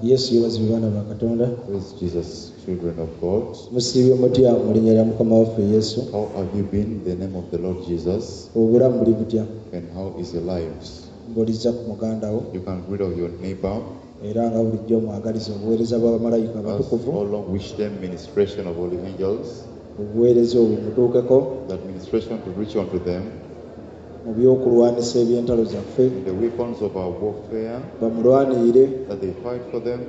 Yesu yeebazibwe, baana ba Katonda. Praise Jesus, children of God. Musiibye mutya mu linnya lya Mukama waffe Yesu? How have you been in the name of the Lord Jesus? Obulamu buli butya? And how is your lives? Mbuuliza ku muganda wo. You can greet of your neighbor. Era nga bulijjo omwagaliza obuweereza bw'abamalayika As abatukuvu. all long wish them ministration of holy angels. Obuweereza obwo mutuukeko. That ministration to reach unto them. Mu by'okulwanisa eby'entalo zaffe. In the weapons of our warfare. Bamulwanirire. That they fight for them.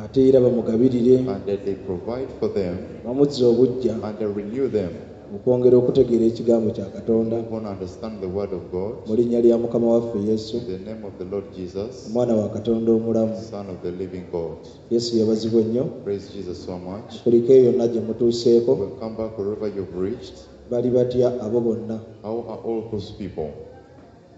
Ate era bamugabirire. And that they provide for them. Bamuzze obuggya. And they renew them. Okwongera okutegeera ekigambo kya Katonda. Who want to understand the word of God. Mu linnya lya Mukama waffe Yesu. In the name of the Lord Jesus. Omwana wa Katonda omulamu. Son of the living God. Yesu yeebazibwe nnyo. Praise Jesus so much. Kuliko eyo yonna gye mutuuseeko. We'll come back wherever you've reached. Bali batya abo bonna? How are all those people?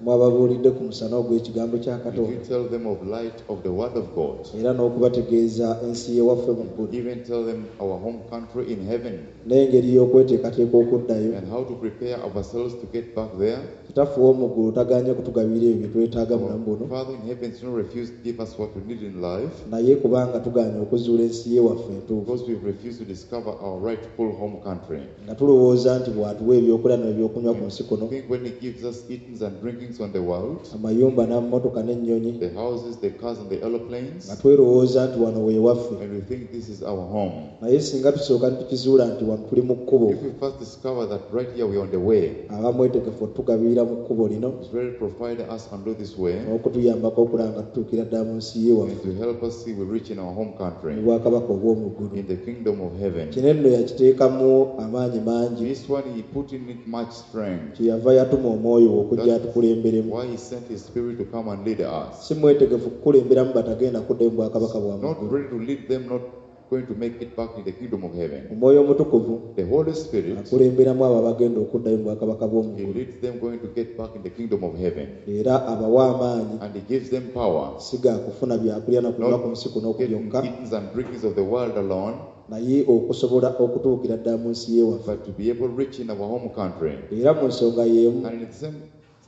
Mwababuulidde ku musana ogw'ekigambo kya Did Katonda. you tell them of light of the word of God? Era n'okubategeeza ensi y'ewaffe mu ggulu. Even tell them our home country in heaven. N'engeri y'okweteekateeka okuddayo. And how to prepare ourselves to get back there. Kitaffe ow'omu ggulu tagaanye kutugabira ebyo bye twetaaga mu bulamu buno. Father in heaven does not refuse to give us what we need in life. Naye kubanga tugaanye okuzuula ensi y'ewaffe entuufu. Because we've refused to discover our rightful home country. Nga tulowooza nti bw'atuwa ebyokulya n'ebyokunywa ku nsi kuno. Think when he gives us eatings and drinkings on the world, amayumba n'amamotoka n'ennyonyi, the houses, the cars and the aeroplanes, nga twerowooza nti wano we waffe. And we think this is our home. Naye singa tusooka ne tukizuula nti wano tuli mu kkubo, If we first discover that right here we are on the way, aba mwetegefu otugabirira mu kkubo lino, He's ready to provide us and do this way, n'okutuyambako okulaba nga tutuukira ddala mu nsi ye waffe, and to help us see we reach in our home country, mu bwakabaka obw'omu ggulu. in the kingdom of heaven. Kino nno yakiteekamu amaanyi mangi. This one he put in it much strength. Kyeyava yatuma omwoyo we okujja atukulemberemu. Why he sent his spirit to come and lead us. Si mwetegefu kukulemberamu batagenda kuddayo mu bwakabaka bwa Not muggulu. ready to lead them, not going to make it back in the kingdom of heaven. Omwoyo Omutukuvu The Holy Spirit, akulemberamu abo abagenda okuddayo mu bwakabaka bw'omu he ggulu. leads them going to get back in the kingdom of heaven. Era abawa amaanyi. And he gives them power. Si ga kufuna byakulya na kunywa ku nsi kuno Getting byokka, eatings and drinkings of the world alone, naye okusobola okutuukira ddala mu nsi y'ewaffe. but to be able to reach in our home country. Era mu nsonga y'emu, And in the same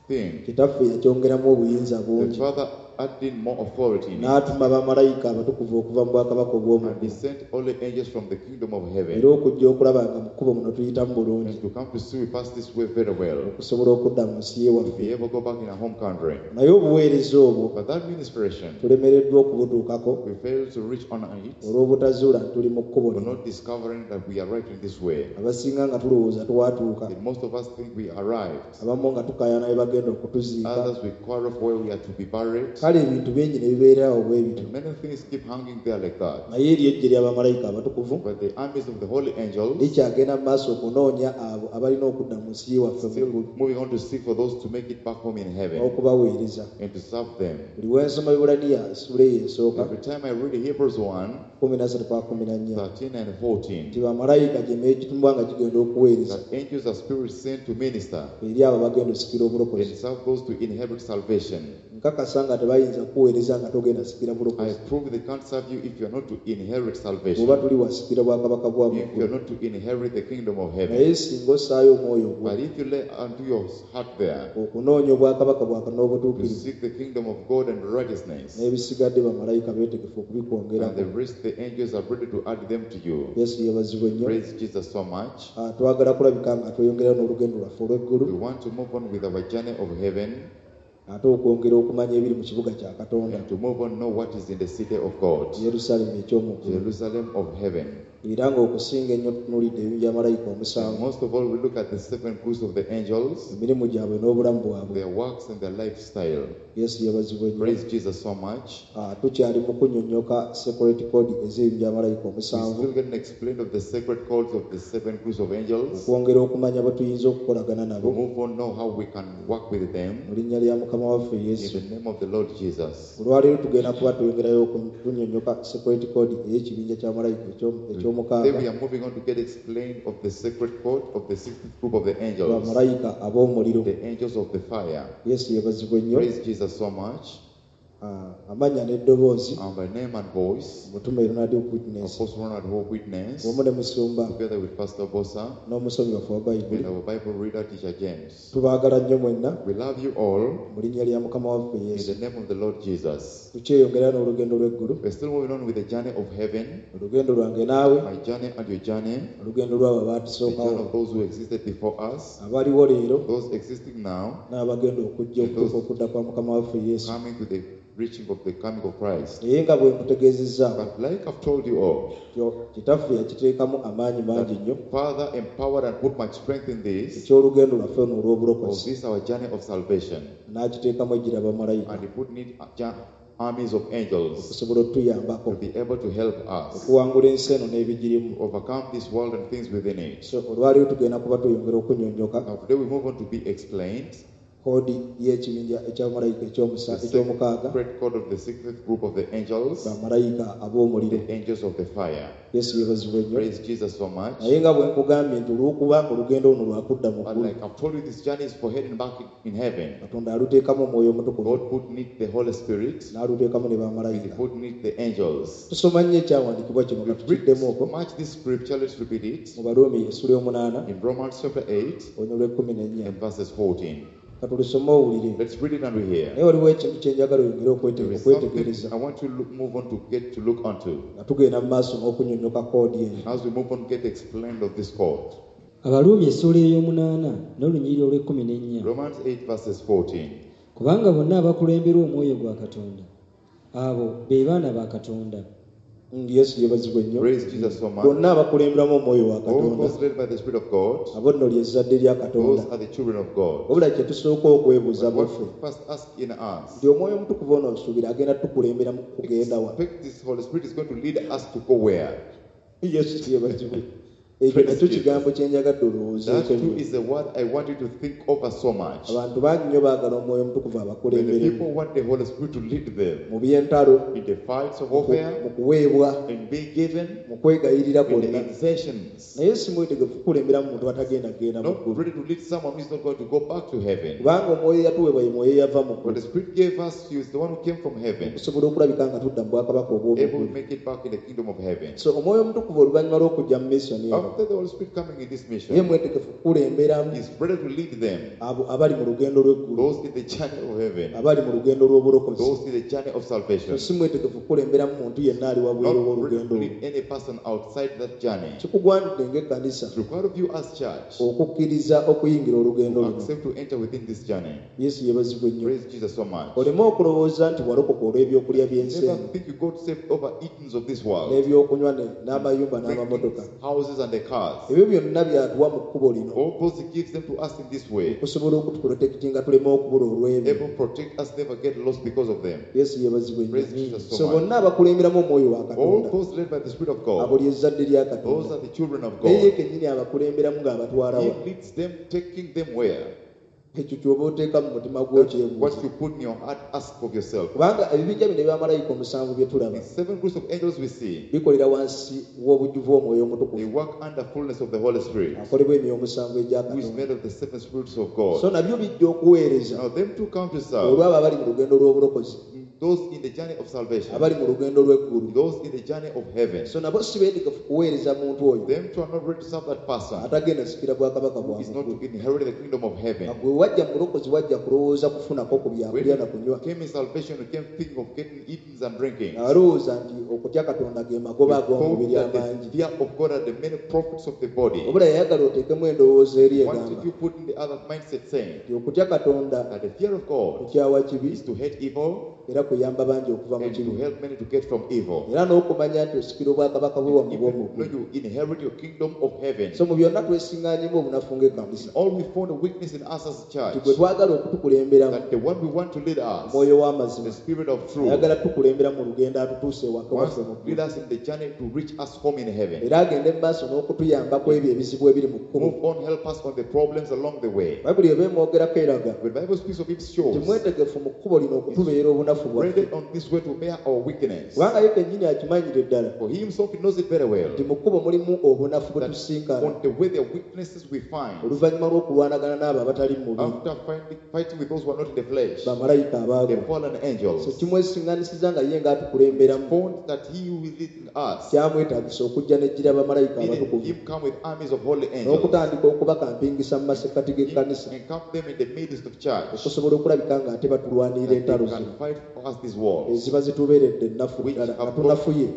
thing, Kitaffe yakyongeramu obuyinza the bungi. Father added more authority in it. N'atuma bamalayika abatukuvu okuva mu bwakabaka obw'omu And he ggulu. sent all the angels from the kingdom of heaven. Era okujja okulaba nga mu kkubo muno tuyitamu bulungi. And to come to see we pass this way very well. Okusobola okudda mu nsi y'ewaffe. To be able to go back in our home country. Naye obuweereza obwo But that ministration, tulemereddwa okubutuukako we failed to reach on it. olw'obutazuula nti tuli mu kkubo We're lino. not discovering that we are right in this way. Abasinga nga tulowooza twatuuka. And most of us think we arrived. Abamu nga tukaayana bwe bagenda okutuziika. Others we quarrel for where we are to be buried. Kale ebintu bingi ne bibeererawo bwe bityo. And many things keep hanging there like that. Naye eri eggye ly'abamalayika abatukuvu But the armies of the holy angels likyagenda mu maaso okunoonya abo abalina okudda mu nsi y'ewaffe mu still ggulu moving on to seek for those to make it back home in heaven n'okubaweereza. and to serve them. Buli we nsoma Abaebbulaniya essuula eyo esooka, Every time I read Hebrews 1, 13 paka 14, 13 and 14, nti bamalayika gye meekitumbwa nga gigenda okuweereza that angels are spirits sent to minister eri abo abagenda osikira obulokozi. and serve those to inherit salvation. Nkakasa nga tebayinza kukuweereza nga togenda sikira I bulokozi. prove they can't serve you if you are not to inherit salvation. Bw'oba tuli wasikira bwakabaka bwa If you mu are ggulu. not to inherit the kingdom of heaven. Naye singa ossaayo omwoyo gwo But if you lay unto your heart there okunoonya obwakabaka bwa Katonda to n'obutuukirivu, seek the kingdom of God and righteousness, n'ebisigadde bamalayika beetegefu okubikwongerako. and the rest the angels are ready to add them to you. Yesu yeebazibwe nnyo. Praise Jesus so much. Twagala kulabika nga tweyongerayo n'olugendo lwaffe olw'eggulu. We want to move on with our journey of heaven. Ate okwongera okumanya ebiri mu kibuga kya Katonda. And to move on, know what is in the city of God. Yerusaalemi eky'omu ggulu. Jerusalem of heaven. Era ng'okusinga ennyo tutunuulidde ebintu bya malayika omusanvu. And most of all, we look at the seven groups of the angels, Emirimu gyabwe n'obulamu bwabwe. their works and their lifestyle. Yesu yeebazibwe nnyo. Praise Jesus so much. Tukyali mu kunnyonnyoka sacred code ez'ebintu bya malayika We omusanvu. still getting explained of the sacred codes of the seven groups of angels. Okwongera okumanya bwe tuyinza okukolagana To nabo. move on, know how we can work with them. Mu linnya lya Mukama waffe In Yesu. the name of the Lord Jesus. Olwaleero tugenda kuba tweyongerayo okunnyonnyoka sacred code ey'ekibinja kya malayika eky'omukaaga. Then we are moving on to get explained of the sacred code of the sixth group of the angels, Bamalayika ab'omuliro. the angels of the fire. Yesu yeebazibwe nnyo. Praise Jesus so much. Amannya n'eddoboozi And by name and voice, Omutume Ronald Witness Apostle Ronald Hope Witness, wamu ne musumba together with Pastor Bosa n'omusomi waffe wa Bayibuli and our Bible reader, Teacher James. Tubaagala nnyo mwenna We love you all mu linnya lya Mukama waffe in Yesu. the name of the Lord Jesus. Tukyeyongera n'olugendo lw'eggulu, We're still moving on with the journey of heaven, olugendo lwange naawe, my journey and your journey, olugendo lw'abo the journey abatusookawo, of those who existed before us, abaliwo leero those existing now, n'abagenda okujja okutuuka okudda kwa Mukama waffe Yesu. coming to the reaching of the coming of Christ. Naye nga bwe nkutegeezezzaako But like I've told you all, kitaffe yakiteekamu amaanyi mangi nnyo Father empowered and put much strength in this, eky'olugendo lwaffe luno of olw'obulokozi this our journey of salvation, n'akiteekamu ejjira bamalayika and he put in it armies of angels okusobola otuyambako to be able to help us okuwangula ensi eno n'ebigirimu. overcome this world and things within it. So olwaleero tugenda kuba tweyongera okunnyonnyoka Now today we move on to be explained koodi y'ekibinja eky'abamalayika the ekyomukaaga, secret code of the sixth group of the angels, bamalayika ab'omuliro. the angels of the fire. Yesu yeebazibwe nnyo. Praise Jesus so much. Naye nga bwe nkugambye nti olw'okuba olugendo luno lwakudda mu But ggulu, like I've told you, this journey is for heading back in heaven. Katonda aluteekamu Omwoyo Omutukuvu God put in it the Holy Spirit n'aluteekamu ne and He bamalayika. put in it the angels. Tusoma nnyo ekyawandiikibwa kino We nga read tukiddemu okwo much this scripture, let's repeat it. mu Baruumi essula y'omunaana In Romans chapter 8 olunyiriri lw'ekkumi n'ennya. and verses 14. Katulusome owulire. Let's read it and we hear. Naye waliwo ekintu kye njagala oyongere There is okwetegereza something I want to move on to get to look onto. nga tugenda mu maaso n'okunnyonnyoka koodi eyo. As we move on, get explained of this code. Abaruumi essuula ey'omunaana n'olunyiriri olw'ekkumi n'ennya. Romans 8 verses 14. Kubanga bonna abakulemberwa omwoyo gwa Katonda, abo be baana ba Katonda. Yesu yeebazibwe nnyo. Praise Jesus so much. Bonna abakulemberamu omwoyo wa All Katonda, those led by the Spirit of God, abo nno ly'ezzadde lya Katonda. those are the children of God. Wabula kye tusooka okwebuuza But what buffe we first ask in us, nti omwoyo omutukuvu ono nsuubira agenda tukulembera mu kugenda wa? expect this Holy Spirit is going to lead us to go where? Yesu yeebazibwe. Ekyo nakyo kigambo kye njagadde That olowoozeeko too nnyo. is the word I want you to think over so much. Abantu bangi nnyo baagala omwoyo omutukuvu When the abakulemberemu people want the Holy Spirit to lead them mu by'entalo, in the fights of mu warfare, kuweebwa, in being given, mu kwegayirira in the kwonna, exertions, naye si mwetegefu kukulemberamu muntu atagenda kugenda mu not ggulu, ready to lead someone who is not going to go back to heaven. kubanga omwoyo eyatuweebwa ye mwoyo eyava mu What ggulu the Spirit gave us, He is the one who came from heaven, okusobola okulabika nga tudda mu bwakabaka able to obw'omu ggulu. make it back in the kingdom of heaven. So omwoyo omutukuvu oluvannyuma lw'okujja mu misoni eno, After the Holy Spirit coming in this ye mission, mwetegefu kukulemberamu He's ready to lead them, abo abali mu lugendo lw'eggulu, those in the journey of heaven, abali mu lugendo lw'obulokozi. those in the journey of So salvation. si mwetegefu kukulemberamu muntu yenna ali wabweru Not ready to w'olugendo olwo. lead any person outside that journey. Kikugwanidde ng'ekkanisa It's required of you as church okukkiriza okuyingira olugendo to luno. accept to enter within this journey. Yesu yeebazibwe nnyo. Praise Jesus so much. Oleme okulowooza nti walokoka olw'ebyokulya by'ensi Never eno think you got saved over eatings of this world, n'ebyokunywa n'amayumba n'amamotoka. drinkings, houses, and the cars. Ebyo byonna byatuwa mu kkubo lino All those He gives them to us in this way. okusobola okutuprotekitinga tuleme okubula olw'ebyo. Able to protect us, never get lost because of them. Yesu yeebazibwe nnyo. Praise Jesus So so much. bonna abakulemberamu omwoyo wa All Katonda, those led by the Spirit of abo God, ly'ezzadde lya those Katonda. are the children of Naye ye God. kennyini abakulemberamu ng'abatwala He wa? leads them, taking them where? Ekyo ky'oba oteeka mu mutima gwo That's okyebuuza. what you put in your heart, ask of yourself. Kubanga ebibinja bino ebyamalayika omusanvu bye tulaba The seven groups of angels we see, bikolera wansi w'obujjuvu omwoyo they omutukuvu work under fullness of the Holy Spirit, akolebwa emyoyo omusanvu egya who is Katonda. made of the seven spirits of So God. nabyo bijja okuweereza Now, them two come to serve olw'abo abali mu lugendo lw'obulokozi, those in the journey of salvation, abali mu lugendo lw'eggulu. those in the journey of heaven. So nabo si beetegefu kuweereza muntu oyo Them two are not ready to serve that person atagenda sikira bwakabaka who bwa is not muggulu. to inherit the kingdom of heaven. Nga gwe wajja mu bulokozi wajja kulowooza kufunako ku When byakulya na kunywa, you came in salvation, you came thinking of getting eatings and drinking. alowooza nti okutya Katonda ge magoba You thought ag'omubiri that the amangi. fear of God are the many profits of the body. Wabula yayagala oteekemu endowooza eri What egamba did you put in the other mindset saying? nti okutya Katonda That the fear of God kukyawa kibi is to hate evil era kuyamba bangi okuva mu and to kibi, help many to get from evil. era n'okumanya nti osikira obwakabaka bwe wamu If you bw'omu know ggulu. you inherit your kingdom of heaven. So mu byonna twesiŋŋaanyemu obunafu ng'ekkanisa All we found a weakness in us as a nti church, gwe twagala okutukulemberamu that the one we want to lead us, omwoyo w'amazima the spirit of truth, ayagala tukulembera mu lugendo atutuuse ewaka wants waffe to mu lead ggulu, us in the journey to reach us home in heaven. era agende mu maaso n'okutuyambako ebyo ebizibu ebiri mu kkubo. Move on, help us on the problems along the way. Bayibuli eba emwogerako eraga When Bible speaks of it nti shows mwetegefu mu kkubo lino okutubeera obunafu obunafu bwaffe Ready on this way to bear our weakness. Kubanga ye kennyini akimanyire ddala For he himself he knows it very well. Nti mu kkubo mulimu obunafu bwe That tusinkana on the way the weaknesses we find oluvannyuma lw'okulwanagana n'abo abatali mu mubiri after fighting with those who are not in the flesh, bamalayika the abaagwa fallen so angels. kimwesiŋŋanisiza nga ye ng'atukulemberamu Found that he who is leading us kyamwetaagisa okujja n'ejjira bamalayika needed abatukuvu him come with armies of holy angels n'okutandika okubakampingisa mu masekkati g'ekkanisa and camp them in the midst of church okusobola okulabika ng'ate batulwanirira that they entalo zino can fight for us these wars eziba zitubeeredde ennafu which ddala nga have tunafuye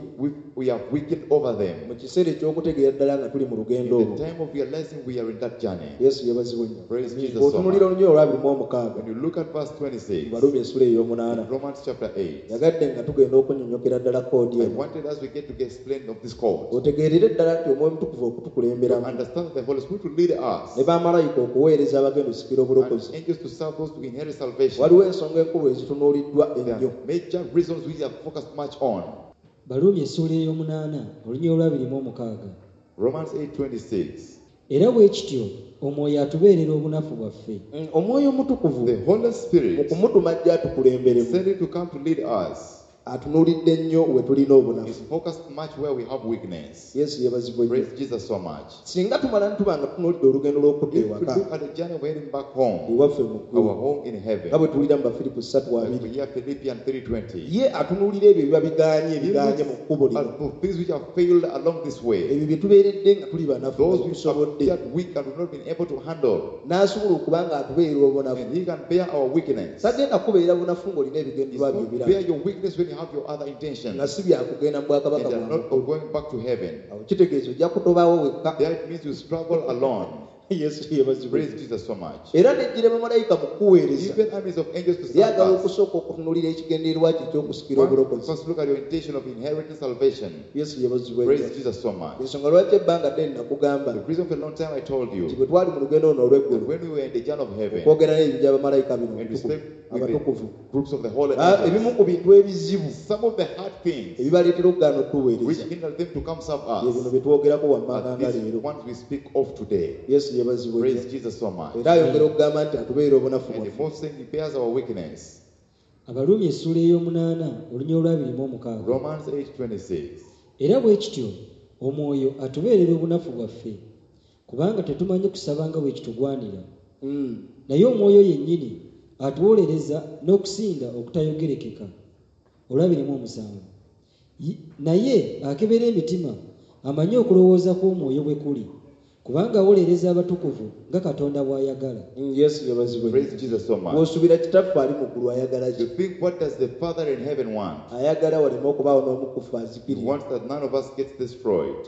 we have weakened over them. Mu kiseera eky'okutegeera ddala nga tuli mu lugendo In olwo the time of realizing we are in that journey. Yesu yeebazibwe nnyo. Praise Jesus so Bw'otunuulira much. olunyiriri olwabiri mu omukaaga When you look at verse 26, Baluumi essula ey'omunaana Romans chapter 8, yagadde nga tugenda okunnyonnyokera ddala koodi I eno wanted us we get to get explained of this code. Otegeerere ddala nti Omwoyo Omutukuvu To okutukulemberamu understand that the Holy Spirit will lead us ne bamalayika okuweereza abagenda osikira and obulokozi angels to serve those to inherit salvation. Waliwo ensonga enkulu ezitunuuliddwa There ennyo. are major reasons we have focused much on. Baluumi essuula ey'omunaana olunyiriri olwabiri mu omukaaga. Romans 8:26. Era bwe kityo omwoyo atubeerera obunafu bwaffe. Omwoyo Omutukuvu The Holy mu Spirit kumutuma ajja atukulemberemu sent it to come to lead us. Atunuulidde nnyo we tulina obunafu. Is focused much where we have weakness. Yesu yeebazibwe nnyo. Praise Jesus so much. Singa tumala nituba nga tunuulidde olugendo lw'okudda If we ewaka look at the journey of heading back home, ewaffe mu ggulu our home in heaven, nga bwe tuwulira mu Bafiripo ssatu like we abiri hear Philippians 3:20, ye atunuulira ebyo ebiba bigaanye he ebigaanye mu kkubo looks lino at the things which have failed along this way, ebyo bye tubeeredde nga tuli banafu nga those which have tusobodde appeared weak and we've not been able to handle, n'asobola okuba nga atubeerera obunafu. And he can bear our weakness. Tagenda kubeera bunafu ng'olina He's ebigendererwa bye not ebirala bear your weakness when you have your other intentions nga si byakugenda mu and bwakabaka they are bwa not of going back to heaven. Awo kitegeeza ojja kutobawo wekka. There it means you struggle alone. Yesu yeebazibwe. Praise Jesus so much. Era nejjira bamalayika mu kuweereza Even armies of angels to serve lyagala us. okusooka okutunuulira ekigendererwa kye ekyokusikira One, obulokozi. first look at your intention of inheriting salvation. Yesu yeebazibwe. Praise Jesus so much. Ensonga lwaki ebbanga ddene nakugamba The reason for a long time I told nti you bwe twali mu lugendo luno that olw'eggulu when we were in the journey of heaven okwogera n'ebintu by'abamalayika bino and we abatukuvu spoke with the abatukuvu groups of the holy Ah, angels, ebimu ku bintu ebizibu some of the hard things ebibaleetera okugaana which okutuweereza hinder them to come serve bye bino us bye twogerako wammanga are nga these leero. ones we speak of today. Yesu yeebazibwe. Praise Jesus so much. Era ayongera okugamba nti atubeera obunafu And the bwaffe. most thing, he bears our weakness. Abaluumi essuula ey'omunaana olunyiriri olwabiri mu omukaaga. Romans 8:26. Era bwe kityo omwoyo atubeerera obunafu bwaffe kubanga tetumanyi kusaba nga bwe kitugwanira. Naye omwoyo yennyini atuwolereza n'okusinda okutayogerekeka. Olwabiri mu omusanvu. Naye akebera emitima amanyi okulowooza kw'omwoyo bwe kuli kubanga awolereza abatukuvu nga Katonda bw'ayagala. Yesu yeebazibwe. Praise Jesus so much. Bw'osuubira kitaffe ali mu ggulu ayagala ki? You think, what does the Father in heaven want? Ayagala waleme okubaawo n'omukufu He azikirira wants that none of us gets destroyed,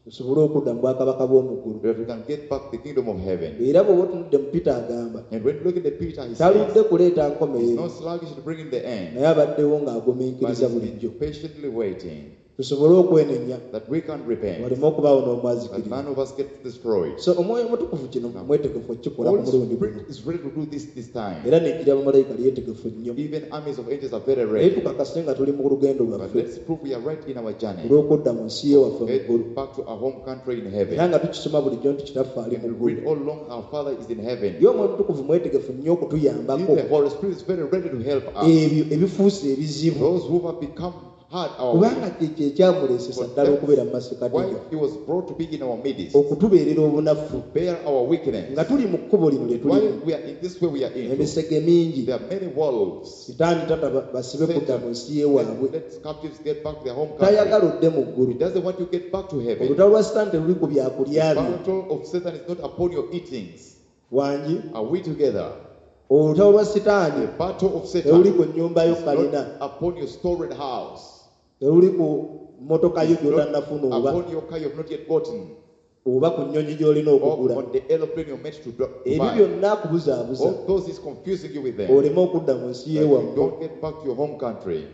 tusobole okudda mu bwakabaka bw'omu ggulu. that we can get back the kingdom of heaven. Era bw'oba otunudde mu Peter agamba And when you look at the Peter, he says, taludde kuleeta he's nkomerero not sluggish to bring in the end, naye abaddewo but ng'agumiikiriza he's bulijjo been patiently waiting tusobole okwenenya that we can repent, waleme okubaawo that n'omwazikirira. none of us gets destroyed. So omwoyo omutukuvu kino mwetegefu okukikola ku Holy mulundi guno Spirit is ready to do this time. era nejjira bamalayika lyetegefu nnyo Even armies of angels are very naye ready. tukakase nga tuli mu lugendo But lwaffe let's prove we are right in our journey. olw'okudda mu nsi yewaffe mu ggulu Head back to our home country in era heaven. nga tukisoma bulijjo nti kitaffe ali And mu we ggulu. read all along our Father is in heaven. Ye omwoyo omutukuvu mwetegefu nnyo okutuyambako The Holy Spirit is very ready to help us. ebyo ebifuuse ebizibu Those who have become hard our way. kubanga kyekyo ekyamuleesesa ddala okubeera mu masekati Why he was brought to be in our midst, okutubeerera obunafu bear our weakness. Nga tuli mu kkubo lino lye While tulimu we are in this way we are in, emisege mingi there are many wolves. Sitaani tata basibe kudda mu nsi yewaabwe. Let captives get back to their home country. Tayagala odde mu ggulu. He doesn't want you to get back to heaven. Olutalo lwa sitaani teluli ku byakulya The byo. battle of Satan is not upon your eatings. Wangi Are we together? Olutalo lwa sitaani The battle of teruli Satan ku nnyumba yo is kalina not upon your storied house. teruli ku mmotoka yo It's not gy'otannafuna oba upon your car you have not yet gotten, oba ku nnyonyi gy'olina or okugula. on the aeroplane you're meant to Ebyo buy. byonna akubuzaabuza All those is confusing you with them. oleme okudda mu nsi That you yewammwe. don't get back to your home country.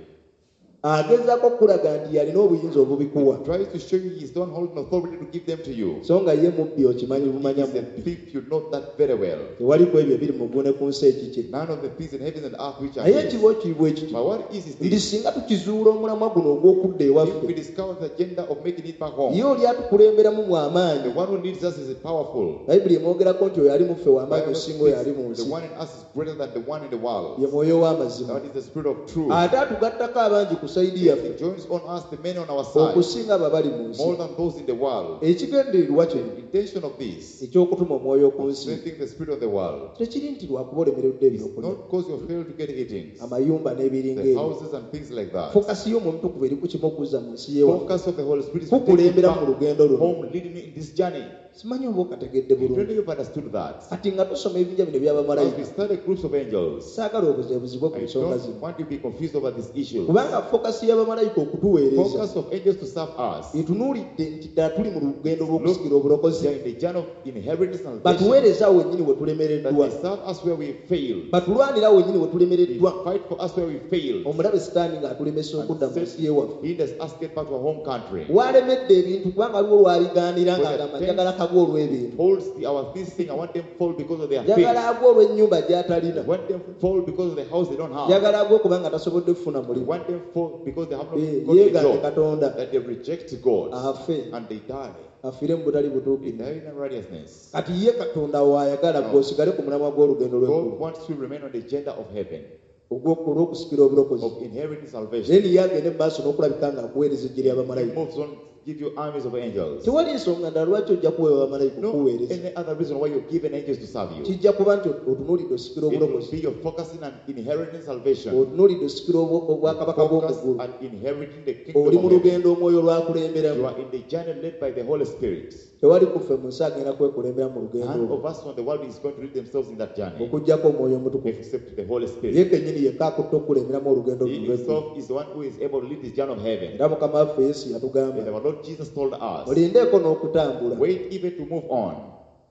Agezaako okukulaga nti yalina obuyinza obubikuwa. Tries to show you he's not holding authority to give them to you. So nga ye mubbi okimanyi He bumanya is a mubbi. thief, you know that very well. Tewali ku ebyo ebiri mu ggulu ne ku nsi ekikye. None of the things in heaven and earth which are Naye his. ekibo kiri bwe kiti. But what is Nti this? singa tukizuula omulamwa guno ogw'okudda If we ewaffe, discover the agenda of making it back home, ye oli atukulemberamu the mw'amaanyi. one who leads us is powerful. Bayibuli emwogerako nti oyo ali mu ffe w'amaanyi Bible osinga oyo ali mu speaks, nsi. the one in us is greater than the one in the world. Ye mwoyo w'amazima. That is the spirit of truth. Ate atugattako abangi ku sayidi He yaffe joins on us the many on our side, okusinga abo abali mu nsi. more than those in the world. Ekigendererwa kino The intention of this, eky'okutuma omwoyo ku nsi sending the spirit of the world, tekiri nti lwakuba olemereddwa is ebyokulya, not because you failed to get eatings, amayumba n'ebiringa the ebyo. houses and things like that. Fokasi y'omwoyo omutukuvu eri ku kimu okuzza mu nsi y'ewaffe. Focus of the Holy Spirit is to take you Kukulembera mu back lugendo luno. home, leading you in this journey. Simanyi oba okategedde I don't know bulungi. if you've understood that. Kati nga tusoma ebibinja bino As we eby'abamalayika, study groups of angels, saagala obuzeebuzibwe ku I nsonga don't zino. want you to be confused over these issues. Kubanga fokasi y'abamalayika okutuweereza Focus of angels to serve us. etunuulidde nti ddala tuli mu lugendo lw'okusikira obulokozi. They are in the journey of inheritance and salvation. Batuweereza awo wennyini we That tulemereddwa. they serve us where we failed. Batulwanira awo wennyini we They tulemereddwa. fight for us where we failed. Omulabe Sitaani ng'atulemesa okudda mu nsi y'ewaffe. Hinders us get back to our home country. Walemedde ebintu kubanga waliwo lwabigaanira ng'agamba njagala kagwa olw'ebintu. Holds our this thing. I want them fall because of their faith. Njagala agwa olw'ennyumba gy'atalina. I want them fall because of the house they don't have. Njagala agwa kubanga tasobodde kufuna I mulimu. want them fall because they have not Eh, got a yeegaane job. Katonda That they reject God afe and they die. afiire mu butali They butuukirivu. die in unrighteousness. Kati ye Katonda waayagala gwe osigale ku mulamwa gw'olugendo God lw'eggulu wants to remain on the agenda of heaven, olw'okusikira obulokozi. of inheriting salvation. Then ye agende mu maaso n'okulabika ng'akuweereza eggye He ly'abamalayika. moves on, give you armies of angels. Tewali nsonga ndala lwaki ojja kuweebwa bamalayika No okukuweereza. any other reason why you're given angels to serve you. Kijja kuba nti otunuulidde osikira It will obulokozi. be you're focusing on inheriting salvation. Otunuulidde osikira obwakabaka Focus bw'omu ggulu. on inheriting the kingdom Oli mu of heaven. lugendo omwoyo You lw'akulemberamu. are in the journey led by the Holy Spirit. Tewali kuffe mu nsi agenda kwekulembera mu lugendo None olwo of us on the world is going to lead themselves in that journey okuggyako omwoyo omutukuvu. except the Holy Ye Spirit. kennyini yekka akutte okukulemberamu olugendo He luno lw'eggulu. himself is the one who is able to lead this journey of heaven. Era Mukama waffe Yesu And yatugamba our Lord Jesus told us, mulindeeko n'okutambula wait even to move on.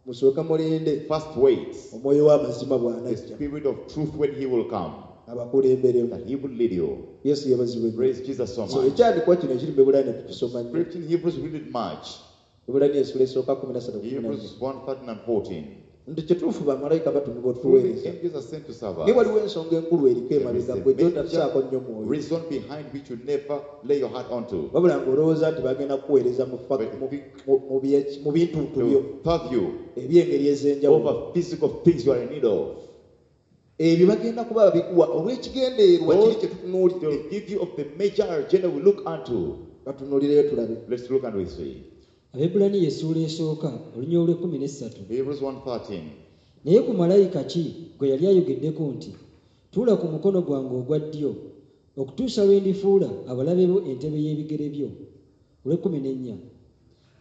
musooke mulinde First wait omwoyo w'amazima the bw'anajja spirit of truth when he will come, abakulemberemu. that he will lead you. Yesu yeebazibwe nnyo. Praise Jesus so So much. ekyandikwa kino ekiri mu Ebulaniya tukisoma nnyo. Scripture in Hebrews, we read it much. Ebulaniya essula esooka 13 Hebrews 1 13 and 14. Nti kituufu bamalayika batumibwa Truly, otuweereza. angels are sent to serve Naye us. waliwo ensonga enkulu eriko There is emabega a gwe gy'otasaako nnyo major mwoyo. reason behind which you never lay your heart onto. Wabula ng'olowooza nti bagenda kukuweereza mu bintuntu They byo will serve you eby'engeri ez'enjawulo. over physical things you are in need of. Ebyo bagenda kuba babikuwa olw'ekigendererwa kiri kye tutunuulidde. They'll give you of the major agenda we look unto. Batunuulireyo tulabe. Let's look and we see. Abebbulaniya essuula esooka olunya olw'ekkumi n'essatu. Hebrews 1:13. Naye ku malayika ki gwe yali ayogeddeko nti tuula ku mukono gwange ogwa ddyo okutuusa lwe ndifuula abalabe bo entebe y'ebigere byo. Olw'ekkumi n'ennya.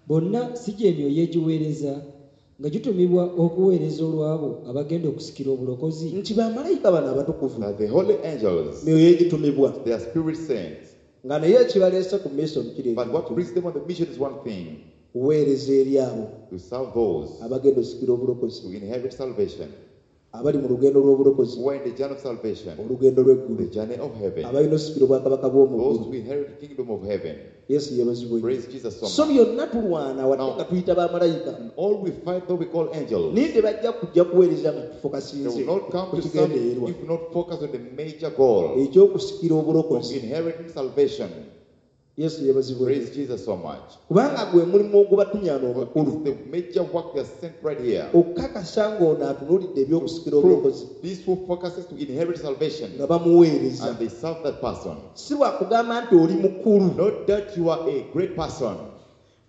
Bonna si gy'emyoyo egiweereza nga gitumibwa okuweereza olw'abo abagenda okusikira obulokozi. Nti bamalayika bano abatukuvu That the holy angels, myoyo egitumibwa they are spirit sent. nga naye ekibaleese ku mission kiri But what brings them on the mission is one thing: kuweereza eri abo to serve those abagenda osikira obulokozi who inherit salvation, abali mu lugendo lw'obulokozi who are in the journey of salvation, olugendo lw'eggulu the journey of heaven, abalina osikira obwakabaka bw'omu those ggulu. who inherit the kingdom of heaven. Yesu yeebazibwe nnyo. Praise Jesus so So much. byonna tulwana wadde Now- nga tuyita bamalayika And all we fight, though we call angels, naye tebajja kujja kuweereza nga they tufokasinze will not come ku to serve kigendererwa if we not focus on the major goal ekyokusikira of obulokozi. inheriting salvation. Yesu yeebazibwe nnyo. Praise Jesus so much. Kubanga gwe mulimu ogubatumyana But omukulu it's the major work they are sent right here. okukakasa ng'ono atunuulidde ebyokusikira obulokozi Prove this who focuses to inherit salvation nga bamuweereza. and they serve that person. Si lwakugamba nti oli mukulu. Not that you are a great person.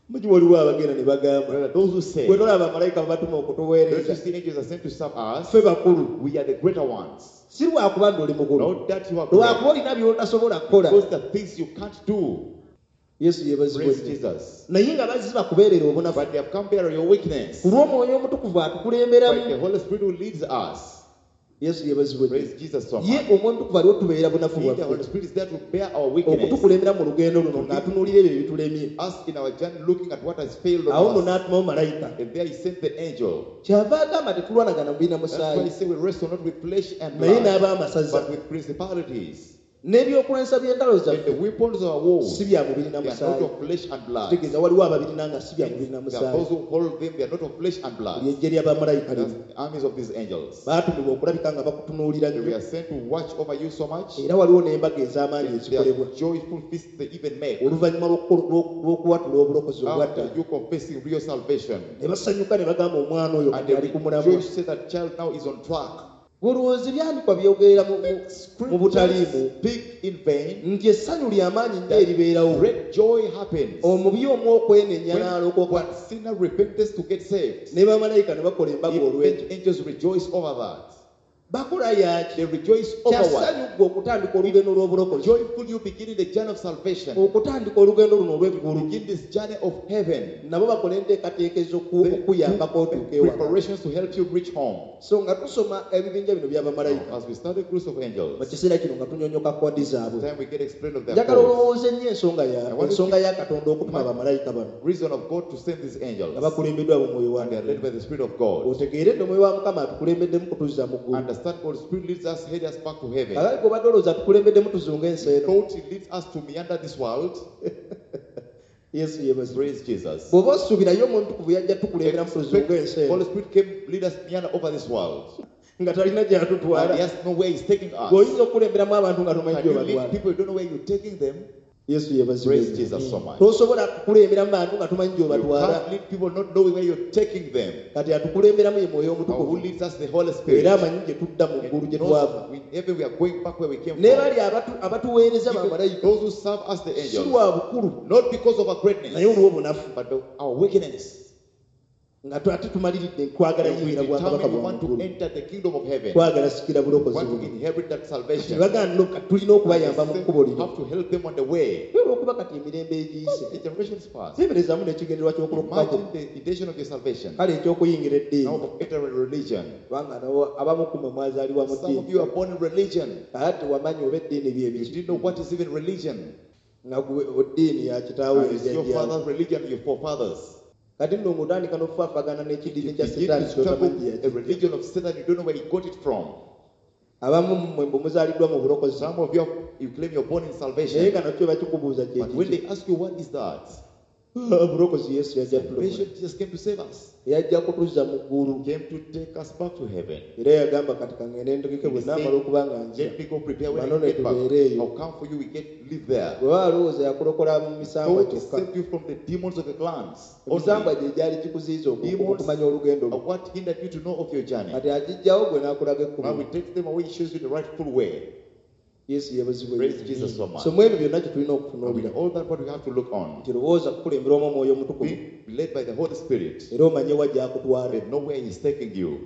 Muki waliwo abagenda ne bagamba There are those who say, gwe tolaba bamalayika babatuma don't you okutuweereza see angels are sent to serve us? ffe bakulu. We are the greater ones. Si lwakuba nti oli mukulu, Not that you are great. lwakuba olina by'otasobola kukola. Because the things you can't do. Yesu yeebazibwe Praise nnyo. Jesus. Naye nga bazzi bakubeerera obunafu But they have come bearing your weakness. ku lw'omwoyo omutukuvu But the atukulemberamu. Holy Spirit who leads us. Yesu yeebazibwe nnyo. Praise Jesus so Ye much. omwoyo omutukuvu aliwo tubeera bunafu He, the Holy bwaffe Spirit is there to bear our weakness. okutukulembera mu lugendo luno ng'atunuulira ebyo ebitulemye. Us in our journey looking at what has failed Awo nno on us. n'atumawo malayika. And there he sent the angel. Kyava agamba tetulwanagana mu birina That's why he musaayi said we wrestle not with flesh and naye blood, n'abaamasaza but with principalities, N'ebyokulwanyisa by'entalo And zaffe the weapons of our war, si bya mubiri na they are not musaayi. of flesh and blood. Kitegeeza waliwo ababirina nga si bya mubiri na There are musaayi. those who hold them, they are not of flesh and blood. Lyejje ly'abamalayika That's lino the armies of these angels. baatumibwa okulabika nga bakutunuulira They nnyo. were sent to watch over you so much. Era waliwo n'embaga ez'amaanyi There ezikolebwa are joyful feasts they even make oluvannyuma lw'okuwatula obulokozi obwadda, after you confessing real salvation. ne basanyuka ne bagamba omwana oyo And kati they ali ku mulamwa. rejoice, say that child now is on track. Olowooza ebyandikwa byogerera mu butaliimu Speak in vain. nti essanyu ly'amaanyi nnyo eribeerawo Great joy happens omubi omu okwenenya when n'alokoka, one sinner repents to get saved. ne bamalayika ne bakola embaga olw'ekyo. Even angels rejoice over that. Bakola yaki? They rejoice over what? Kyassanyu ggwe okutandika olugendo lw'obulokozi, Joyful you beginning the journey of salvation. okutandika olugendo luno olw'eggulu. Begin this journey of heaven. Nabo bakola enteekateeka They ez'okuyambako do otuuka ewaka. preparations to help you reach home. So nga tusoma ebibinja bino by'abamalayika As we start the groups of angels, mu kiseera kino nga tunyonyoka kodi zaabwe, time we get explained of their njagala cause, olowooze nnyo ensonga ya Katonda okutuma bamalayika bano reason of God to send these angels, nga bakulembeddwa mu mwoyo wa and they are led Katonda. by the Spirit of God. Otegeere nti omwoyo wa Mukama atukulembeddemu kutuzza mu ggulu. Understand God's Spirit leads us, head us back to heaven. Kakati gwe olowooza atukulembeddemu tuzunga ensi eno. Thought He leads us to meander this world. Yesu yeebazibwe. Praise Jesus. Bw'oba osuubirayo Omwoyo Omutukuvu yajja tukulemberamu tuzunga ensi eno Holy Spirit came, lead us meander over this world. nga talina And He gy'atutwala. has no where He's taking us. Bw'oyinza okukulemberamu abantu nga tomanyi Can you gy'obatwala. lead people you don't know where you're taking them? Yesu yeebazibwe. Praise Jesus so much. Tosobola kukulemberamu bantu nga tomanyi You gy'obatwala. can't lead people not knowing where you're taking them. Kati atukulemberamu ye Mwoyo Now, who Omutukuvu leads us? The Holy Spirit. era amanyi gye tudda mu ggulu And gye twava. knows we, heaven we are going back where we came Ne from. bali abatuweereza Even bamalayika those who serve us, the si angels, lwa bukulu not because of our greatness, naye olw'obunafu but of our weakness. nga ate tumaliridde kwagala And we yingira bwakabaka determine we bwa want to muggulu, enter the kingdom of heaven. twagala sikira We bulokozi want to buno. inherit that salvation. Tebagamba no kati tulina okubayamba mu And kkubo we lino. have to help them on the way. Naye olw'okuba kati emirembe egiyise, The generations past. teeberezaamu n'ekigendererwa ky'okulokokako Imagine the intention of your salvation. kale eky'okuyingira eddiini, Now of entering religion. kubanga nabo abamu ku mmwe mwazaalibwa mu Some of ddiini you are born in religion. kale tewamanya oba eddiini bye You biki, didn't know what is even religion. nga gwe eddiini ya kitaawo And it's your ejjajjaawo. father's religion, your forefathers. Kati nno ng'otandika n'okufaafagana n'ekidiini You kya begin setaani to struggle ky'otamanyi with a gye yakijja. religion of Satan, you don't know where he got it from. Abamu mmwe mbu muzaaliddwa mu bulokozi, Some of you, you claim you're born in naye salvation. nga nakyo bakikubuuza kye But when kiki. they ask you what is that, Obulokozi Yesu yajja tulokola, salvation just came to save us. yajja kutuzza mu ggulu. Came to take us back to heaven. Era yagamba kati kangende ntegeke bwe naamala okuba nga nzira Let me go prepare when I Manone get back. tubeere eyo. I'll come for you, we get live there. Bwe baba balowooza yakulokola mu misambwa God kyokka, saved you from the demons of the clans. emisambwa Only. gye gyali gikuziyiza Demons okumanya olugendo lwo. are what hindered you to know of your journey. Kati agijjawo gwe n'akulaga Now ekkubo. we take them away, he shows you the rightful way. Yesu yeebazibwe. Praise Jesus so much. So mu ebyo byonna kye tulina And okutunuulira with all that, what we have to look on. nti lowooza kukulemberwamu Omwoyo Omutukuvu Be led by the Holy Spirit. era omanye wa gy'akutwala, And know where He's taking you.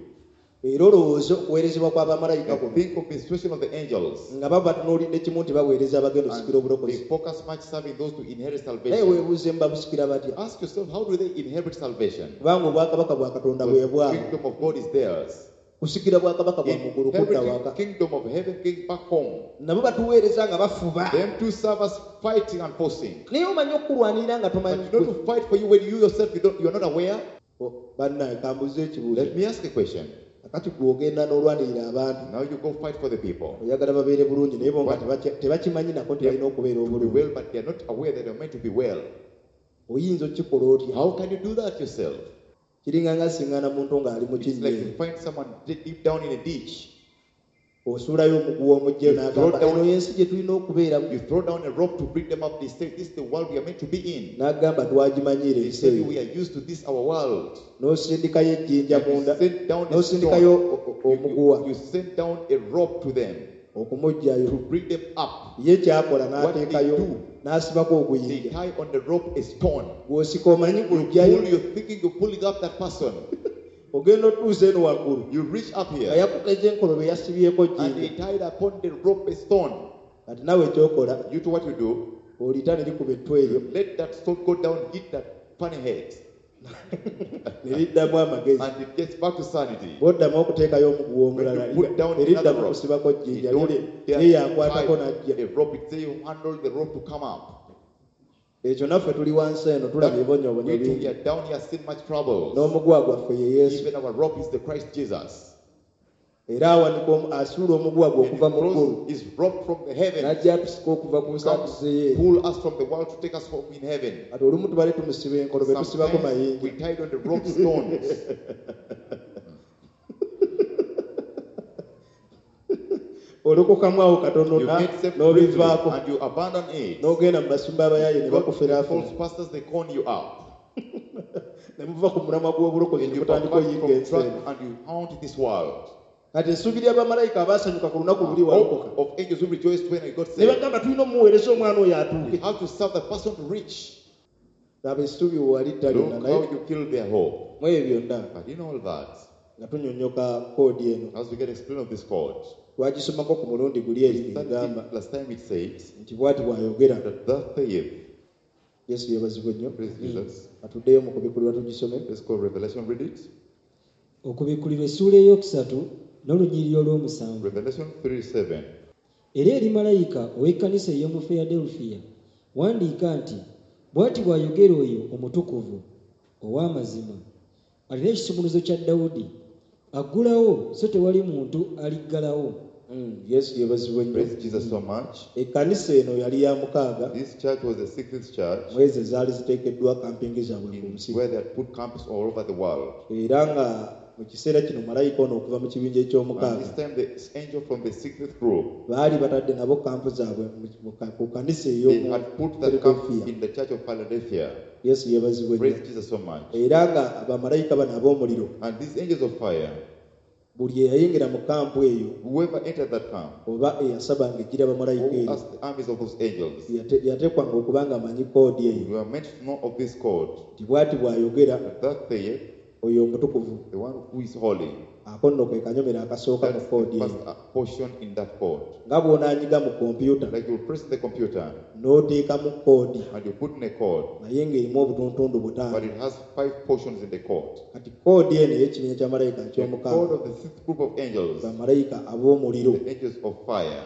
era olowooze okuweerezebwa kw'abamalayika And kuno think of the instruction of the angels. nga baba batunuulidde kimu nti baweereza abagenda okusikira And obulokozi. they focus much serving those to inherit Naye salvation. weebuuze babusikira batya, Ask yourself, how do they inherit salvation? kubanga obwakabaka bwa Katonda bwe The bwabwe. kingdom of God is theirs. Kusikira bwakabaka bwa mu ggulu kudda Inheriting waka. kingdom of heaven, going back home. Nabo batuweereza nga bafuba, Them to serve us fighting and forcing. naye omanyi okukulwanirira nga But tomanyi you know to fight for you when you yourself you're not aware. Oh, bannaye kambuze ekibuuzo. Let me ask a question. Kakati gwe ogenda n'olwanirira abantu, Now you go fight for the people. oyagala babeere bulungi naye bo nga tebakimanyi nako nti balina okubeera To be obulungi. well, but they are not aware that they're meant to be well. Oyinza okukikola otya? How can you do that yourself? Kiringa nga siŋŋaana muntu ng'ali mu It's kinnya like you find someone deep down in a ditch. osuulayo omuguwa omugyeyo You n'agamba throw down- eno y'ensi gye tulina okubeeramu, You throw down a rope to bring them up. They say, this is the world we are meant to be in. n'agamba twagimanyiira They ensi say, eyo. we are used to this, our world. N'osindikayo ejjinja And you munda, send down a n'osindikayo stone. omuguwa You send down a rope to them okumuggyayo. to bring them up. Ye kyakola What they n'ateekayo do, n'asibako they oguyinja. tie on the rope a stone. Gw'osika omanyi You pull, guluggyayo, you're thinking you're pulling up that person. ogenda otuusa eno waggulu You reach up nga here yakuteze enkolobe yasibyeko and they jjinja. tied upon the rope a stone. Kati naawe ekyokola You do what you do, olita ne likuba ettu eryo let that stone go down, hit that funny head, ne liddamu amagezi. and it gets back to sanity. Bw'oddamu okuteekayo omuguwa When omulala you put down ne another liddamu rope, kusibako you jjinja don't lye dare yakwatako tie n'ajja. a rope. It say you handle the rope to come up. Ekyo naffe tuli wansi eno tulaba ebibonyoobonyo We too, we bingi. are down here, seen much trouble. N'omuguwa gwaffe ye Yesu. Even our rope is the Christ Jesus. Era awanika asuula omuguwa gwe And okuva he mu ggulu throws his rope from the heaven. N'ajja atusika okuva ku Comes, nsanduze ye. pull us from the world to take us home in heaven. Kati olumu tubale tumusiba enkolo be tusibako Sometimes we mayinja. tied on the rope stones. Olokokamu awo katono You get saved briefly n'obivaako and you abandon it. n'ogenda mu basumba abayaaye ne Go to the bakuferaafera false pastors, they con you up. Ne muva ku mulamwa gw'obulokozi And ne you mutandika pervert oyiga from ensi track eno. and you haunt this world. Kati essuubi ly'abamalayika abaasanyuka ku lunaku luli walokoka Hope of angels who rejoiced when I got ne saved. bagamba tulina omuweereza omwana oyo atuuke. You have to serve the person to reach. Laba essuubi we walitta lyonna Look naye how you kill their hope. mu ebyo byonna But in all that, nga tunyonnyoka koodi eno as we get explained of this code, twagisomako ku mulundi guli eri we studied egamba it last time it said nti bw'ati bw'ayogera that thus saith, Yesu yeebazibwe nnyo. Praise Jesus. Atuddeyo mu kubikulirwa tugisome. Let's go Revelation, read it. Okubikkulirwa essuula ey'okusatu n'olunyiriri olw'omusanvu. Revelation 3:7. Era eri malayika ow'ekkanisa ey'omu Filadelufiya wandiika nti bw'ati bw'ayogera oyo omutukuvu ow'amazima alina ekisumuluzo kya Dawudi aggulawo so tewali muntu aliggalawo. Yesu yeebazibwe nnyo. Praise Jesus so much. Ekkanisa eno yali ya mukaaga This church was the sixth church mu ezo ezaali ziteekeddwa kampingi zaabwe ku in nsi where they had put camps all over the world. era nga mu kiseera kino malayika ono okuva mu kibinja And eky'omukaaga this time the angel from the sixth group, baali batadde nabo kampu zaabwe ku kanisa they ey'omu had put that camp Philadelphia. in the church of Philadelphia. Yesu yeebazibwe nnyo. Praise Jesus so much. Era nga bamalayika bano ab'omuliro And these angels of fire, buli eyayingira mu kampu eyo whoever entered that camp, oba eyasabanga ejjira bamalayika who eyo asked the armies of those angels, yateekwanga okuba nga amanyi koodi eyo we are meant to know of this code. nti bw'ati bw'ayogera That that saith, oyo omutukuvu the one who is holy. Ako nno kwe kanyomero akasooka mu That's the koodi eyo first portion in that code. nga bw'onaanyiga mu kompyuta Like you press the computer n'oteekamu koodi and you put in a code, naye ng'erimu obutuntundu but butaano. it has 5 portions in the code. Kati koodi eno ey'ekibinja kya malayika The eky'omukaaga code of the sixth group of angels, bamalayika ab'omuliro the angels of fire,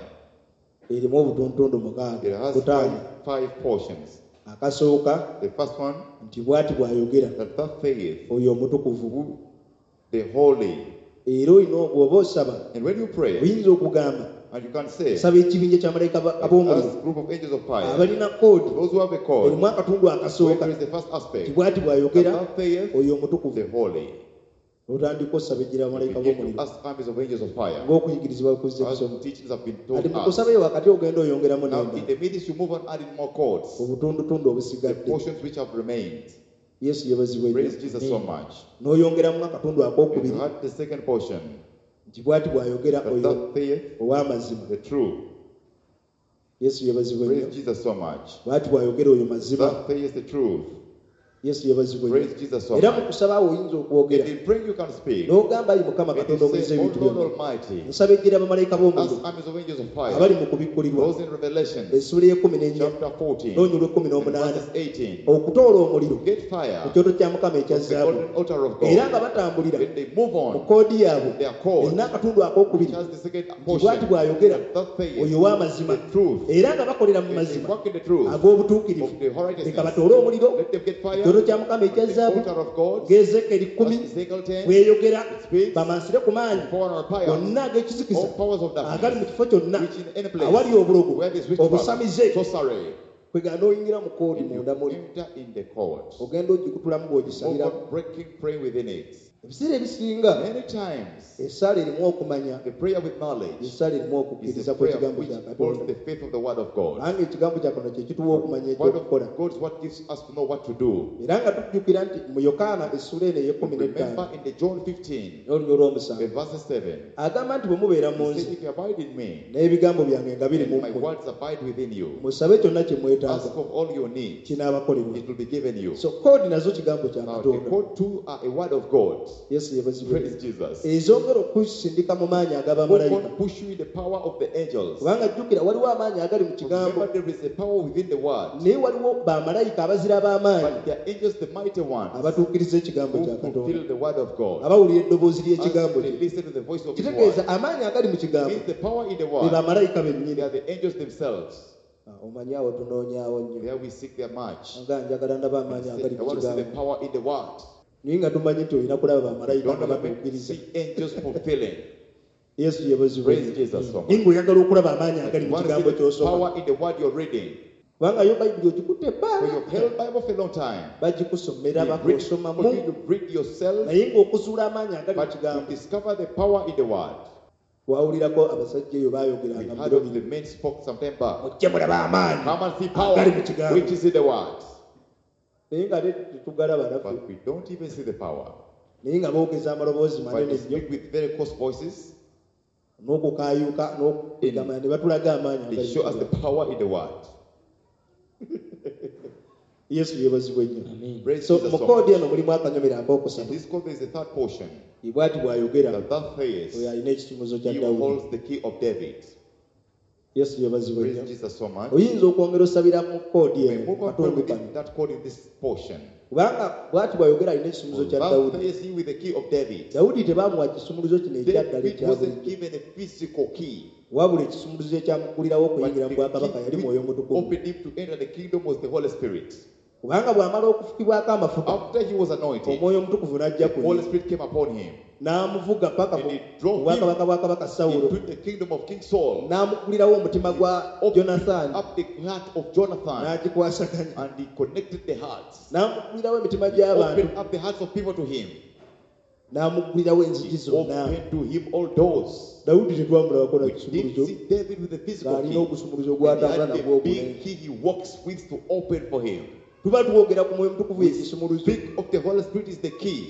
erimu obutuntundu it mukaaga has butaano. five portions. Akasooka The first one, nti bw'ati bw'ayogera that thus saith, oyo omutukuvu who the holy. Era olina bw'oba osaba And when you pray, oyinza okugamba and you can say, saba ekibinja kya malayika ab'omuliro as group of angels of fire, abalina koodi those who have a code, erimu akatundu where akasooka there is the first nti aspect, bw'ati bw'ayogera that thus saith, oyo omutukuvu the holy. Otandika osaba ejjira bamalayika Begin to b'omuliro ask armies of angels of fire, ng'okuyigirizibwa kuzza as kusoma teachings have been kati taught mu us. kusabayo wakati ogenda oyongeramu Now, in n'endala the midst, you move on adding more codes, obutundutundu the obusigadde. portions which have remained. Yesu yeebazibwe nnyo. Praise Jesus so much. N'oyongeramu akatundu And akokubiri you had the second portion, nti bw'ati bw'ayogera that oyo thus saith, ow'amazima. the true. Yesu yeebazibwe nnyo. Praise Jesus so much. Bw'ati bw'ayogera oyo mazima. Thus saith the truth. Yesu yeebazibwe nnyo. Praise Jesus so Era mu much. kusaba awo oyinza okwogera And in praying, you can speak. n'ogamba ayi Mukama And Katonda you omuyinza say, O ebintu Lord byonna Almighty, nsaba ejjira bamalayika b'omuliro ask armies of angels of fire, abali mu kubikkulirwa those in Revelation essuula y'ekkumi n'ennya chapter 14, n'olunyiriri lw'ekkumi and n'omunaana verses 18, okutoola omuliro get fire ku kyoto kya Mukama ekya from the zaabu golden altar of era nga God. batambulira When they move mu on, koodi yaabwe their code, erina akatundu akookubiri which has the second nti portion, bw'ati bw'ayogera that thus saith, oyo ow'amazima the truth, era nga bakolera mu and they mazima walk in the truth ag'obutuukirivu of the leka righteousness. batoole omuliro Let them get fire kyoto kya Mukama ekya from the zaabu altar of God, ng'Ezekeri kkumi as Ezekiel 10, bweyogera it speaks, bamansire ku maanyi pour on our pyres, gonna ag'ekizikiza all powers of agali mu darkness, kifo kyonna which in any place awali obulogo where there is witchcraft, obusamize sorcery, kwegana n'oyingira mu koodi and you munda muli enter in the court. ogenda ogikutulamu Move bw'ogisabiramu. on breaking, praying within it. Ebiseera ebisinga Many times, essaala erimu okumanya the prayer with knowledge essaala erimu is okukkiriza the prayer kw'ekigambo which kya holds Katonda the faith of the word of God. kubanga ekigambo kya Katonda kye kituwa okumanya Word ekyokukola. of God is what gives us to know what to do. Era nga tujjukira nti mu Yokaana essuula eno ey'ekkumi n'ettaano Remember in the John 15, n'olunyiriri olw'omusanvu the verse 7, agamba nti bwe mubeera mu he nze said, "If you abide in me, n'ebigambo byange nga biri and mu my mmwe words abide within you, musabe kyonna kye mwetaaga ask of all your need, kinaabakolerwa. it will be given you." So koodi nazo kigambo kya Now, the Katonda. code two are a word of God. Yesu yeebazibwe. Praise Jesus. Ezongera okusindika mu maanyi Who ag'abamalayika can push you in the power of the angels? kubanga jjukira waliwo amaanyi agali mu kigambo Remember, there is a power within the word, naye waliwo bamalayika abazira b'amaanyi but there are angels, the mighty ones, abatuukiriza ekigambo who kya Katonda fulfill the word of God. abawulira eddoboozi As ly'ekigambo they kye listen to the voice of His word. kitegeeza amaanyi agali mu kigambo Means the power in the be word, bamalayika they bennyini. are the angels themselves. Ah, omanyi awo tunoonyaawo nnyo There we seek their much. nga njagala ndaba amaanyi agali I mu want to see the kigambo power in the word. naye nga tumanyi nti olina kulaba bamalayika Don't nga know batuukiriza. see angels fulfilling. Yesu yeebazibwe. Praise Jesus so much. Naye ng'oyagala okulaba amaanyi But agali you mu want to kigambo see the ky'osoma power in the word you're reading. Kubanga yo bayibuli ogikutte For ebbanga you've held Bible for a long time. Bagikusomera They read it bakusomamu for you, you read yourself, naye ng'okuzuula amaanyi agali mu but to kigambo discover the power in the word. Wawulirako abasajja eyo We baayogeranga mu heard biro of the bino men spoke some time back. mujje mulabe amaanyi Come and see power agali mu kigambo which is in the word. Naye nga tetugalaba naffe But we don't even see the power. Naye nga boogeza amaloboozi But manene they nnyo speak with very coarse voices. N'okukaayuka n'okugamba ne batulaga amaanyi They agali mu show us the kigambo. Power in the word. Yesu yeebazibwe nnyo. Amen. Praise So Jesus mu so koodi much. eno mulimu akanyomero In akookusatu this code there is a third portion. Bw'ati bw'ayogera The third oyo phase, alina ekisumuzo kya he Dawudi. holds the key of David. Yesu yeebazibwe Praise nnyo. Jesus so much. Oyinza okwongera osabira mu koodi We eno move on pray katundu with kano that code in this portion. kubanga bw'ati bw'ayogera alina ekisumuzo kya Thou Dawudi. sayest he with the key of David. Dawudi tebaamuwa kisumuluzo kino ekyaddala David ekya wasn't bulijjo given a physical key, wabula ekisumuluzo ekyamuggulirawo but okuyingira mu the bwakabaka yali key mwoyo which mutukuvu opened him to enter the kingdom was the Holy Spirit. Kubanga bw'amala okufukibwako amafuta After he was anointed, omwoyo omutukuvu n'ajja the ku Holy ye Spirit came upon him n'amuvuga paka and mu he drove him bwakabaka bwa kabaka Sawulo into the kingdom of King Saul, n'amuggulirawo omutima gwa opened Yonasaani up the heart of Jonathan, n'agikwasaganya and he connected the hearts. N'amuggulirawo emitima gy'abantu Opened up the hearts of people to him. N'amuggulirawo enzigi He zonna. opened to him all doors. Dawudi tetwamulabako na We didn't kisumuluzo see David with the physical ng'alina key. ogusumuluzo He gw'atambula had nagwo the big ogunene key he walks with to open for him. Tuba twogera ku mwoyo mutukuvu We ekisumuluzo speak of the Holy Spirit is the key.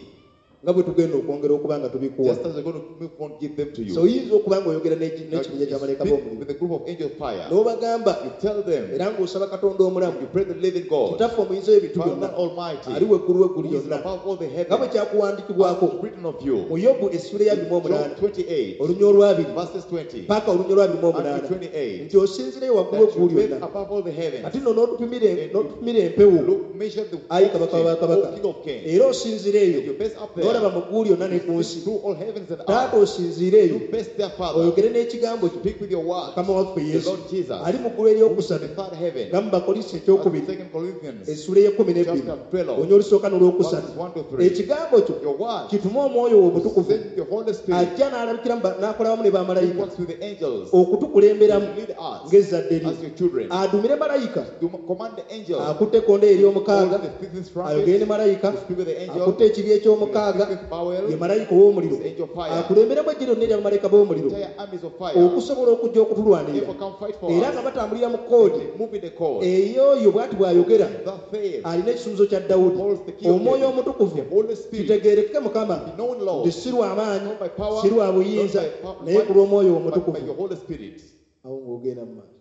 Nga bwe tugenda okwongera okuba nga tubikuwa. Just as we're going to move on, give them to you. So oyinza okuba ng'oyogera Now, n'ekibinja you kya malayika speak b'omuliro with the group of angel fire. n'obagamba You tell them, era ng'osaba Katonda omulamu you pray the living God, kitaffe omuyinza w'ebintu Father byonna Almighty, ali weggulu w'eggulu who is lyonna above all the nga bwe heavens, kyakuwandiikibwako as written of you. mu Yobu essula ya 28 Job 28, olunya olwabiri verses 20 paka olunya olwabiri mu and omunaana to 28, nti osinzireyo waggulu that you eggulu live lyonna above all the heavens. ate nno n'otupimira empewo Look, measure the ayi kabaka oxygen, wa kabaka O King of Kings. era osinzire And eyo you base up n'olaba there, mu ggulu lyonna ne ku nsi through all heavens and earth. taata osinziire eyo You base their Father. oyogere n'ekigambo kyo Speak with your word. mukama waffe The Yesu Lord Jesus, ali mu ggulu eryokusatu the third heaven. nga mu Bakolinso As ekyokubiri Second Corinthians, essula ey'ekkumi n'ebbiri chapter 12, onya olusooka n'olwokusatu verses 1 to 3. Ekigambo kyo Your word, kitume omwoyo wo omutukuvu send your Holy Spirit, ajja n'alabikira mu ba- n'akola wamu ne who bamalayika works with the angels, okutukulemberamu to lead us ng'ezzadde lye as your children. Adumire malayika To command the angels, akutte ekkonde ery'omukaaga hold the fifth ayogere ne trumpet, malayika to speak with the angel, akutte ekibi eky'omukaaga the fifth vowel, ye malayika ow'omuliro the angel fire, akulemberemu ejje lyonna erya bamalayika b'omuliro entire armies of fire, okusobola okujja okutulwanirira therefore come fight for era us. nga batambulira mu koodi They move in the code. ey'oyo bw'ati bw'ayogera The faith alina ekisumuzo kya Dawudi holds the key of omwoyo David. omutukuvu The Holy Spirit, kitegeerekeke Mukama be known Lord, nti si lwa maanyi not by power, si lwa not buyinza by power, naye ku lw'omwoyo but by omutukuvu your Holy Spirit. Awo ng'ogenda mu maaso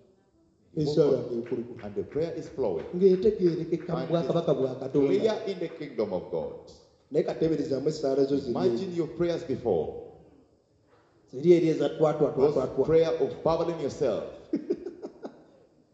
esaala ng'ekulukula And the prayer is flowing. Ng'etegeerekeka mu And bwakabaka bwa it is Katonda clear in the kingdom of God. Naye kateeberezaamu essaala zo ziri Imagine your prayers before. ziri eri eza Those twatwatwatwatwa prayer of babbling yourself.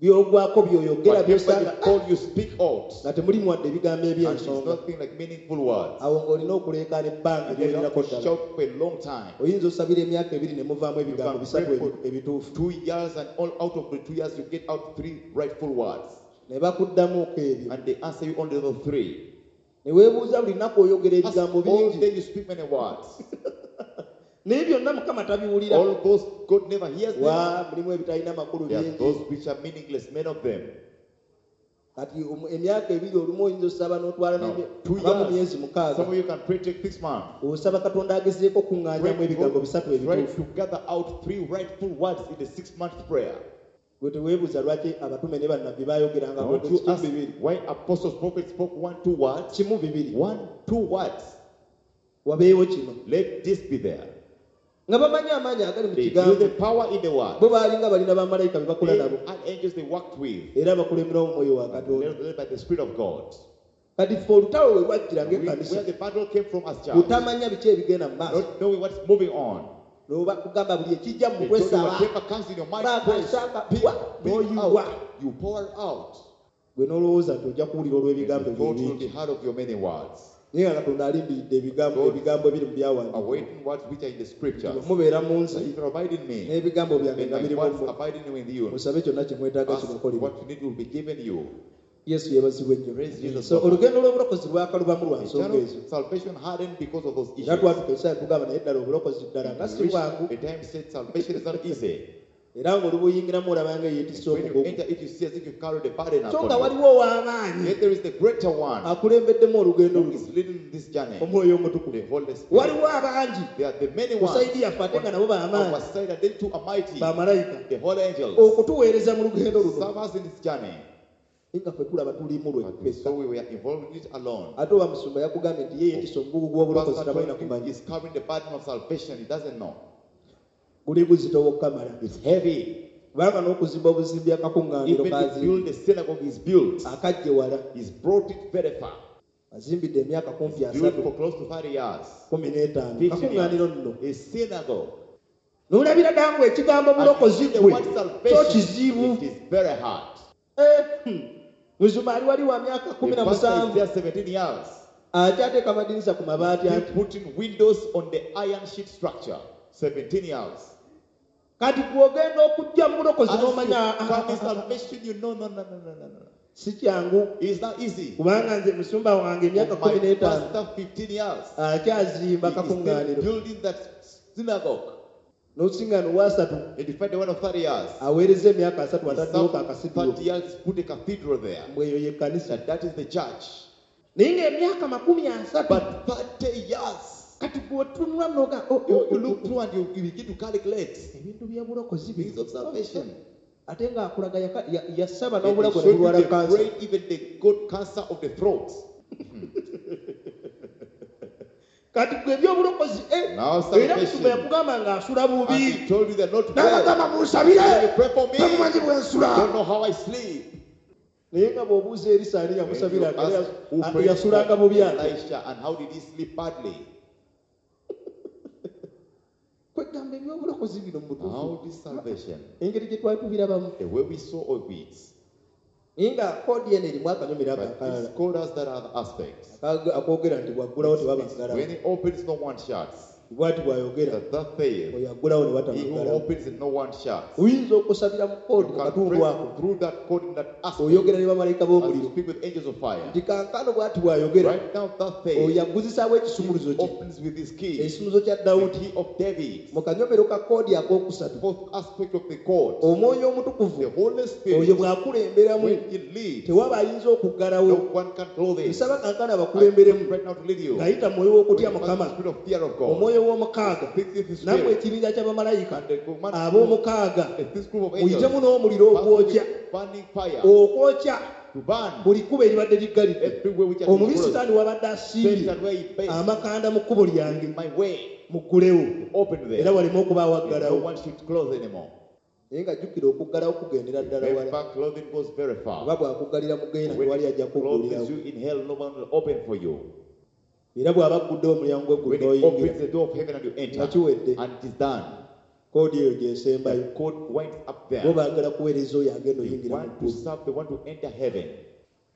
Byogwako byoyogera Whatever you byosanga call, you speak out. Nga temulimu wadde ebigambo And it's eby'ensonga nothing like meaningful words. Awo ng'olina okuleekaana ebbanga And you have eryogerako to ddala shout for a long time. Oyinza osabira emyaka 2 ne muvaamu ebigambo You can bisatu pray for ebituufu 2 years, and all out of the 2 years, you get out three rightful words. Ne bakuddamuko ebyo And they answer you only those three. Ne weebuuza buli lunaku oyogera Ask ebigambo all bingi day you speak many words. Naye byonna Mukama tabiwulira All those God never hears them. Wa mulimu ebitalina makulu There are bingi those which are meaningless, many of them. Kati emyaka 2 olumu oyinza osaba n'otwala Now, n'emye- two aba mu years. myezi 6 Some of you can pray take 6 months. Osaba Katonda agezeeko okuŋŋaanyamu ebigambo bisatu Try ebituufu to gather out three rightful words in the 6-month prayer. Gwe teweebuuza lwaki abatume ne bannabbi baayogeranga Don't you kimu ask bibiri why apostles, prophets spoke one, two words? Kimu bibiri One, two words. Wabeewo kino Let this be there. Nga bamanyi amaanyi agali mu They knew kigambo the power in the word. Bo baalinga balina bamalayika be bakola They nabo had angels they worked with. Era bakulemberawo omwoyo wa And Katonda led by the Spirit of God. Kati ffe olutalo lwe lwajjira ng'ekkanisa Where the battle came from as church. Butamanya biki ebigenda mu maaso Not knowing what's moving on. Noba kugamba buli ekijja mu They told you kwesaba whatever comes in your mind, Baka, pray, shaka, speak, wa, speak n'oyiwa. out. You pour out. Gwe n'olowooza nti ojja kuwulira And olw'ebigambo the thought will be ebyo bingi heard of your many words. Naye nga Katonda alindiridde ebigambo God ebigambo ebiri mu byawandiikibwa awaiting words which are in the scriptures. Mubeera mu nze If you abide in me, n'ebigambo byange and nga my biri mu words mmwe abiding with you, musabe kyonna kye mwetaaga ask kibakolebwa what you need will be given you. Yesu yeebazibwe nnyo. Praise Jesus. So olugendo lw'obulokozi lwakalubamu lwa The nsonga journey ezo. of salvation hardened because of those Era issues. twatuka ekiseera tugamba naye ddala obulokozi ddala nga si Reached bwangu. A time said salvation is not easy. Era ng'olubuyingiramu olaba nga eyeetisse When you omugugu. enter it, you see as if you carry the burden So upon nga you. waliwo ow'amaanyi Yet there is the greater one akulembeddemu olugendo who luno, is leading this journey, omwoyo omutukuvu. the Holy Spirit. Waliwo abangi There are the many ku ones sayidi yaffe ate nga nabo on b'amaanyi, our side, and they too are mighty, bamalayika, the holy angels, okutuweereza mu lugendo luno. serve us in this journey. Naye nga ffe tulaba tulimu But we lweffekka. saw we were involved in it alone. Ate oba musumba yakugambye nti ye yeetisse omugugu gw'obulokozi Pastor tabalina told you kumanya. he's carrying the burden of salvation. He doesn't know. Guli guzitowa okukamala. It's heavy. Kubanga n'okuzimba obuzimbi akakuŋŋaaniro Even to kazimbi build the synagogue is built. akajje wala. He's brought it very far. Azimbidde emyaka kumpi It's built asatu for close to 30 years. 15. 15 Kakuŋŋaaniro nno. years. A synagogue. N'olabira ddala ngu ekigambo And bulokozi the gwe word kyo salvation, kizibu. it is very hard. Eh, Musumba ali wali wa myaka kumi The na pastor is musanvu there 17 years. akyateeka amadirisa ku mabaati He anti putting windows on the iron sheet structure. 17 years. Kati gw'ogenda okujja mu bulokozi As you n'omanya come in salvation, you know, no, no, no, no, no, no. si kyangu. It's not easy. Kubanga nze musumba wange emyaka My 15 pastor, 15 years. akyazimba He is still kakuŋŋaaniro. building that synagogue. N'osiŋŋaano wasatu And you find the one of 30 years. aweereza emyaka asatu He ataddewo served kakasidulo 30 years, put a cathedral there. mbwe eyo y'ekkanisa. That is the church. Naye ng'emyaka 30 But 30 years. Kati gweotunula noga oh, You, oh, you oh, look through and you begin to calculate ebintu by'obulokozi things of salvation. Ate ng'akulaga yasaba And they n'obulago showed you ne bulwala they kansa. prayed, even they got cancer of the throat. Kati gwe ebyobulokozi eh, Now era salvation. musumba yakugamba ng'asula And bubi he told you that not well. n'abagamba munsabire You pray for me. temumanyi bwe nsula. Don't know how I sleep. Naye nga bw'obuuza erisa ani When you yamusabira ask who prayed yasulanga for bubi ate. Elisha and how did he sleep badly? Kwegamba ebyobulokozi bino mu butuufu How this salvation, engeri gye twali tubirabamu the way we saw of it, naye nga koodi eno erimu akanyomero ako but akalala this code has that other aspect. akoogera nti bw'aggulawo tebabaggalawo. When he opens, no one shuts. Bw'ati bw'ayogera That that faith, oyo aggulawo ne he who batabaggalawo. opens and no one shuts. Oyinza okusabira mu koodi You mu can katundu pray ako through that code in that aspect. oyogera ne bamalayika As you b'omuliro speak with angels of fire. nti kankano bw'ati bw'ayogera Right now, that oyo faith agguzisaawo ekisumuluzo kye opens with his key, ekisumuluzo kya the Dawudi key of David, mu kanyomero ka koodi akookusatu fourth aspect of the code. omwoyo omutukuvu The Holy oyo Spirit, bw'akulemberamu when he leads, tewaba ayinza okuggalawo. no one can close it. Nsaba kankano I abakulemberemu pray right now to lead you. ng'ayita mu mwoyo w'okutya When you Mukama pass the spirit of fear of God, omwoyo w'omukaaga fifth nammwe spirit, ekibinja ky'abamalayika and the command ab'omukaaga this group of angels, muyitemu n'omuliro ogwokya pass with burning fire okwokya to burn buli kkubo eribadde liggalidde everywhere which has been omubi closed. sitaani wabadde asimbye Satan where he based amakanda mu kkubo lyange my way, muggulewo open era there. waleme okubaawo And no aggalawo. one should close anymore. Naye nga jjukira okuggalawo kugendera ddala wala. Remember, clothing goes very far. Oba bw'akuggalira mu geena When tewali ajja he closes kuggulirawo. you in hell, no one will open for you. Era bw'aba agguddewo omulyango gw'eggulu When he n'oyingira opens the door of heaven and you enter, nga kiwedde. and it is done. Koodi eyo gy'esembayo. The code winds up Bo there. baagala kuweereza oyo agenda They oyingira mu want to ggulu serve, they want to enter heaven.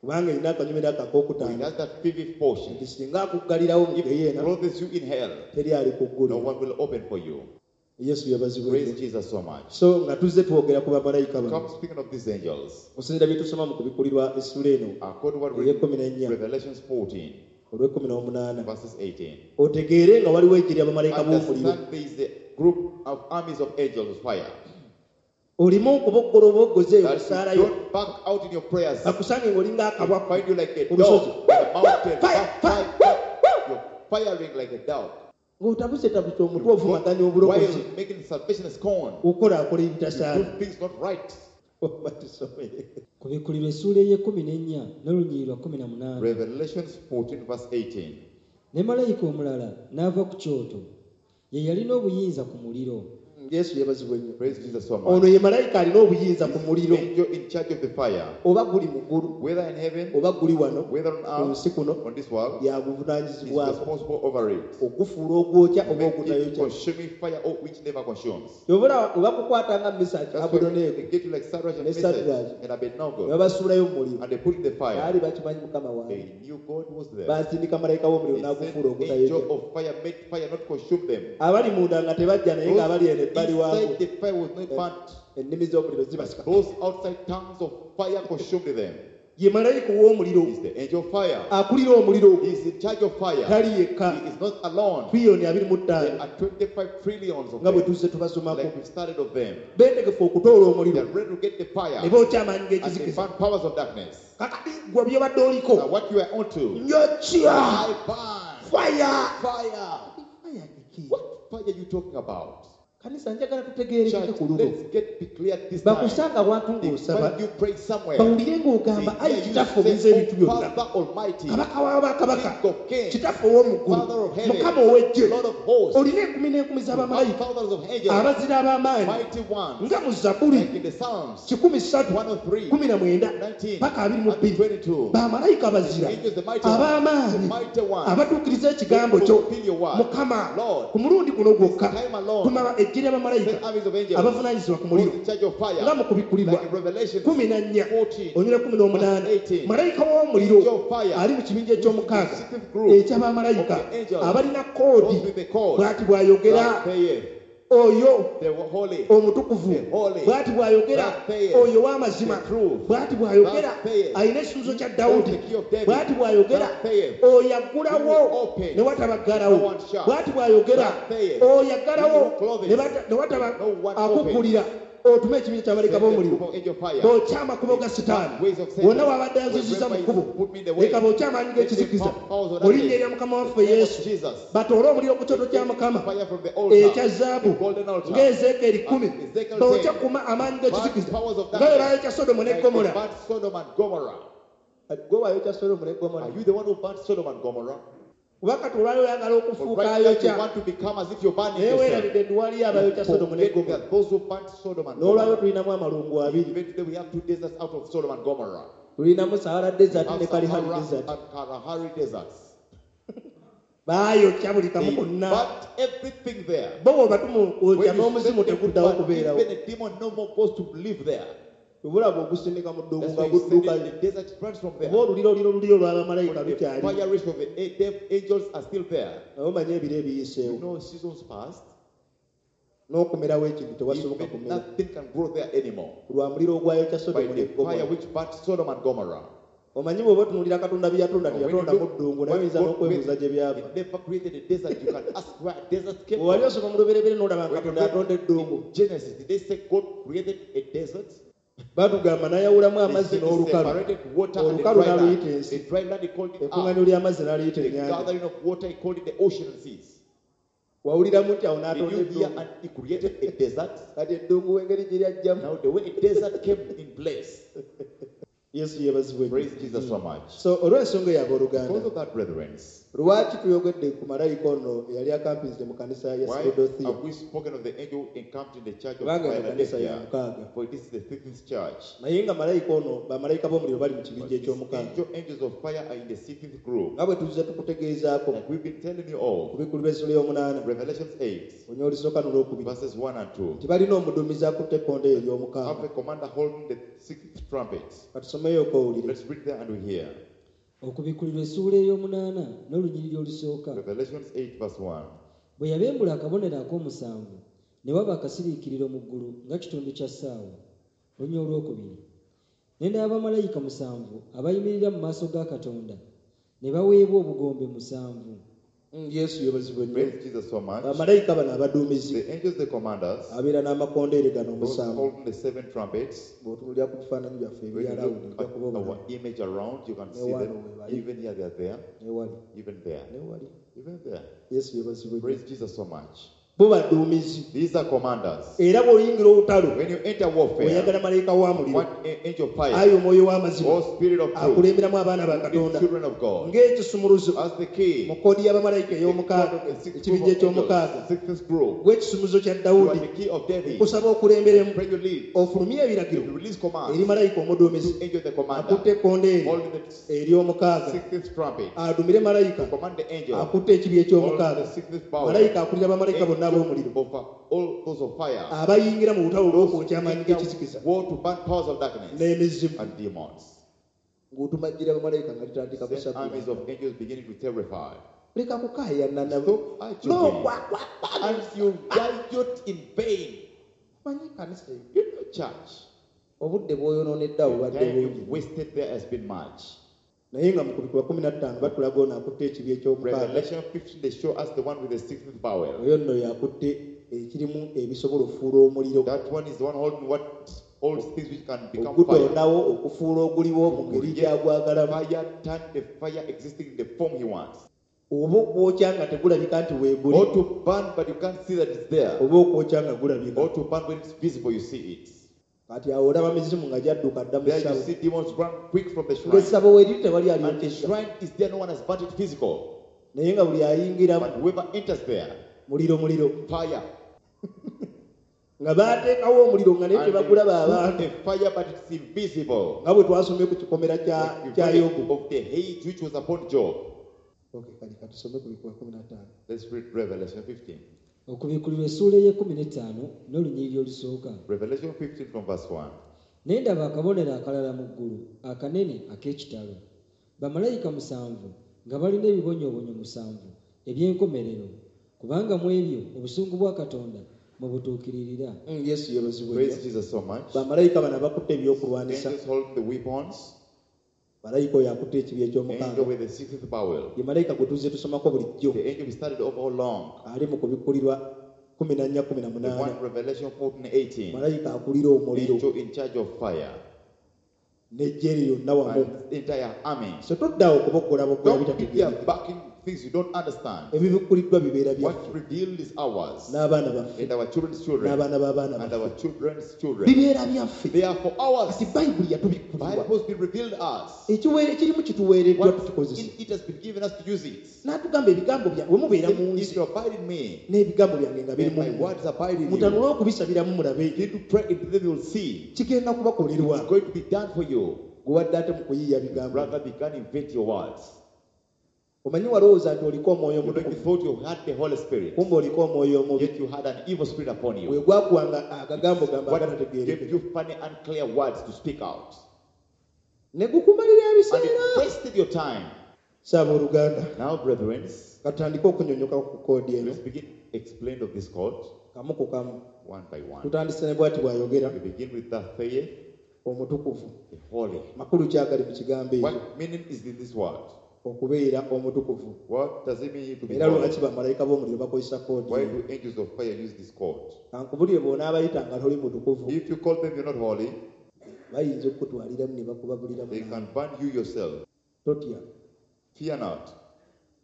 kubanga erina akanyomero ako He akookutaano has that fifth portion. nti singa akuggalirawo mu If he geyeena closes you in hell, teri ali no kuggulira. one will open for you. Yesu yabazibwe Praise nnyo. Jesus so much. So nga tuzze twogera ku bamalayika bano Come speaking of these angels, okusinziira bye tusoma mu kubikulirwa essula eno according to what we ey'ekkumi n'ennya Revelations 14, olw'ekkumi n'omunaana verses 18. otegeere nga waliwo ejje ly'abamalayika b'omuliro. Understand there is a group of armies of angels of fire. Olimu okuboggola obwoggozi eyo That musaalayo you don't back out in your prayers. bakusange ng'olinga akabwa Find you like a ku dog lusozi on the mountain. Fire, Fire, fire, fire. You're firing like a dog. ng'otabusetabuse omutwe You ovumaganya go obulokozi wild, making salvation a scorn. okolaakola You ebitasaana. do things not right. Oba tusomere. Kubikulirwa essuula ey'ekkumi n'ennya n'olunyiriri lwa 18. Revelations 14, verse 18. Ne malayika omulala n'ava ku kyoto ye yalina obuyinza ku muliro. Yesu yeebazibwe nnyo. Praise Jesus so Ono much. ye malayika alina obuyinza ku muliro Angel in charge of the fire, oba guli mu ggulu whether in heaven, oba guli wano whether on ku earth, nsi kuno on this world, is yaguvunaanyizibwako responsible over it. ogufuula ogwokya oba Make it ogutayokya. consuming fire or which never consumes. Oba webakukwata nga Misaki That's why Abudoneego they get you like Sadrach and Ne Meshach Sadrach. and Abednego, ne babasuulayo mu muliro and they put in the fire. baali bakimanyi Mukama wange. They knew God was there. Basindika malayika w'omuliro They n'agufuula sent ogutayokya. angel of fire, made fire not consume them. Abali munda nga tebajja naye ng'abali eno ebbali Those waabwe inside the fire was not burnt. ennimi z'omuliro zibasika. Those outside tongues of fire consumed them. Ye malayika ow'omuliro. He's the angel of fire. Akulira omuliro. He's in charge of fire. Tali yekka. He is not alone. Biliyoni abiri mu There ttaano are 25 trillions of nga bwe them. tuzze tubasomako. Like we've started of them. Beetegefu okutoola They omuliro are ready to get the fire ne bookya amaanyi and they g'ekizikiza. burn powers of darkness. Kakati gwe byobadde oliko Now what you are onto, njokya I burn faya. fire. Faya kiki? What fire are you talking about? Kanisa njagala tutegeerekeke Church, ku luno. let's get be clear this time. Bakusanga awantu ng'osaba When you pray somewhere, bawulire ng'ogamba they ayi hear you kitaffe say, obuza ebintu "Oh, byonna, Father Almighty, kabaka w'abakabaka, King of kings, kitaffe ow'omu Father ggulu, of heaven, mukama ow'eggye, Lord of hosts, olina enkumi n'enkumi z'abamalayika thousands of angels, abazira ab'amaanyi mighty ones, nga mu Zabbuli like in the Psalms 103 103, 19 19, paka and 22 22. bamalayika bazira Angels, the mighty ones, the ab'amaanyi mighty ones, abatuukiriza ekigambo kyo. fulfill your word. Mukama, Lord, ku mulundi guno gwokka time alone, tuma eggye ly'abamalayika send armies of angels, abavunaanyizibwa ku those muliro in charge of nga fire, mu kubikkulirwa like in Revelation 14 14, onyula 18 verse 18. malayika w'omuliro Angel of fire, ali mu kibinja eky'omukaaga sixth group eky'abamalayika of the angels, abalina koodi those with the code, bw'ati bw'ayogera thus saith oyo the holy, omutukuvu, the holy, bw'ati bw'ayogera thus saith oyo w'amazima, the truth, bw'ati bw'ayogera thus saith alina ekisuubizo kya Dawudi, the key of David, bw'ati bw'ayogera thus saith oyo aggulawo who opens, ne watabaggalawo, no one shuts, bw'ati bw'ayogera thus saith oyo aggalawo he who closes, ne wataba no one akuggulira, otume ekibinja ky'abaleka Send the b'omuliro group of angel fire. bookya amakubo ga Sitaani Ways of Satan. wonna wabadde aziziza mu Wherever kkubo he put me in the way. leka bookya amaanyi Let them g'ekizikiza pump powers of mu linnya darkness. erya Mukama waffe The name of Yesu Jesus. batoole omuliro ku kyoto kya Mukama Fire from the altar, ekya zaabu the golden altar. ng'Ezeekyeri 10 And Ezekiel bookya 10, kuma amaanyi burn g'ekizikiza powers of nga bwe darkness. baayokya Sodomu ne Like they Gomora. burnt Sodom and Gomorrah. Gwe wayokya Sodomu ne Gomora? Are you the one who burnt Sodom and Gomorrah? Kuba kati olwali oyagala But okufuuka right now you ayokya want to become as if you're burning naye yourself. weerabidde nti waliyo abayokya Sodomu ne Forget Gomora. that those who burnt Sodom and N'olwayo Gomorrah. tulinamu amalungu abiri. Even today we have two deserts out of Sodom and Gomorrah. Tulinamu Sahara We Desert have ne Kalahari Sahara Desert. and Kalahari deserts. Baayokya buli kamu They konna. burnt everything there. Bo bw'obatuma When okwokya you n'omuzimu send them to teguddawo burn, kubeerawo. even a demon no more goes to live there. Obulaba ogusindika mu ddungu That's nga why you send it guddukayo. in the desert, it runs from there. Oba oluliro oluliro oluliro lw'abamalayika But the lukyali. fire race of the angels are still there. Naye omanye ebiro You ebiyiseewo know, seasons past, n'okumerawo ekintu tewasoboka even kumera nothing can grow there anymore. lwa muliro ogwayokya By Sodomu ne the fire Gomora. which burnt Sodom and Gomorrah. Omanyi bw'oba otunuulira Katonda bye yatonda When you teyatonda look mu ddungu naye what oyinza God n'okwebuuza gye made, byava. He never created a desert. You can ask where a desert came Bwe wali from. osoma mu Lubereberye n'olaba nga When you Katonda yatonda read eddungu in Genesis, did they say God created a desert? Batugamba n'ayawulamu They amazzi said he n'olukalu. separated water and the Olukalu dry land. n'aluyita ensi. The dry land he called it earth. Ekkuŋŋaaniro ly'amazzi n'aliyita The ennyanja. gathering of water he called it the ocean and seas. Wawuliramu nti awo Did n'atonda you hear eddungu. and he created a desert? Kati eddungu engeri gye lyajjamu. Now the way a desert came in place. Yesu yeebazibwe nnyo. Praise Jesus so much. So olw'ensonga eyo abooluganda, Because of that, brethren, lwaki tuyogedde ku malayika ono eyali akampinze mu kanisa ya why Filadelfiya? have we spoken of the angel encamped in the church of Kubanga eno kanisa ya Philadelphia? mukaaga. For this is the sixth church. Naye nga malayika ono bamalayika b'omuliro bali mu But kibinja these eky'omukaaga. angels of fire are in the sixth group. Nga bwe tuzze tukutegeezaako Like we've been telling you all, ku bikulu by'essula y'omunaana Revelations 8, onya olusooka n'olwokubiri verses 1 and 2. nti balina omuduumizi akutte ekkonde ery'omukaaga. Have a commander holding the sixth trumpet. Katusomeyoko owulire. Let's read there and we hear. Okubikkulirwa essuula ey'omunaana n'olunyiriri olusooka. Revelations 8, verse 1. Bwe yabembula akabonero ak'omusanvu ne waba akasiriikiriro mu ggulu nga kitundu kya ssaawa. Olunya olwokubiri. Ne ndaba bamalayika musanvu abayimirira mu maaso ga Katonda ne baweebwa obugombe musanvu. Yesu yeebazibwe nnyo. Praise Jesus so much. Bamalayika bano abaduumizi The angels, the commanders, abeera n'amakondeere gano those omusanvu. holding the seven trumpets. Bw'otunuulira ku bifaananyi byaffe When you ebyalawundi look ojja at kuba obulaba. our image around, you can see Newano them. webali. Even here, they are there. Newali. Even there. Newali. Even there. Yesu yeebazibwe nnyo. Praise Jesus so much. Bo baduumizi. These are commanders. Era bw'oyingira olutalo When you enter warfare, oyagala malayika wa muliro one angel of fire ayi omwoyo w'amazima or spirit of truth, akulemberamu abaana ba the Katonda children of God, ng'ekisumuluzo as the key, mu koodi y'abamalayika the ey'omukaaga code of the sixth group ekibinja of angels, eky'omukaaga sixth group. gw'ekisumuluzo kya You are Dawudi the key of David. nkusaba okulemberemu Pray you lead. ofulumye ebiragiro You release eri commands malayika omuduumizi to angel the commander, akutte ekkondeere holding the ery'omukaaga sixth trumpet. adumire malayika Command the angel, akutte ekibi holding eky'omukaaga the sixth power, malayika akulira bamalayika bonna ab'omuliro over all those of fire, abayingira mu lutalo olw'okwokya amaanyi enter g'ekizikiza war to burn powers of darkness n'emizimu and demons. ng'otumajjira bamalayika nga litandika Then armies kusabula of angels beginning to terrify. leka kukaayana Stop arguing. And you riot in vain. manyi kanisa eyo You know, church. Obudde bw'oyonoonedde awo The bubadde time bungi. you've wasted there has been much. Naye nga mu kubikkulwa 15 batulaga ono akutte ekibi eky'omukaaga. Revelation 15, they show us the one with the sixth bowel. Oyo nno yakutte ekirimu ebisobola okufuula omuliro. That one is the one holding what holds things which can become fire. Ogutondawo okufuula oguliwo mu ngeri gy'agwagalamu. Fire, turn the fire existing in the form he wants. Oba okwokya nga tegulabika nti weeguli. Or to burn, but you can't see that it's there. Oba okwokya nga gulabika. Or to burn when it's visible, you see it. Kati awo olaba mizimu nga gyadduka dda mu There you ssabo. see demons run quick from the shrine. Ng'essabo weeriri tewali And the alyokesa. shrine is there, no one has burnt it physical. Naye nga buli ayingiramu But whoever enters there, muliro muliro. fire. Nga baateekawo omuliro nga naye And they tebagulaba put abantu. a fire, but it's invisible. Nga bwe twasomye ku kikomera Like the kya valley Yobu. of the hate which was upon Job. Okay, kale katusome ku bikuba 15. Let's read Revelation 15. Okubikkulirwa essuula ey'e15 n'olunyiriri olusooka. Revelation 15 from verse 1. Ne ndaba akabonero akalala mu ggulu akanene ak'ekitalo. Bamalayika 7 nga balina ebibonyoobonyo 7 eby'enkomerero, kubanga mu ebyo obusungu bwa Katonda mwe butuukiririra. Yesu yeebazibwe Praise nnyo. Jesus so much. Bamalayika bano abakutte ebyokulwanisa. Angels hold the weapons. Malayika oyo akutte ekibi eky'omukaaga. Angel with the sixth bowel. Ye malayika gwe tuzze tusomako bulijjo. The angel we started off all along. Ali mu kubikkulirwa 14 The 18. one Revelation 14 18. Malayika akulira omuliro. Angel in charge of fire. N'eggye lye lyonna wamu. And the entire army. So toddaawo okuboggola boggola Don't be there bitategeerekeka. backing things you don't understand. Ebibikkuliddwa bibeera What byaffe. revealed is ours. N'abaana baffe. And our children's children. N'abaana b'abaana And baffe. our children's children. Bibeera byaffe. They are for ours. Kati Bayibuli yatubikkulirwa. Bible has been revealed us. Ekirimu kituweereddwa What tukikozese. in it has been given us to use it. N'atugamba ebigambo byange bwe mubeera mu If nze you abide in me, n'ebigambo byange nga biri and mu my mmwe. words abide in you, Mutanule okubisabiramu mulabe. begin to pray into them, you'll see. Kigenda kubakolerwa. It's going to be done for you. Gwe wadde ate mu kuyiiya bigambo. Rather, began invent your words. Omanyi walowooza nti oliko omwoyo You know, you omutukuvu. thought you had the Holy Spirit, Kumbe oliko omwoyo omubi. yet you had an evil spirit upon Bwe you. gwakuwanga agagambo gamba What gave agatategeerekeka. you funny, unclear words to speak out? Ne gukumalira And it ebiseera. wasted your time. Saaba oluganda. Now, brethren, Katutandike okunyonyoka ku koodi eno. let's begin explain of this code Kamu ku kamu. one by one. Tutandise ne bw'ati bw'ayogera We begin with that faith, omutukuvu. the holy. Makulu ki agali mu kigambo ekyo? What meaning is in this word? Okubeera omutukuvu. What does it mean to be Era holy? lwaki bamalayika b'omuliro bakozesa koodi Why eno? do angels of fire use this code? Kankubulire bw'onaabayita nga toli mutukuvu, If you call them you're not holy, bayinza okukutwaliramu ne bakubabuliramu they naawe. can burn you yourself. Totya. Fear not.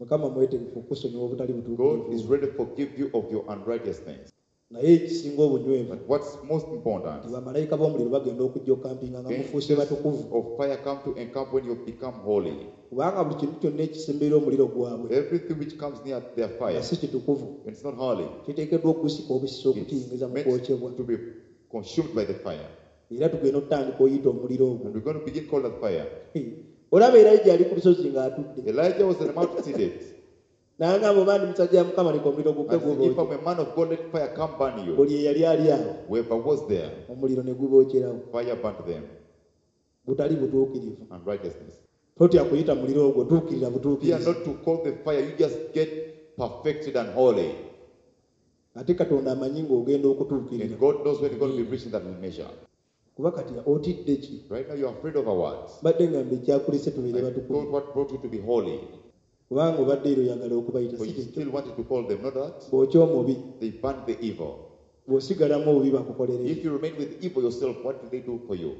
Mukama mwetegefu okusonyiwa obutali God is butuukirivu. ready to forgive you of your unrighteousness. Naye ekisinga obunywevu But what's most important, nti bamalayika b'omuliro bagenda okujja okampinga nga mufuuse angels batukuvu. of fire come to encamp when you become holy. Kubanga buli kintu kyonna ekisemberera omuliro gwabwe Everything which comes near their fire, nga si kitukuvu it's not holy. kiteekeddwa okugusika obusisa okukiyingiza It's mu kwokyebwa. meant to be consumed by the fire. Era tugenda okutandika oyita omuliro ogwo. And we're going to begin call that fire. Olaba Erayija ali ku lusozi ng'atudde. Elijah was on the mountain seated. N'agamba oba ndi musajja wa Mukama leka omuliro gukke And said, if gubookye. I'm a man of God, let fire come burn you. Buli eyali ali awo Whoever was there, omuliro ne gubookerawo. fire burnt them. Butali butuukirivu. Unrighteousness. Totya kuyita muliro ogwo tuukirira Fear butuukirizi. not to call the fire, you just get perfected and holy. Ate Katonda amanyi ng'ogenda okutuukirira. And God knows when you're going to be reaching that measure. Kuba kati otidde ki? Right now, you're afraid of our words. Mbadde ngamba ekyakulese tubeere I batukuvu. thought what brought you to be holy. Kubanga obadde era oyagala okubayita But si you kyekyo. still wanted to call them, not that. Bw'okya omubi, They burn the evil. bw'osigalamu obubi bakukolera If you remain with evil yourself, what do they do for you?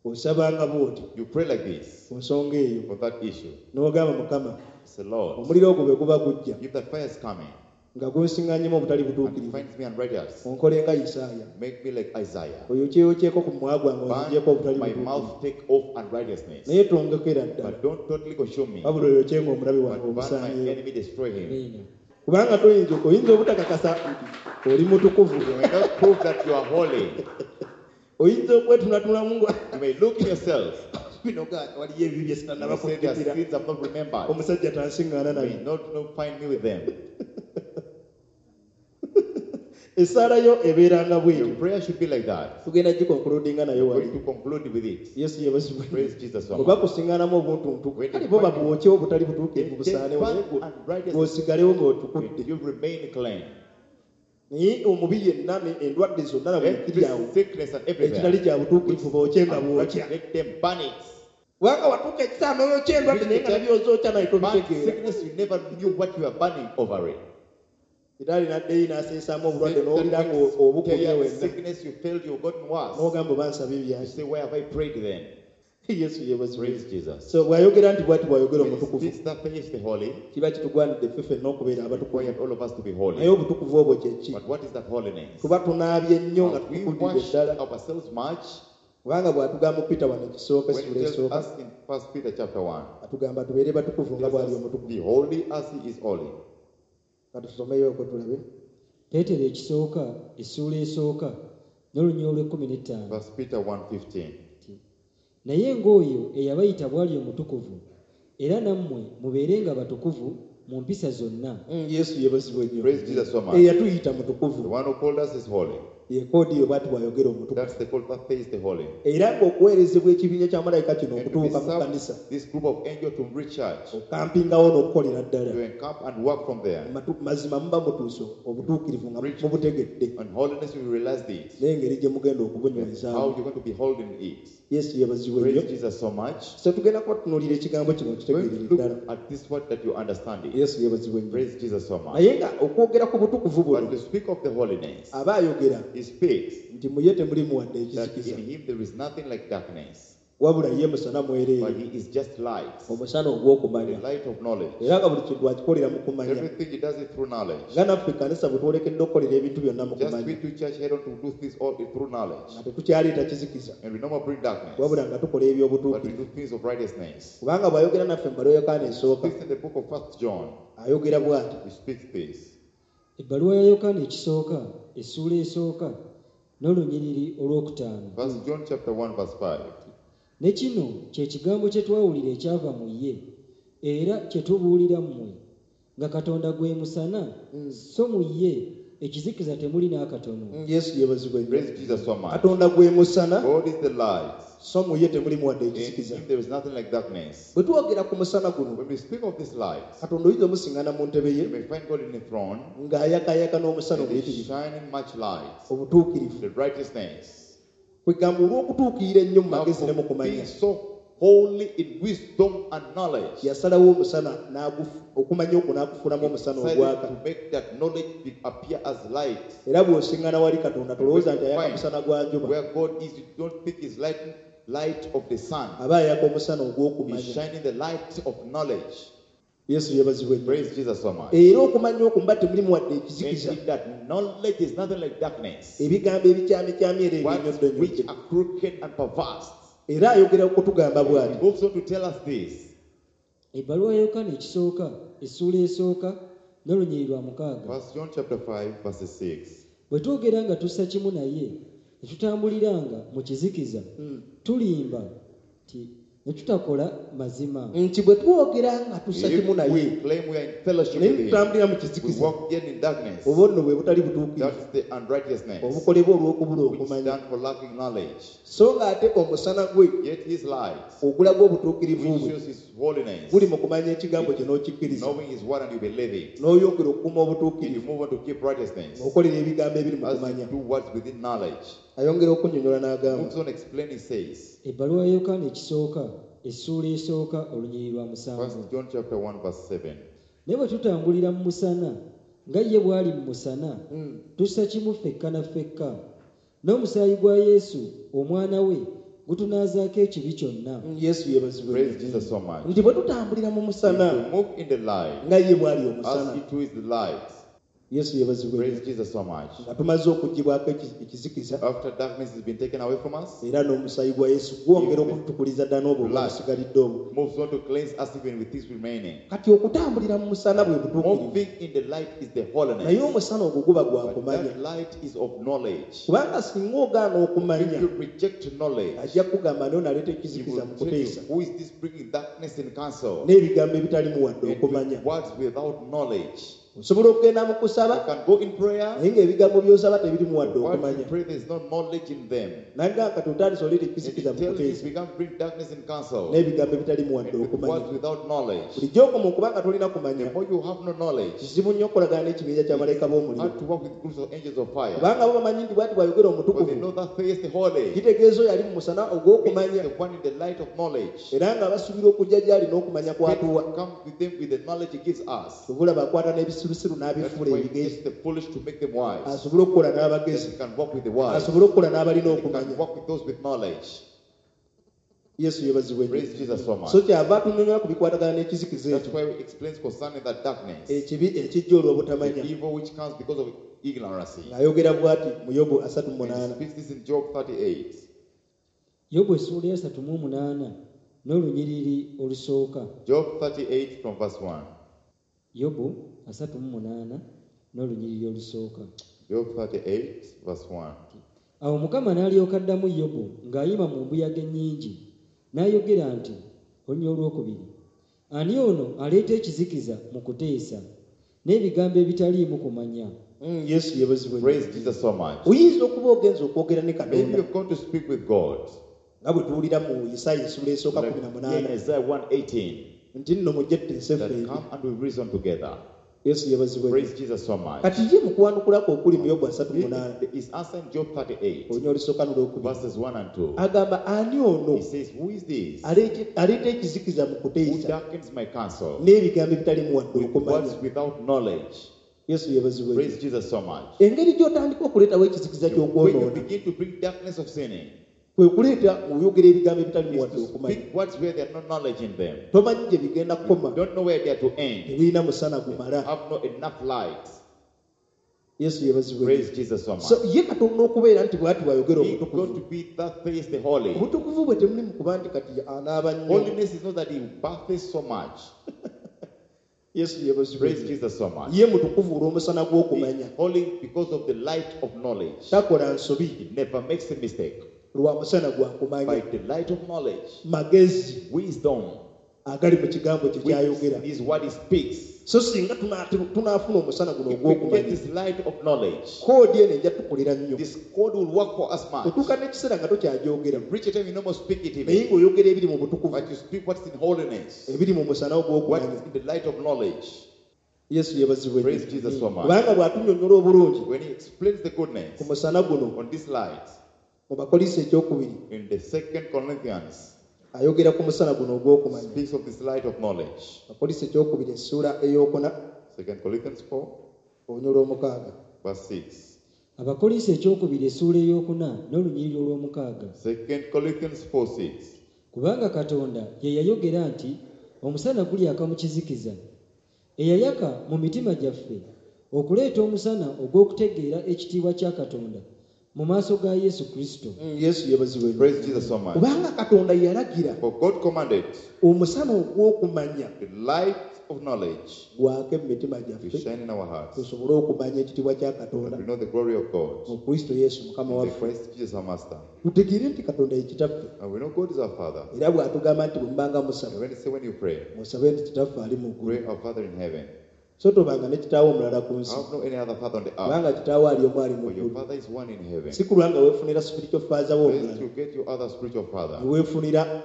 Osabanga bw'oti You pray like this ku nsonga eyo for that issue. n'ogamba Mukama Say, Lord, omuliro ogwo bwe guba gujja if that fire is coming nga gunsiŋŋanyemu obutali and butuukirivu finds me unrighteous, onkole nga Isaaya make me like Isaiah. oyo kyeyokyeko ku mumwa gwange onzigyeko obutali Burn my butuukirivu mouth, take off unrighteousness. naye tongekera ddala But don't totally consume me. wabula oyokyenga omulabe wange But burn my omusaanyeewo enemy, destroy him. Amiina. kubanga toyinza oyinza obutakakasa nti oli mutukuvu You may not prove that you are holy. oyinza okwetunatunulamu nga You may look in yourself. bino ga waliyo ebibi bye You sitannaba may say, there are kujjukira sins I've not remembered. omusajja tansiŋŋaana You naye may not find me with them. Essaala yo ebeeranga Your bwetyo prayer should be like that. tugenda gikonkuludinga nayo We're wali going to conclude with it. Yesu yeebazibwe. Praise Jesus. Bwe bakusiŋŋaanamu obuntuntu When kale they bo find babwokye obutali butuukirivu They busaanewo burn naye unrighteousness. bw'osigalewo ng'otukudde You remain clean. Naye omubi yenna endwadde zonna na buli kiri Every awo sickness and ekitali everything. kya butuukirivu bookye nga bwokya. Let them burn it. Kubanga watuuka ekiseera n'oyokya endwadde naye nga nabyozookya naye Burn tobitegeera. sickness, you never knew what you were burning over it. Sitaani n'addayo n'aseesaamu obulwadde n'owulira nga obukumye Tell wenna. sickness, you felt you've gotten worse. N'ogamba oba nsaba You ebyaki. say, where have I prayed then? Yesu yeebazibwe. Praise Jesus. So bw'ayogera nti bw'ati bw'ayogera When he omutukuvu speaks that page, the holy, kiba kitugwanidde ffe ffenna okubeera abatukuvu. required all of us to be Naye holy. obutukuvu obwo kye ki? But what is that holiness? Tuba tunaabye nnyo nga Have we tutukuddidde washed ddala. ourselves much? Kubanga bw'atugamba Peter wano ekisooka When he essula tells esooka us in 1 Peter chapter 1, atugamba tubeere batukuvu nga bw'ali omutukuvu. be holy as he is holy. Katusomeyo okwo tulabe. Peetero ekisooka essuula esooka n'olunyiriri olw'ekkumi n'ettaano. 1 Peter 1:15. Nti, naye ng'oyo eyabayita bw'ali omutukuvu era nammwe mubeerenga batukuvu mu mpisa zonna. Yesu yeebazibwe nnyo. Praise Jesus so much. Eyatuyita The mutukuvu one who called us is holy. ye koodi yo bw'ati bw'ayogera omutukuvu. That's the call that says the holy. Era ng'okuweerezebwa ekibinja kya malayika kino And to be okutuuka mu kkanisa served this group of angels to reach church, okampingawo n'okukolera ddala. to encamp and work from there. Mazima muba mutuuse obutuukirivu nga mubutegedde And holiness, we realize it. n'engeri gye mugenda How okubunywezaamu. you're going to be holding it. Yesu yeebazibwe nnyo. Praise Jesus so much. So tugenda kuba tutunuulira ekigambo kino Going to okitegeerere look ddala. at this word that you understand it. Yesu yeebazibwe nnyo. Praise Jesus so much. Naye nga okwogera ku butukuvu But buno to speak of the holiness, aba ayogera he speaks nti mu ye temulimu wadde that ekizikiza in him there is nothing like darkness, wabula ye musana mwereere but he is just light, omusana the ogw'okumanya light of knowledge. era nga buli kintu akikolera mu kumanya. Everything he does it through knowledge. Nga naffe ekkanisa bwe twolekedde okukolera ebintu byonna mu Just we kumanya to church head on to do things all through knowledge. nga tetukyaleeta kizikiza And we no more bring darkness, wabula nga tukola but we eby'obutuukirivu. do things of righteousness. Kubanga bw'ayogera naffe mu bbaluwa ya Yokaana esooka Speaks in the book of First John, ayogera bw'ati. he speaks this. Ebbaluwa ya Yokaana ekisooka essuula esooka n'olunyiriri olwokutaano. First John chapter 1, verse 5. Ne kino kye kigambo kye twawulira ekyava mu ye era kye tubuulira mmwe nga Katonda gwe musana so mu ye ekizikiza temuli n'akatono. Yesu yeebazibwe nnyo. Praise Jesus so much. Katonda gwe musana God is the light. so mu ye temulimu wadde In ekizikiza. him there is nothing like darkness. Bwe twogera ku musana guno When we speak of this light, Katonda oyinza omusiŋŋana mu ntebe ye you may find God in the throne ng'ayakayaka n'omusana and is omuyitirivu shining much light, obutuukirivu. the righteousness. Kwegamba olw'okutuukirira ennyo mu Now, magezi ne mu for kumanya being so holy in wisdom and knowledge, yasalawo omusana okumanya okwo n'akufuulamu omusana decided ogwaka. to make that knowledge appear as light. Era bw'osiŋŋana wali Katonda tolowooza nti ayaka musana gwa njuba. Where God is, you don't think is light, light of the sun. Aba ayaka omusana He's ogw'okumanya. shining the light of knowledge. Yesu yeebazibwe nnyo. Praise Jesus so much. Era okumanya okwo muba temulimu wadde And ekizikiza. in that knowledge is nothing like darkness. Ebigambo ebikyamikyami era Words which ebinyoddonyodde. are crooked and perverse. Era ayogera okutugamba He bw'ati. moves on to tell us this. Ebbaluwa ya Yokaana ekisooka essuula esooka n'olunyiriri lwa mukaaga. First John chapter 5, verse 6. Bwe twogera nga tussa kimu naye ne tutambuliranga mu kizikiza tulimba nti ne tutakola mazima. Nti bwe twogera nga tussa kimu If we naye claim we are in fellowship naye with him, tutambulira mu we kizikiza walk yet in darkness. oba nno bwe butali butuukirivu That is the unrighteousness obukolebwa olw'okubula which okumanya. stand for lacking knowledge. So ng'ate omusana gwe Yet his light, ogulaga obutuukirivu which bwe shows his holiness, guli mu kumanya ekigambo kye n'okikkiriza knowing his word and you believe it, n'oyongera okukuuma and you obutuukirivu move on to keep righteousness ng'okolera ebigambo ebiri mu as you kumanya. do what's within knowledge. Ayongera okunnyonnyola n'agamba Moves on explain, he says, Ebbaluwa ya Yokaana ekisooka essuula esooka olunyiriri lwa musanvu. First John chapter 1, verse 7. Naye bwe tutambulira mu musana nga ye bw'ali mu musana tussa kimu ffekka na ffekka n'omusaayi gwa Yesu omwana we gutunaazaako ekibi kyonna. Yesu yeebazibwe Praise nnyo. Jesus so much. Nti bwe tutambulira mu musana If we move in the light, nga ye bw'ali as omusana. he too is the light. Yesu yeebazibwe Praise nnyo. Jesus so much. Nga tumaze okuggyibwako ekizikiza After darkness has been taken away from us, era n'omusaayi gwa Yesu gwongera okutukuliza ddala n'obwo obusigalidde obwo. moves on to cleanse us even with this remaining. Kati okutambulira mu musana bwe butuukirivu. Moving in the light is the Naye holiness. omusana ogwo guba gwa But kumanya. that light is of knowledge. Kubanga singa ogaana okumanya If you reject knowledge, ajja kugamba naye naleeta he ekizikiza will mu tell you, kuteesa who is this bringing darkness in council? n'ebigambo ebitalimu wadde And okumanya. with words without knowledge. Osobola okugenda mu You kusaba can go in prayer. naye ng'ebigambo by'osaba tebirimu wadde What you okumanya. pray, there is no knowledge in them. Nanga kati otandise oleeta And ekizikiza it mu tells you kuteesa become bring darkness in counsel. n'ebigambo ebitalimu wadde And with okumanya. words without knowledge. Bulijjo okoma okuba nga tolina kumanya, The more you have no knowledge, kizibu nnyo okukolagana n'ekibinja kya malayika b'omuliro. how to work with groups of angels of fire. Kubanga bo bamanyi nti bw'ati bw'ayogera For they omutukuvu, know that face the holy. kitegeeza oyo ali mu musana ogw'okumanya The one in the light of knowledge. era nga basuubira okujja gy'ali n'okumanya kw'atuwa. Come with them with the knowledge he gives us. Obulaba akwata n'ebisirusiru That's n'abifuula why he ebigezi gets the foolish to make them wise. asobole okukola That n'abagezi, he can work with the wise. asobole okukola n'abalina He okumanya. can work with those with knowledge. Yesu yeebazibwe nnyo. Praise Jesus so much. So kyava atunyonnyola ku bikwatagana n'ekizikiza That's ekyo why he explains concerning that darkness. ekibi ekijja olw'obutamanya. The evil which comes because of ignorance. Ng'ayogera bw'ati mu Yobu asatu mu And he munaana. speaks this in Job 38. Yobu essuula esatu mu omunaana n'olunyiriri olusooka. Job 38 from verse 1. Yobu 38 n'olunyiriri olusooka. Job 38 verse 1. Awo Mukama n'alyoka addamu Yobu ng'ayima mu mbuyaga ennyingi, n'ayogera nti, olunyiriri olwokubiri, ani ono aleeta ekizikiza mu kuteesa n'ebigambo ebitaliimu kumanya? Yesu yeebazibwe nnyo. Praise Jesus so much. Oyinza okuba ogenza okwogera ne Maybe Katonda you've gone to speak with God. nga bwe tuwulira mu Isaaya essuula esooka Like kumi na here in munaana Isaiah 1:18, nti nno mujje tuteese that ffembi. come and we reason together. Yesu yeebazibwe nnyo. Praise Jesus so much. Kati ye mu kuwanukulako okuli mu Yobu asatu mu munaana His answer in Job 38, olunyiriri olusooka n'olwokubiri verses 1 and 2. agamba ani ono He says, Who is this aleeta ekizikiza mu who kuteesa darkens my counsel n'ebigambo ebitalimu wadde with okumanya? words without knowledge? Yesu yeebazibwe nnyo. Praise Jesus so much. Engeri gy'otandika okuleetawo ekizikiza When you ky'okwonoona begin to bring darkness of sinning, kwe kuleeta oyogera ebigambo ebitalimu is wadde to okumanya. speak words where there are no knowledge in them. Tomanyi gye bigenda kukoma, Don't know where they are to end. tebirina musana gumala. Have not enough light. Yesu yeebazibwe nnyo. Praise Jesus so much. So ye Katonda okubeera nti bw'ati bw'ayogera He omutukuvu, got to be that face the holy. obutukuvu bwe temuli mu kuba nti kati anaaba nnyo. Holiness is not that he bathes so much. Yesu yeebazibwe Praise nnyo. Jesus so much. Ye mutukuvu olw'omusana He gw'okumanya, is holy because of the light of knowledge. takola nsobi He never makes a mistake. lwa musana gwa By kumanya, the light of knowledge, magezi wisdom, agali mu kigambo kye which kyayogera. is what he speaks. So singa tunaafuna omusana guno If we get ogw'okumanya, this light of knowledge, koodi eno ejja tukolera nnyo. this code will work for us much. Otuuka n'ekiseera nga tokyagyogera, Reach a time you no more speak it naye even, ng'oyogera ebiri mu butukuvu, but you speak what's in holiness, ebiri mu musana what ogw'okumanya. is in the light of knowledge. Yesu yeebazibwe nnyo. Praise Jesus so much. Kubanga bw'atunnyonnyola obulungi When he explains the ku goodness musana guno on this light, mu Bakolinso ekyokubiri in the second Corinthians, ayogera ku musana guno ogw'okumanya. speaks of this light of knowledge. Bakolinso ekyokubiri essuula ey'okuna Second Corinthians 4, olunyiriri olw'omukaaga. verse 6. Abakolinso ekyokubiri essuula ey'okuna n'olunyiriri olw'omukaaga. Second Corinthians 4, 6. Kubanga Katonda ye yayogera nti omusana gulyaka mu kizikiza, eyayaka mu mitima gyaffe okuleeta omusana ogw'okutegeera ekitiibwa kya Katonda mu maaso ga Yesu Kristo. Yesu yeebazibwe nnyo. Praise Jesus so much. Kubanga Katonda yalagira For God commanded omusana ogw'okumanya the light of knowledge gwake mu mitima to gyaffe shine in our hearts, tusobole okumanya ekitiibwa kya Katonda that we know the glory of God mu Kristo Yesu Mukama in the waffe. Christ Jesus our Master. Tutegeere nti Katonda ye kitaffe, And we know God is our Father. era bw'atugamba nti bwe mubanga And musaba when he say when you pray, musabe nti kitaffe ali mu ggulu, pray our Father in heaven. so tobanga ne kitaawo omulala ku nsi, Have no any other Father on the earth, kubanga kitaawo ali omu ali mu for your ggulu. Father is one in heaven. Si kulwa nga weefunira spiritual father wo First omulala, you get your other spiritual father ne weefunira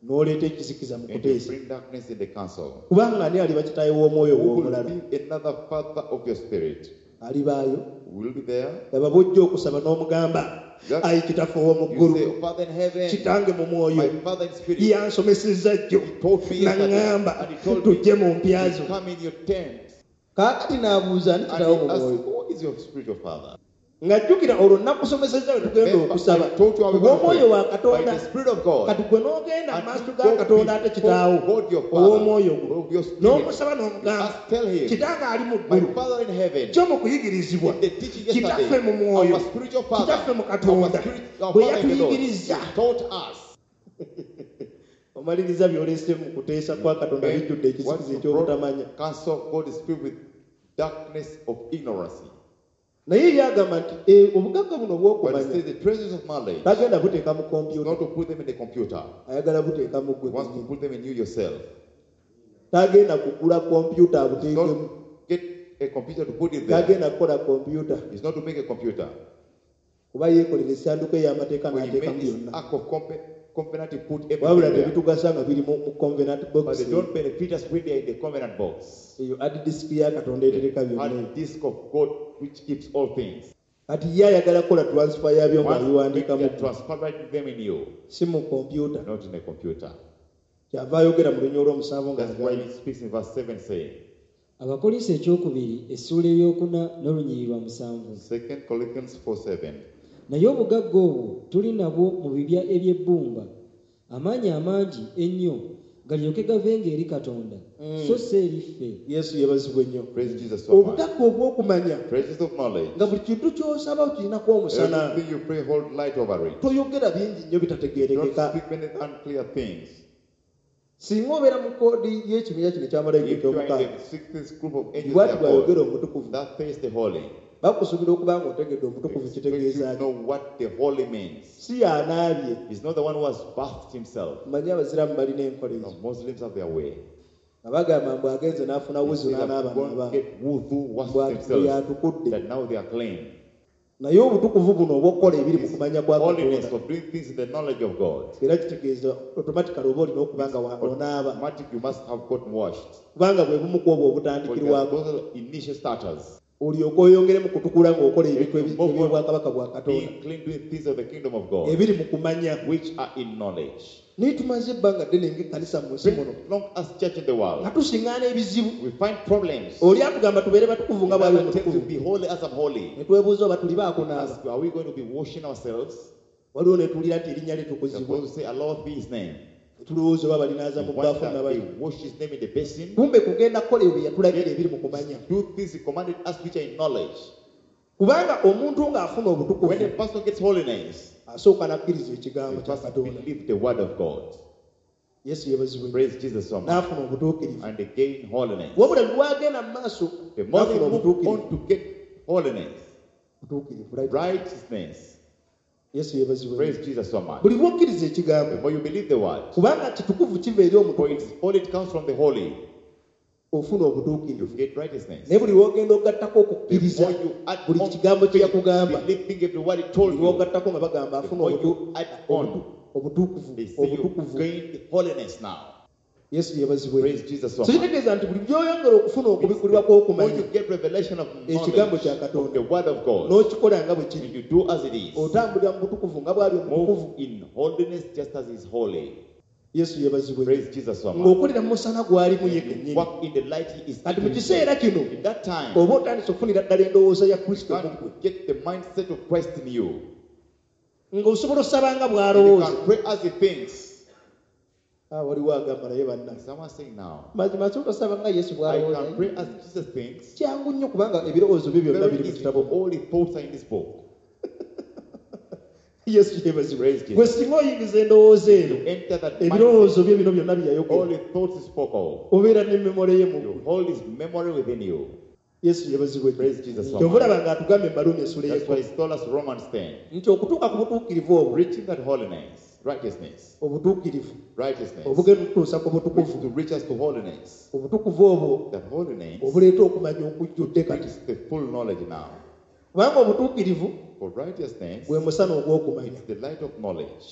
n'oleeta ekizikiza mu and you kuteesa. bring darkness in the council. Kubanga ani aliba kitaawe w'omwoyo Who will w'omulala? be another father of your spirit? Alibaayo. Will be there. Laba bw'ojja okusaba n'omugamba, ayi kitaffe ow'omu You ggulu, say, Father in heaven, kitange mu mwoyo, my Father in spirit, yansomesezza jjo taught me yesterday, n'aŋŋamba and he told me tujje mu mpya zo. to come in your tent. Kaakati n'abuuza ani And kitaawo he mu asked, mwoyo? who is your spiritual father? Ng'ajjukira olwo nakusomesezza bwe tugenda Remember, okusaba I taught you how we gonna olw'omwoyo wa pray. By Katonda. the Spirit of God. Kati gwe n'ogenda mu And maaso you ga go Katonda ate before kitaawo God your Father, ow'omwoyo gwo, of your spirit. n'omusaba You n'omugamba, ask, tell him, kitange ali mu my ggulu, Father in heaven, kyo mu kuyigirizibwa, in the teaching kitaffe yesterday, mu mwoyo, our spiritual father, kitaffe mu our Katonda spirit, our bwe Father in the Lord, yatuyigiriza. taught us. Omaliriza by'oleese mu kuteesa kwa Katonda bijjudde What ekizikiza you eky'obutamanya. brought counsel of God is filled with darkness of ignorance. Naye ye agamba nti "Eh, obugagga buno But it obw'okumanya says the treasures of knowledge, tagenda buteeka mu is kompyuta, not to put them in the computer. ayagala buteeka mu He ggwe wants to kennyini. put them in you yourself. Tagenda kugula kompyuta Don't abuteekemu. get a computer to put it there. Tagenda kukola kompyuta. It's not to make a computer. Kuba yeekolera essanduuko ey'amateeka When he made n'ateekamu this byonna. Ark of Covenant, he put everything Wabula there. tebitugasa nga biri mu covenant But box. they don't benefit us when they are in the covenant box. Eyo hard disk ya Katonda etereka The byonna. hard disk of God which keeps all things. Kati ye ayagala kukola transfer yaabyo Once ng'abiwandiikamu. they are transferring them in you, Si mu kompyuta. not in a computer. Kyava ayogera mu lunya olw'omusanvu That's why ng'agamba. he speaks in verse 7 saying, Abakolinso ekyokubiri essuula ey'okuna n'olunyiriri lwa 7. 2 Corinthians 4:7. Naye obugagga obwo tuli nabwo mu bibya eby'ebbumba, amaanyi amangi ennyo galyoke gavenga eri Katonda, so si eri ffe. Yesu yeebazibwe nnyo. Praise Jesus so much. Obugagga obw'okumanya Treasures of knowledge. nga buli kintu ky'osaba okirinako omusana. Everything you pray hold light over it. Toyogera bingi nnyo Don't bitategeerekeka. speak many unclear things. Singa obeera mu koodi y'ekibinja kino ekya malayika If you are eky'omukaaga, in the sixth group of angels, bw'ati they are bw'ayogera called, omutukuvu, that face the holy. bakusuubira okuba nga otegedde omutukuvu Expect you kitegeeza to ki. know what the holy means. Si y'anaabye. He's not the one who has bathed himself. Mmanyi abasiraamu balina enkola No, ezo. Muslims have their way. Nga bagamba mbu agenze n'afuna They wuzu say that n'anaaba go and n'aba. get wudu, wash Mbu themselves, yatukudde. that now they are clean. Naye obutukuvu buno obw'okukola ebiri mu kumanya kwa Holiness Katonda. of doing things in the knowledge of God. Era kitegeeza automatically oba olina okuba nga onaaba. Automatic, you must have gotten washed. Kubanga bwe bumu ku obwo Because obutandikirwako. those are the initial starters. Olyoke oyongere mu kutukula ng'okola ebintu eby'obwakabaka bwa Katonda. Being clean, doing things of the kingdom of God, Ebiri mu kumanya. which are in knowledge. Naye tumaze ebbanga ddene ng'ekkanisa mu nsi muno. Been long as church in the world, Nga tusiŋŋaana ebizibu. we find problems. Oli atugamba tubeere batukuvu nga bw'ali Another tells you, omutukuvu. be holy as I'm holy. Ne twebuuza oba tuli baakunaaba. Ask, are we going to be washing ourselves? Waliwo ne tuwulira nti erinnya lye They're tukuzibwa. supposed to say, Allah be his name. Ne tulowooza oba balinaaza mu We bbaafu wonder nabali. they wash his name in the basin. Kumbe kugenda kukola ebyo bye yatulagira ebiri mu kumanya. Do things he commanded us which are in knowledge. Kubanga omuntu ng'afuna When a obutukuvu person gets holiness, asooka n'akkiriza ekigambo they kya first Katonda. believe the word of God. Yesu yeebazibwe. Praise Jesus so much. N'afuna obutuukirivu. And they gain holiness. Wabula lwagenda mu maaso The more they n'afuna move obutuukirivu. on to get holiness, Butuukirivu, right? righteousness. Yesu yeebazibwe. Praise Jesus so much. Buli lw'okkiriza ekigambo The more you believe the word, kubanga kitukuvu kiva eri for omutukuvu it's all it comes from the holy, ofuna you obutuukirivu. get righteousness. Naye buli lw'ogenda ogattako The okukkiriza more you add buli on kigambo kye faith, yakugamba believing every word he told buli you, lw'ogattako nga bagamba the afuna more you add on, obutukuvu they say you obutukuvu. gain holiness now. Yesu yeebazibwe. Praise Jesus so So much. kitegeeza nti buli by'oyongera okufuna okubikkulirwa The more kw'okumanya you get revelation of ekigambo knowledge kya of Katonda the word of God, n'okikola nga bwe kiri and you do as it is, otambulira mu butukuvu nga bw'ali omutukuvu. move in holiness just as is holy. Yesu yeebazibwe. Praise Jesus so much. Ng'okolera mu musana gw'alimu ye You kennyini. walk in the light he is Kati mu in. kiseera kino In that time, oba otandise okufunira ddala endowooza ya Kristo you mu ggwe. can get the mindset of Christ in you. Ng'osobola osaba nga And you bw'alowooza. can pray as he thinks. Ah, waliwo agamba naye bannange. Someone saying now, Mazima nsobola osaba nga Yesu I bw'alowooza. can pray as Jesus thinks. Kyangu nnyo kubanga ebirowoozo bye byonna Very biri mu easy, kitabo. for all the thoughts are in this book. Yesu yeebazibwe. Praise Jesus. Gwe singa oyingiza endowooza eno You enter that mindset, ebirowoozo bye bino byonna bye all yayogera the thoughts he spoke of. obeera ne memole ye mu You ggwe. hold his memory within you. Yesu yeebazibwe. Praise Jesus so Kyova much. olaba ng'atugamba Embaluumi essuula That's why ey'ekkumi he told us Romans 10. nti okutuuka ku butuukirivu obwo Reaching that holiness, righteousness, obutuukirivu righteousness, obugenda okutuusa ku which butukuvu to reach us to holiness. obutukuvu obwo That holiness obuleeta okumanya okujjudde kati brings the full knowledge now. kubanga obutuukirivu For righteousness gwe musana ogw'okumanya is the light of knowledge.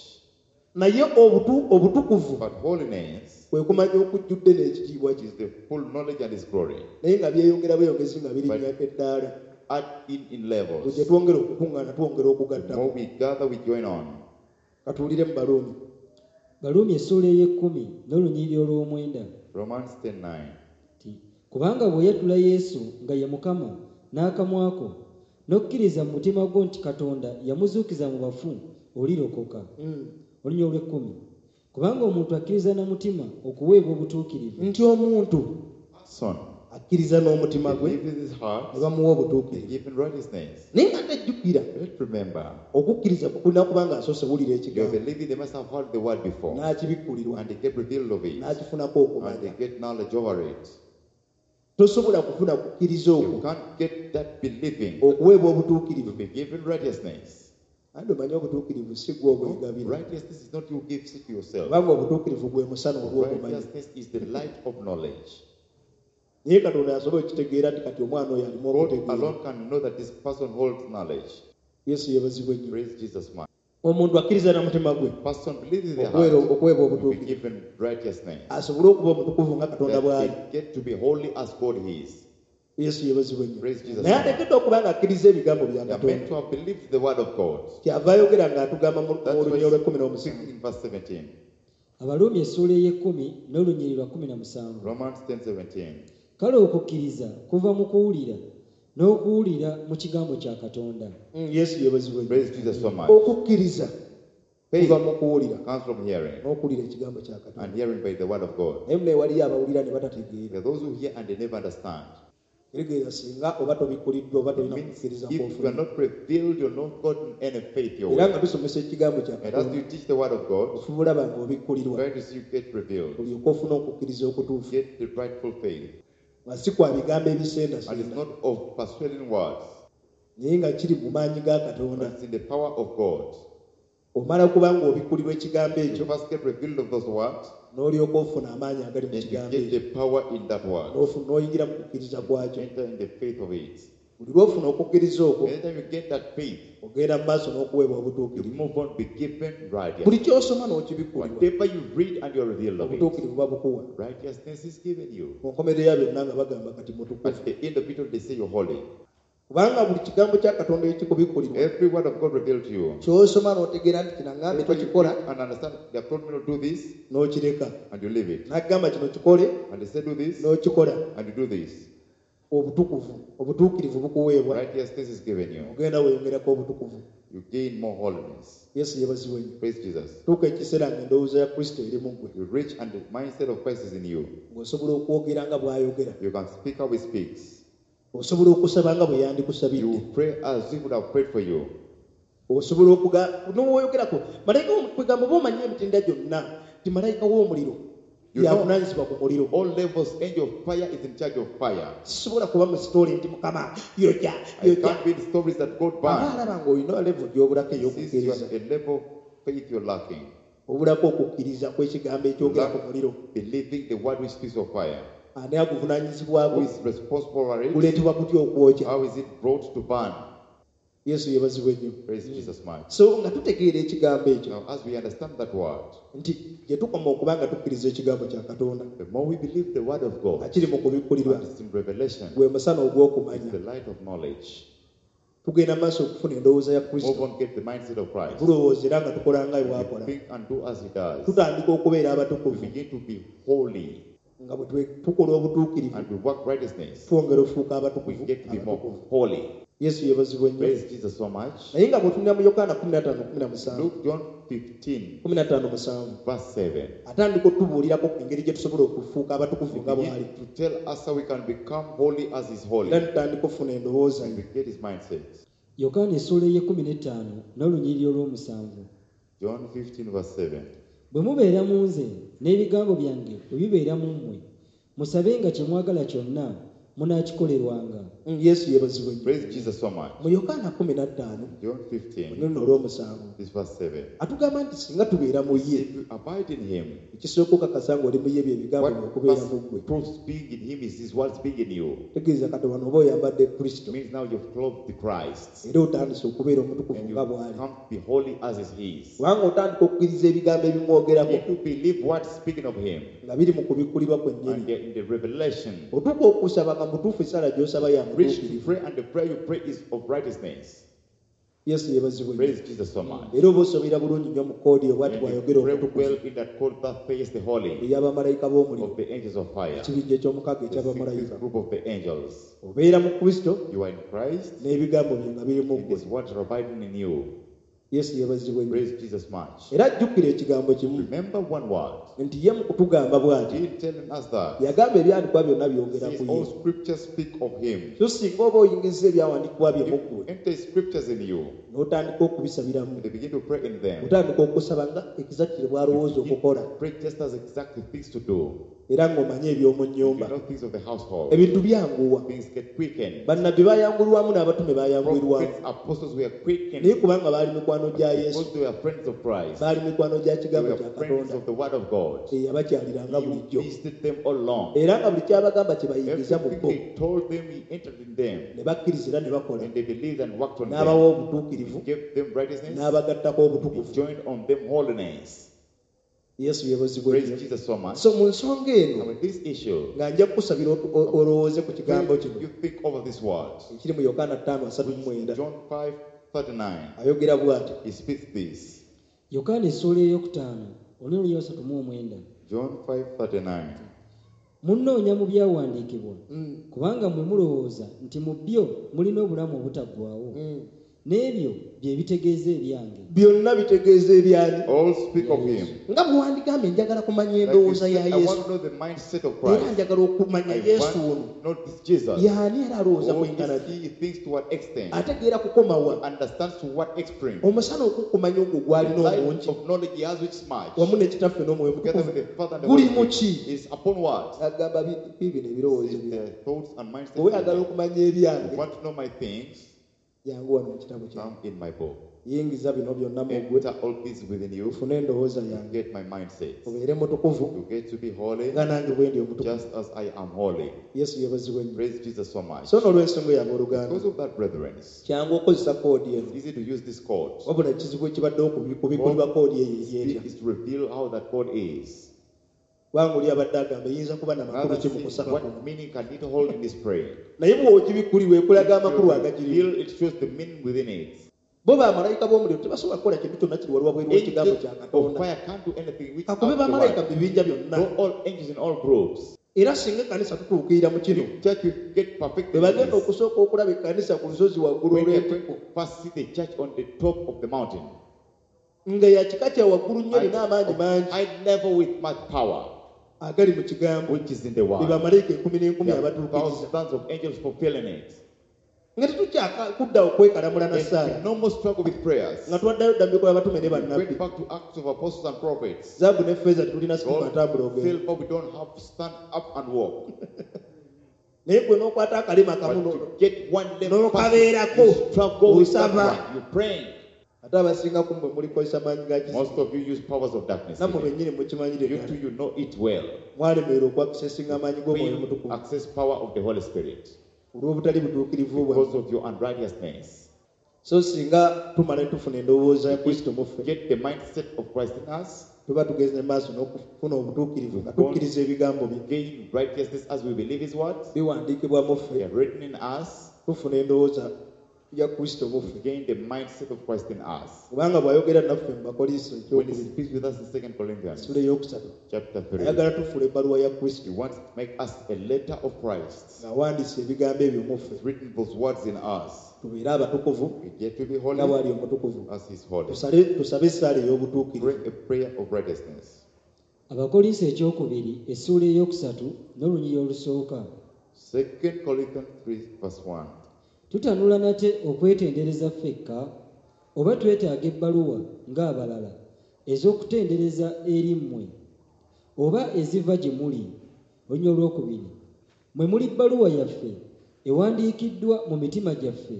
naye obutukuvu But holiness kwe kumanya okujjudde n'ekitiibwa kye is the full knowledge and his glory. naye nga byeyongera bweyongezi nga birinnya eddaala Add in levels. bwe gye twongera okukuŋŋaana twongera The okugattako more we gather, we join on. katuwulire mu Baluumi. Baluumi essuula ey'ekkumi n'olunyiriri olw'omwenda. Romans 10:9. Nti kubanga bw'oyatula Yesu nga ye Mukama n'akamwa ko n'okkiriza mu mutima gwo nti Katonda yamuzuukiza mu bafu olirokoka. Olunyiriri olw'ekkumi. Kubanga omuntu akkiriza na mutima okuweebwa obutuukirivu. Nti omuntu Son, akkiriza n'omutima gwe believe with his heart, ne bamuwa obutuukirivu. given righteousness. Naye nga tejjukira Let's remember, okukkiriza kulina kuba nga asoose wulira you're ekigambo believing they must have heard the word before, n'akibikkulirwa and they get revealed of it, n'akifunako and okumanya. they get knowledge over it. Tosobola kufuna kukkiriza You okwo can't get that believing okuweebwa to obutuukirivu. be given righteousness. Anti omanyi obutuukirivu si gwe obwegabira. Righteousness is not you give it to yourself. Kubanga obutuukirivu gwe musana ogw'okumanya. Righteousness is the light of knowledge. Naye Katonda asobola okukitegeera nti kati omwana oyo alimu God okutegeera. alone can know that this person holds knowledge. Yesu yeebazibwe nnyo. Praise Jesus much. Omuntu akkiriza na mutima gwe Person believes in their okuweera heart okuweebwa to be obutuukirivu given righteousness. asobole okuba omutukuvu nga Katonda That bw'ali. they get to be holy as God is. Yesu yeebazibwe nnyo. Praise Jesus. Naye ateekeddwa okuba nga akkiriza ebigambo bya They are meant Katonda. to have believed the word of God. Kyava ayogera ng'atugamba mu That's mu why lunyiriri olw'ekkumi n'omusanvu. in verse 17. Abaruumi essuula ey'ekkumi n'olunyiriri lwa 17. Romans 10:17. Kale okukkiriza kuva mu kuwulira n'okuwulira mu kigambo kya Katonda. Yesu yeebazibwe nnyo. Praise Jesus so much. Okukkiriza Faith kuva mu kuwulira comes from hearing, n'okuwulira ekigambo kya Katonda. and hearing by the word of God. Naye munaye waliyo abawulira ne batategeera. There are those who hear and they never understand. Kitegeeza singa oba tobikkuliddwa oba It tolina means kukkiriza if you are kw'ofunye. not revealed, you're not gotten any faith your Era way. nga tusomesa ekigambo kya And as Katonda you teach the word of God, ofuba olaba ng'obikkulirwa try to see you get revealed. olyoke ofune okukkiriza okutuufu Get the rightful faith. nga si kwa bigambo And it's ebisendasenda not of persuading words, naye nga kiri mu maanyi ga but Katonda. it's in the power of God. Omala kuba ng'obikkulirwa ekigambo You ekyo first get revealed of those words, n'olyoka ofuna amaanyi agali mu and you kigambo get ekyo the power in that word. N'oyingira mu kukkiriza kwakyo. Enter in the faith of it. Buli lw'ofuna okukkiriza okwo Anytime you get that faith, ogenda mu maaso n'okuweebwa you obutuukirivu. move on, be given Buli righteousness. ky'osoma n'okibikkulirwa Whatever you read and you're revealed of it, obutuukirivu babukuwa. righteousness is given you. Ku nkomerero ya byonna nga bagamba kati mutukuvu. At the end of it all, they say you're holy. Kubanga buli kigambo kya Katonda ekikubikkulirwa Every word of God revealed to you. ky'osoma n'otegeera nti kino aŋŋambye Whatever you tokikola read and understand, they have told me to do this, n'okireka. and you leave it. N'agamba kino kikole And they say do this, n'okikola. and you do this. Obutukuvu obutuukirivu bukuweebwa Righteousness is given you. ogenda weeyongerako obutukuvu. You gain more holiness. Yesu yeebazibwe nnyo. Praise Jesus. Tuuka ekiseera ng'endowooza ya Kristo eri mu ggwe You reach and the mindset of Christ is in you. ng'osobola okwogera nga bw'ayogera You can speak how he speaks. osobola okusaba nga bwe yandikusabidde You pray as he would have prayed for you. osobola okuga n'owoyogerako malayika kwegamba oba omanyi emitendera gyonna nti malayika w'omuliro You know- yavunaanyizibwa ku muliro. All levels, angel of fire is in charge of fire. Sisobola kuba mu sitooli nti Mukama yokya I yokya. can't read stories that God Aba burned. alaba ng'olina level gy'obulako Since you ey'okukkiriza are a level of faith you're lacking. obulako okukkiriza kw'ekigambo ekyogera ku muliro. Believing the word which speaks of fire. Ani aguvunaanyizibwako Who is responsible for it? guleetebwa kutya okwokya. How is it brought to burn? Yesu yeebazibwe nnyo. Praise Jesus much. So nga tutegeera ekigambo ekyo Now, as we understand that word, nti gye tukoma okuba nga tukkiriza ekigambo kya Katonda the more we believe the word of nga God, kiri mu kubikkulirwa and it's in revelation, gwe musana it's ogw'okumanya the light of knowledge. tugenda maaso okufuna endowooza ya Move Kristo. on, get the mindset of Christ. Tulowooza era nga tukola nga We bw'akola. think and do as he does. Tutandika okubeera We abatukuvu begin to be holy nga bwe tukola obutuukirivu and we work righteousness. twongera ofuuka We abatukuvu get to be more abatukuvu. holy. Yesu yeebazibwe nnyo. Praise Jesus so much. Naye nga bw'otunula mu Yokaana 15:17 Luke John 15, 15:7 verse 7. atandika otubuulirako engeri gye tusobola okufuuka abatukuvu He nga bw'ali begins to tell us how we can become holy as he's holy. era tutandika okufuna endowooza ye. We get his mindset. Yokaana essuula ey'ekkumi n'ettaano n'olunyiriri olw'omusanvu. John 15, verse 7. Bwe mubeera mu nze n'ebigambo byange bwe bibeera mu mmwe, musabenga kye mwagala kyonna munaakikolerwanga. Yesu yeebazibwe nnyo. Praise Jesus so much. Mu Yokaana 15 John 15, luno olw'omusanvu this verse 7. atugamba nti singa tubeera mu ye If you abide in him, ekisooka okakasa ng'oli mu ye bye bigambo what bye okubeera first mu ggwe. proves being in him is his words being in you. Tegeeza kati wano oba oyambadde Kristo It means now you've clothed the Christ era otandise okubeera omutukuvu and you nga bw'ali come to be holy as is his. kubanga otandika okukkiriza ebigambo ebimwogerako If you believe what's speaking of him nga biri mu kubikkulirwa kwennyini and they're in the revelation, otuuka okusaba nga mutuufu essaala gy'osaba ya reach to mutuukirivu. pray, and the prayer you pray is of righteousness. Yesu yeebazibwe nnyo. Praise Jesus so much. Era oba osobera bulungi nnyo mu koodi obwati And you bw'ayogera pray omutukuvu well in that code that face the holy ey'abamalayika b'omuliro of the angels of fire, ekibinja eky'omukaaga the eky'abamalayika. sixth group of the angels. Obeera mu Kristo You are in Christ, n'ebigambo bye nga biri mu and ggwe. His words are abiding in you. Yesu yeebazibwe nnyo. Praise Jesus much. Era jjukira ekigambo kimu Remember one word. nti ye mu kutugamba bw'ati He telling us that yagamba ebyawandiikibwa byonna byogera since ku all ye. scriptures speak of him. So singa oba oyingiza ebyawandiikibwa bye mu If ggwe you enter scriptures in you, n'otandika okubisabiramu and they begin to pray in them. otandika okusaba nga exactly bw'alowooza okukola. Pray just as exactly things to do. Era ng'omanyi eby'omu You nnyumba know things of the household. Ebintu byanguwa. Things get quickened. Bannabbi bayangulwamu n'abatume bayangulwamu. Prophets, apostles were quickened Naye kubanga baali mikwano gya Yesu, because they were friends of Christ. baali mikwano gya They kigambo were kya friends Katonda of the Word of God. eyabakyaliranga He bulijjo visited them all along. era nga buli kyabagamba kye bayingiza mu Everything bo they told them, he entered in them. ne bakkiriza era ne bakola. And they believed and worked on N'abawa them. obutuukirivu He gave them righteousness. n'abagattako He obutukuvu. joined on them holiness. Yesu yeebazibwe Praise nnyo. Jesus so much. So mu nsonga eno Now, with this issue, nga nja kukusabira olowooze ku kigambo kino you think over this word. ekiri mu Yokaana 5:39. John 5:39. Ayogera bw'ati. He speaks this. Yokaana essuula eyokutaano olunyiriri 39. John 5:39. Munnoonya mu byawandiikibwa kubanga mmwe mulowooza nti mu byo mulina obulamu obutaggwaawo n'ebyo bye bitegeeza ebyange. Byonna bitegeeza ebyani? All speak of him. Nga bwe wandigambye njagala kumanya Like you endowooza said, ya I Yesu want to know the mindset of era Christ. njagala okumanya I want Yesu ono to know this Jesus. yaani era alowooza Who kwenkana is ki he? He thinks to what extent? ategeera kukoma wa Understands to what extreme? omusana okukumanya ogwo The gw'alina light omungi of knowledge he has which is much. wamu ne kitaffe n'omwoyo Together mutukuvu with the Father and the guli Holy mu Spirit ki is upon what? agamba bibino ebirowoozo Is byange the thoughts and mindset. bwe weyagala okumanya You ebyange want to know my things? jangu wano mu kitabo kyange Come in my book. Yingiza bino byonna mu ggwe Enter all this within you. ofune endowooza yange Get my mindset. obeere mutukuvu You get to be holy nga nange bwe ndi omutukuvu. just as I am holy. Yesu yeebazibwe nnyo. Praise Jesus so much. So n'olw'ensonga eyo abooluganda Because of that, brethren, it's kyangu okukozesa koodi eno easy to use this code. wabula ekizibu ekibadde okubikulibwa koodi eyo eryetya Is to reveal how that code is. kubanga oli abadde agamba eyinza kuba namakulu Another ki mu thing, kusaba kuno. what meaning can it hold in this prayer? Naye bw'ogibikulirwa ekulaga amakulu If you agagirimu. reveal, it shows the meaning within it. Bo bamalayika b'omuliro tebasobola kukola kintu kyonna kiri wali wabweru w'ekigambo Angels kya of Katonda. fire can't do anything which Kakube out the bamalayika word. mu bibinja byonna. Though all angels in all groups. Era singa ekkanisa tutuukirira mu kino If church will get perfected bwe in bagenda this, okusooka okulaba ekkanisa ku lusozi waggulu when they are going olw'entikko to first see the church on the top of the mountain, nga ya kika kya waggulu nnyo at erina amaanyi mangi high level with much power, agali mu kigambo which is in the be world. bamalayika enkumi n'enkumi There are abatuukiriza thousands of angels fulfilling it. nga tetukyakudda okwekalamula na There's ssaala no more struggle with prayers. nga twaddayo dda mu bikolwa by'abatume ne We bannabbi. went back to Acts of Apostles and Prophets. Zaabu ne ffeeza tetulina situka God, atambula ogenda silver, we don't have to stand up and walk. Naye gwe n'okwata akalima akamu But to get one level n'okabeerako past, you struggle with that osaba. one. You're praying. Ate abasinga ku mmwe mulikozesa maanyi ga Most kisi of you use powers of darkness. nammwe Even. bennyini mukimanyire You ddala. too, you know it well. Mwalemererwa okwakisesinga amaanyi g'omwoyo Fail omutukuvu access power of the Holy Spirit olw'obutali butuukirivu bwammwe. because of your unrighteousness. So singa tumala ne tufuna endowooza ya Kristo mu ffe Get the mindset of Christ in us. tuba tugenze maaso n'okufuna obutuukirivu nga tukkiriza ebigambo bye Gain righteousness as we believe His words. biwandiikibwa mu They ffe are written in us. tufuna endowooza ya Kristo mu We ffe gain the mindset of Christ in us. kubanga bw'ayogera naffe mu Bakoliso When He ekyokubiri speaks with us in 2 Corinthians essula eyokusatu chapter 3, ayagala tufuula ebbaluwa ya Kristo He wants to make us a letter of Christ. ng'awandiisa ebigambo ebyo mu ffe He's written those words in us. tubeere abatukuvu We get to be nga holy bw'ali omutukuvu as He's holy. Tusabe essaala ey'obutuukirivu. Pray a prayer of righteousness. Abakolinso ekyokubiri essuula eyokusatu n'olunyiriri olusooka. 2 Corinthians 3, verse 1. Tutanula nate okwetendereza ffekka oba twetaaga ebbaluwa ng'abalala ez'okutendereza eri mmwe oba eziva gye muli? Olunyiriri olwokubiri mwe muli bbaluwa yaffe ewandiikiddwa mu mitima gyaffe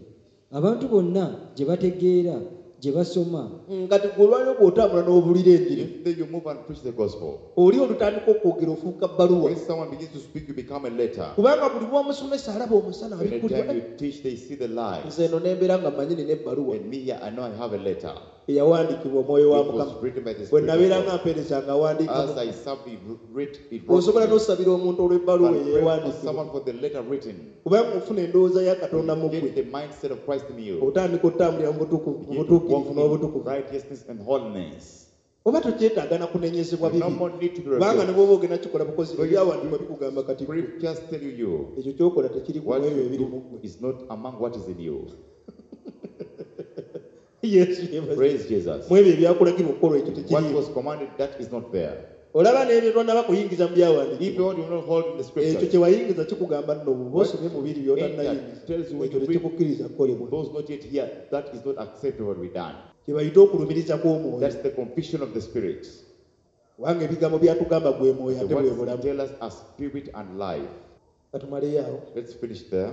abantu bonna gye bategeera gye basoma. Kati gwe olwaliro bw'otambula n'obulira enjiri If then you move and preach the gospel, oli olutandika okwogera ofuuka bbaluwa when someone begins to speak, you become a letter. kubanga buli lw'omusomesa alaba omusana Anytime abikkulirwa you teach, they see the light. nze eno nembeera nga mmanyi nina ebbaluwa And me here, I know I have a letter. eyawandiikibwa omwoyo wa It Mukama was written by the bwe Spirit nabeera of nga God. mpeereza nga awandiikamu As I served, it writ, it wrote osobola me. n'osabira omuntu olw'ebbaluwa But eyo pray for eyawandiikibwa someone for the letter written. kubanga ofuna endowooza ya Katonda mu Get ggwe the mindset of Christ in you. otandika otambulira mu butuuku- mu Begin to walk butuukirivu in n'obutukuvu righteousness and holiness. Oba tokyetaaga na kunenyezebwa No bibi more need to be kubanga ne revealed. bw'oba ogenda kikola bukozi Though you- ebyawandiikibwa bikugamba kati ggwe Scriptures tell you ekyo kyokola tekiri ku what ebyo you ebiri mu do ggwe. is not among what is in you. Yesu yeebazibwe. Praise Jesus. Mu ebyo ebyakulagirwa okukola ekyo What tekiriimu was commanded, that is not there. Olaba n'ebyo tonnaba kuyingiza mu If byawandiikibwa you want, you will not hold in the ekyo scriptures. kye wayingiza kikugamba nno bw'oba osomye mu biri by'otannayingiza Tells you when ekyo you read tekikukkiriza kukolebwa those not yet here, that is not acceptable to be done. kye bayita okulumiriza kw'omwoyo. That's the confusion of the spirit. Kubanga ebigambo byatugamba gwe mwoyo The ate bwe words bulamu. tell us are spirit and life. Katumaleyo awo. Let's finish there.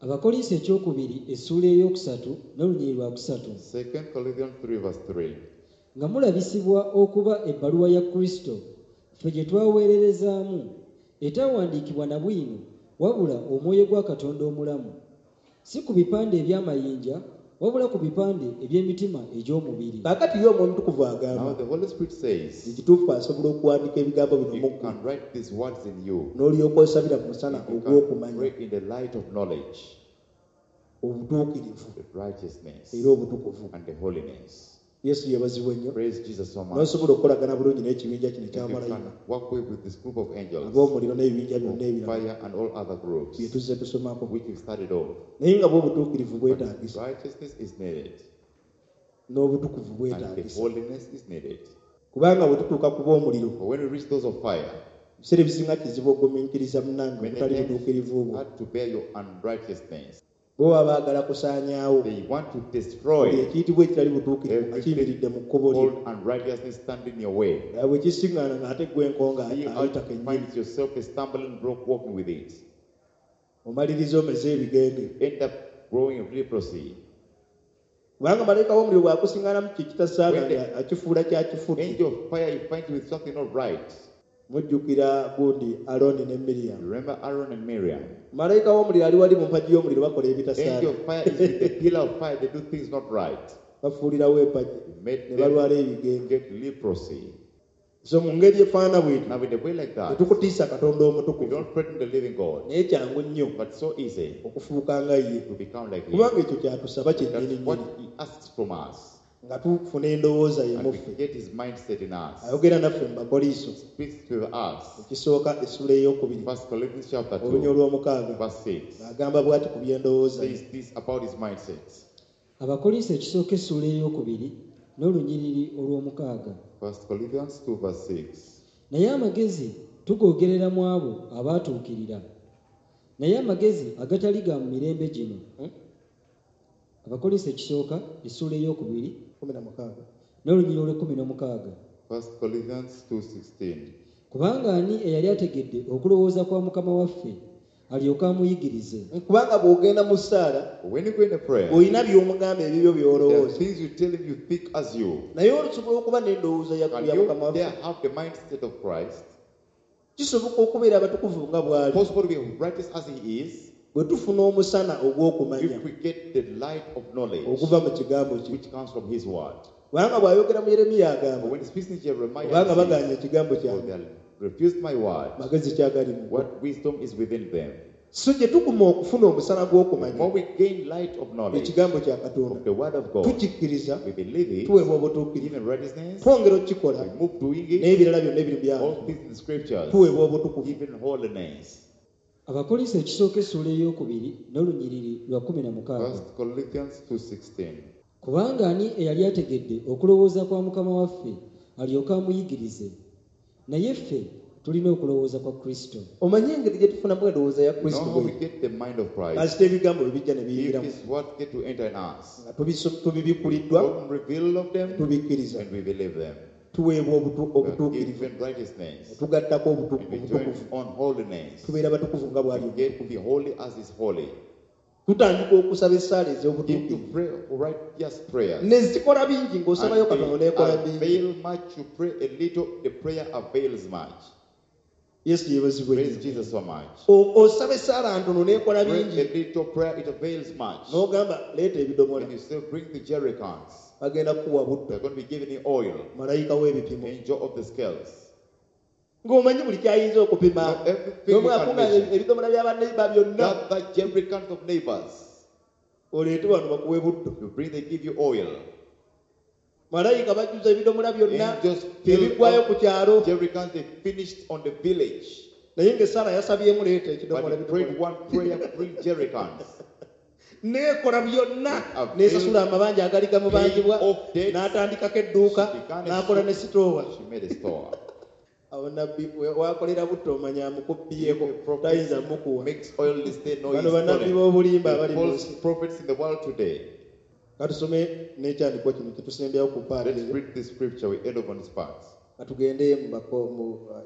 Abakolinso ekyokubiri essuula eyokusatu n'olunyiriri lwa kusatu. 2 Corinthians 3, verse 3. Nga mulabisibwa okuba ebbaluwa ya Kristo ffe gye twaweererezaamu etawandiikibwa na bwino wabula omwoyo gwa Katonda omulamu si ku bipande eby'amayinja wabula ku bipande eby'emitima egy'omubiri. Kaakati ye Omwoyo Omutukuvu Now agamba the Holy Spirit says, ekituufu asobola okuwandiika ebigambo bino you mu ggwe can write these words in you. n'olyoka osabira mu musana You can ogw'okumanya pray in the light of knowledge, obutuukirivu the righteousness, era obutukuvu. and the holiness. Yesu yeebazibwe nnyo. Praise Jesus so much. N'osobola okukolagana bulungi n'ekibinja kino If you eky'abamalayika can work with this group of angels, ab'omuliro n'ebibinja byonna of ebirala fire and all other groups, bye tuzze tusomako. which we started off. Naye nga bw'obutuukirivu But bwetaagisa righteousness is needed, n'obutukuvu and the bwetaagisa. holiness is needed. Kubanga bwe tutuuka ku b'omuliro, But when we reach those of fire, ebiseera ebisinga kizibu ogumiikiriza munnange many obutali times butuukirivu bwo. hard to bear your unrighteousness. Bo baba baagala kusaanyaawo They want to buli destroy ekiyitibwa ekitali butuukirivu nga kiyimiridde mu kkubo lye. all unrighteousness standing in your way. Nga bwe kisiŋŋaana ng'ate ggwe enkonga See how ayita you kennyini. find yourself a stumbling block walking with it. Omaliriza omeze ebigenge. End up growing leprosy. Kubanga malayika w'omuliro bw'akusiŋŋaanamu kye kitasaana When the nga akifuula kyakifudde. Angel of fire, you find you with something not right. Mujjukira gundi Alooni ne Miriyamu. Remember Aaron and Miriam. Malayika w'omuliro ali wali mu mpagi y'omuliro bakola ebitasaana. Angel of fire is with the pillar of fire. They do things not right. Bafuulirawo empagi It made ne them balwala ebigenge. get leprosy. So mu ngeri efaanana bw'etyo Now, in a way like that, tetukutiisa Katonda we omutukuvu. don't threaten the living God, Naye kyangu nnyo but so easy okufuuka nga ye. to become like Him. Kubanga ekyo kyatusaba kyennyini That's what nnyini. He asks from us. Nga tufuna endowooza ye And mu we ffe. get His mindset in us. Ayogera naffe mu Bakoliiso. Speaks to us. Ekisooka essula ey'okubiri. 1 Corinthians chapter Olunya 2, olw'omukaaga. verse 6 Ng'agamba bw'ati ku by'endowooza ye. says this about his mindset. Abakolinso ekisooka essuula ey'okubiri n'olunyiriri olw'omukaaga. 1 Corinthians 2, verse 6. Naye amagezi tugoogerera mu abo abaatuukirira. Naye amagezi agatali ga mu mirembe gino. Abakolinso ekisooka essuula ey'okubiri 16. n'olunyiriri olw'ekkumi n'omukaaga. 1 Corinthians 2:16. Kubanga ani eyali ategedde okulowooza kwa Mukama waffe alyoke amuyigirize? Kubanga bw'ogenda mu ssaala When you go in a prayer, olina by'omugamba ebibyo there are by'olowooza. things you tell him you think as you. Naye olusobola okuba n'endowooza ya Can ya you Mukama waffe. there have the mindset of Christ? Kisoboka okubeera abatukuvu nga bw'ali. Possible to be righteous as he is Bwe tufuna omusana ogw'okumanya if we get the light of knowledge oguva mu kigambo kye. which comes from his word. Kubanga bw'ayogera mu Yeremiya But agamba when he speaks in Jeremiah, kubanga he bagaanye says, ekigambo "For kyange they refused my word. magezi kyagali mu bo." What wisdom is within them? So gye tukuma okufuna omusana The gw'okumanya more we gain light of knowledge ekigambo kya Katonda of the word of God, tukikkiriza we believe it, tuweebwa obutuukirivu given righteousness, twongera okukikola we move doing it, n'ebirala byonna ebiri mu all byangu things in the scriptures, tuweebwa obutukuvu. even holiness. Abakolinso ekisooka essuula ey'okubiri n'olunyiriri lwa kkumi na mukaaga. 1 Corinthians 2:16. Kubanga ani eyali ategedde okulowooza kwa Mukama waffe alyoke amuyigirize? Naye ffe tulina okulowooza kwa Kristo. Omanye engeri gye tufunamu endowooza ya You know Kristo how we bwe get the mind of Christ? kasita ebigambo bwe bijja ne If biyingiramu His words get to enter in us, nga tubibikkuliddwa God reveal of them tubikkiriza and we believe them. tuweebwa We are obutuukirivu given righteousness tugattako and we join obutukuvu on holiness. tubeera batukuvu nga bw'ali We get to be holy as is holy. Tutandika okusaba essaala Begin to ez'obutuukirivu pray righteous prayers. ne zikola bingi ng'osabayo And Katonda they n'ekola bingi. avail much. You pray a little, the prayer avails much. Yesu yeebazibwe Praise nnyo. Jesus so much. Osaba essaala ntono n'ekola Pray bingi a little prayer, it avails much. n'ogamba leeta ebidomola When you say, bring the jerry cans, bagenda kukuwa butto they're going to be giving you oil, malayika w'ebipimo angel of the scales. ng'omanyi buli kyayinza okupima Now, everything you can n'omwakunga measure. ebidomola by'abanneiba byonna Gather jerry cans of neighbors. oleete wano bakuwe butto. You bring, they give you oil. Malayika bajjuza ebidomola byonna Angels fill ebiggwayo ku up kyalo jerry cans, they finished on the village. naye ng'essaala yasabyemu leeta But ekidomola he prayed ebidomola one prayer, bring jerry cans. Neekola byonna Avail- n'esasula amabanja agali gamubanjibwa Paid off debts. n'atandikako edduuka She began a n'akola ne sitoowa. She made a store. Awo nabbi wakolera butto omanya amukubbyeko A prophet tayinza mukuwa. makes oil this day, no, Bano he's bannabbi stolen. b'obulimba The abali mu false nsi. prophets in the world today. Katusome n'ekyandikwa kino kye tusembyawo ku paati Let's eyo. read this scripture. We end up on this part. Katugende mu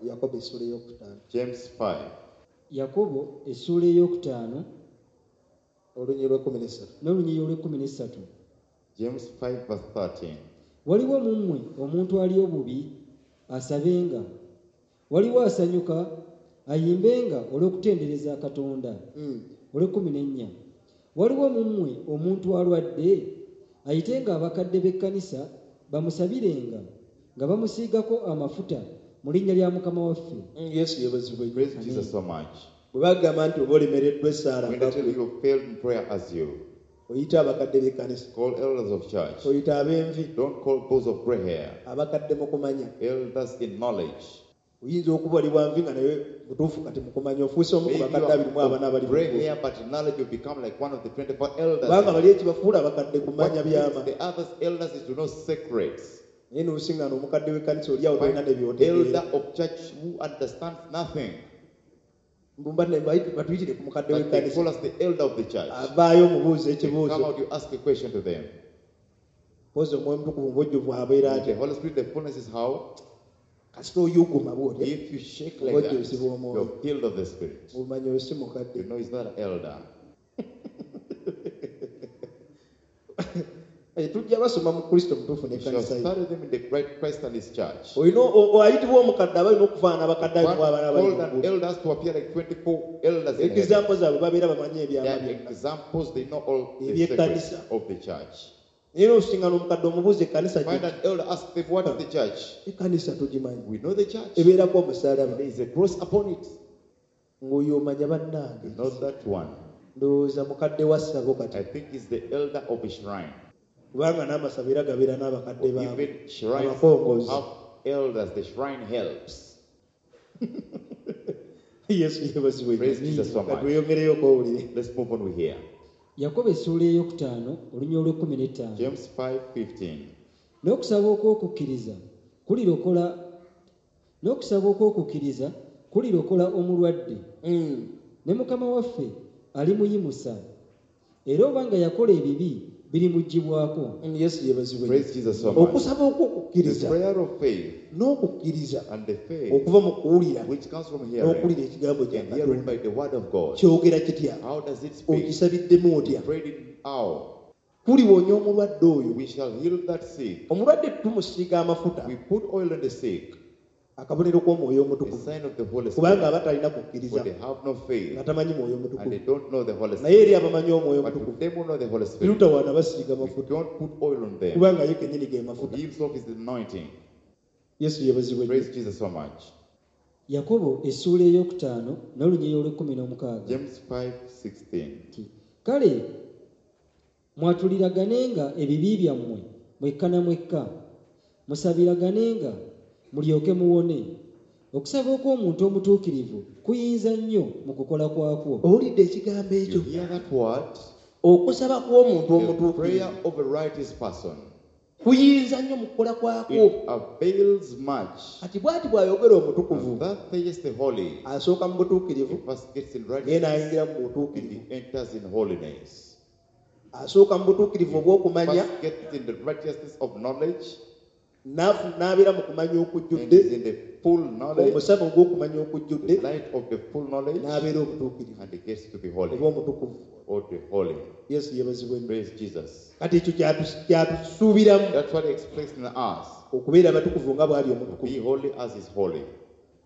Yakobo essuula ey'okutaano. James 5, Yakobo essuula ey'okutaano olunyiriri lw'ekkumi n'essatu. N'olunyiriri olw'ekkumi n'essatu. James 5, verse 13. Waliwo mu mmwe omuntu ali obubi? Asabenga. Waliwo asanyuka? Ayimbenga olw'okutendereza Katonda. Olw'ekkumi n'ennya, waliwo mu mmwe omuntu alwadde? Ayitenga abakadde b'ekkanisa bamusabirenga nga bamusiigako amafuta mu linnya lya Mukama waffe. Yesu yeebazibwe. Praise Jesus so much. Bwe bagamba nti oba olemereddwa essaala, When they tell you you failed in prayer as you, oyite abakadde b'ekkanisa. Call elders of church. Oyite ab'envi. Don't call those of gray hair. Abakadde mu kumanya. Elders in knowledge. Oyinza okuba oli wa nvi nga naye mutuufu kati mu kumanya ofuuse omu ku Maybe you bakadde abiri mu are abana of abali mu gray ggulu. hair, but in knowledge you become like one of the 24 elders. Kubanga bali ekibafuula abakadde kumanya What byama. makes the others elders is to know secrets. Naye n'osiŋŋaana omukadde w'ekkanisa oli awo tolina Find ne by'otegeera. elder of church who understands nothing. Mbumba batuyitire ku mukadde But they w'ekkanisa. call us the elder of the church. Avaayo omubuuza They come ekibuuzo. out, you ask a question to them. Mpozi Omwoyo Omutukuvu mu bujjuvu abeera The atya? Holy Spirit, the fullness is how? Kasita oyuguma bw'otya. If you shake like that, Obujjuzi bw'Omwoyo. you're filled of the Spirit. Obumanyi oyo si mukadde. You know he's not an elder. Eh, tujja basoma mu Kristo mutuufu You shall n'ekkanisa ye. study them in the right Christ and his church. Olina ayitibwa omukadde aba alina okufaanana abakadde One abiri mu abana abali called mu an ggulu. elders to appear like 24 elders in heaven. Example zaabwe babeera bamanyi ebyama Their byonna. examples, they know all the secrets Eby'ekkanisa. of the church. Naye n'osiŋŋana omukadde omubuuza ekkanisa Find gye. an elder, ask them, what is the church? Ekkanisa tugimanyi. We know the church. Ebeerako omusaalaba. There is a cross upon it. Ng'oyo omanya bannange. Not that one. Ndowooza mukadde wa ssabo kati. I think he's the elder of a shrine. Kubanga n'amasabo era gabeera n'abakadde baabwe. Even shrines Abakongozi. have elders. The shrine helps. Yesu yeebazibwe. Praise Jesus so much. Katweyongereyo owulire. Let's move on with here. Yakobo essuula ey'okutaano olunyiriri olw'ekkumi n'ettaano. James 5:15. N'okusaba okw'okukkiriza kulirokola omulwadde, ne Mukama waffe alimuyimusa, era oba nga yakola ebibi birimuggyibwako. Yesu yeebazibwe. Praise Jesus so much. Okusaba The okw'okukkiriza prayer of faith n'okukkiriza and the faith okuva mu kuwulira which comes from hearing n'okuwulira ekigambo kya and hearing Katonda. by the word of God. Kyogera kitya? How does it speak? Okisabiddemu otya? Prayed in how? Kuliwonya omulwadde oyo. We shall heal that sick. Omulwadde tumusiiga amafuta. We put oil on the sick, Akabonero k'Omwoyo the Omutukuvu. sign of the Holy Kubanga Spirit. aba talina For kukkiriza they have no faith nga tamanyi Mwoyo and Mutukuvu. they don't know the Holy Naye Spirit. eri abamanyi Omwoyo But to Omutukuvu, them who know the Holy Spirit, terutawaana basiiga we mafuta. don't put oil on them. Kubanga ye kennyini ge For mafuta. he himself is the anointing. Yesu yeebazibwe. Praise Jesus so much. Yakobo essuula ey'okutaano n'olunyiriri olw'ekkumi n'omukaaga. James 5:16. Nti kale mwatuliraganenga ebibi byammwe mwekka na mwekka, musabiraganenga mulyoke muwone. Okusaba okw'omuntu omutuukirivu kuyinza nnyo mu kukola kwakwo. Owulidde ekigambo ekyo? You hear that word? Okusaba kw'omuntu The omutuukirivu prayer of a righteous person. kuyinza nnyo mu kukola kwakwo. It avails much. Kati bw'ati bw'ayogera omutukuvu, And that says the holy. asooka mu butuukirivu, He first gets in naye righteousness n'ayingira mu and butuukirivu. he enters in holiness. Asooka mu butuukirivu obw'okumanya, First gets in the righteousness of knowledge n'abeera mu kumanya and okujjudde, is in the full knowledge, omusana ogw'okumanya okujjudde, the light of the full knowledge, n'abeera obutuukirivu and he gets to be holy oba omutukuvu. or the holy. Yesu yeebazibwe nnyo. Praise Jesus. Kati ekyo kyatusuubiramu That's what he expects in us. okubeera abatukuvu nga bw'ali To omutukuvu. be holy as is holy.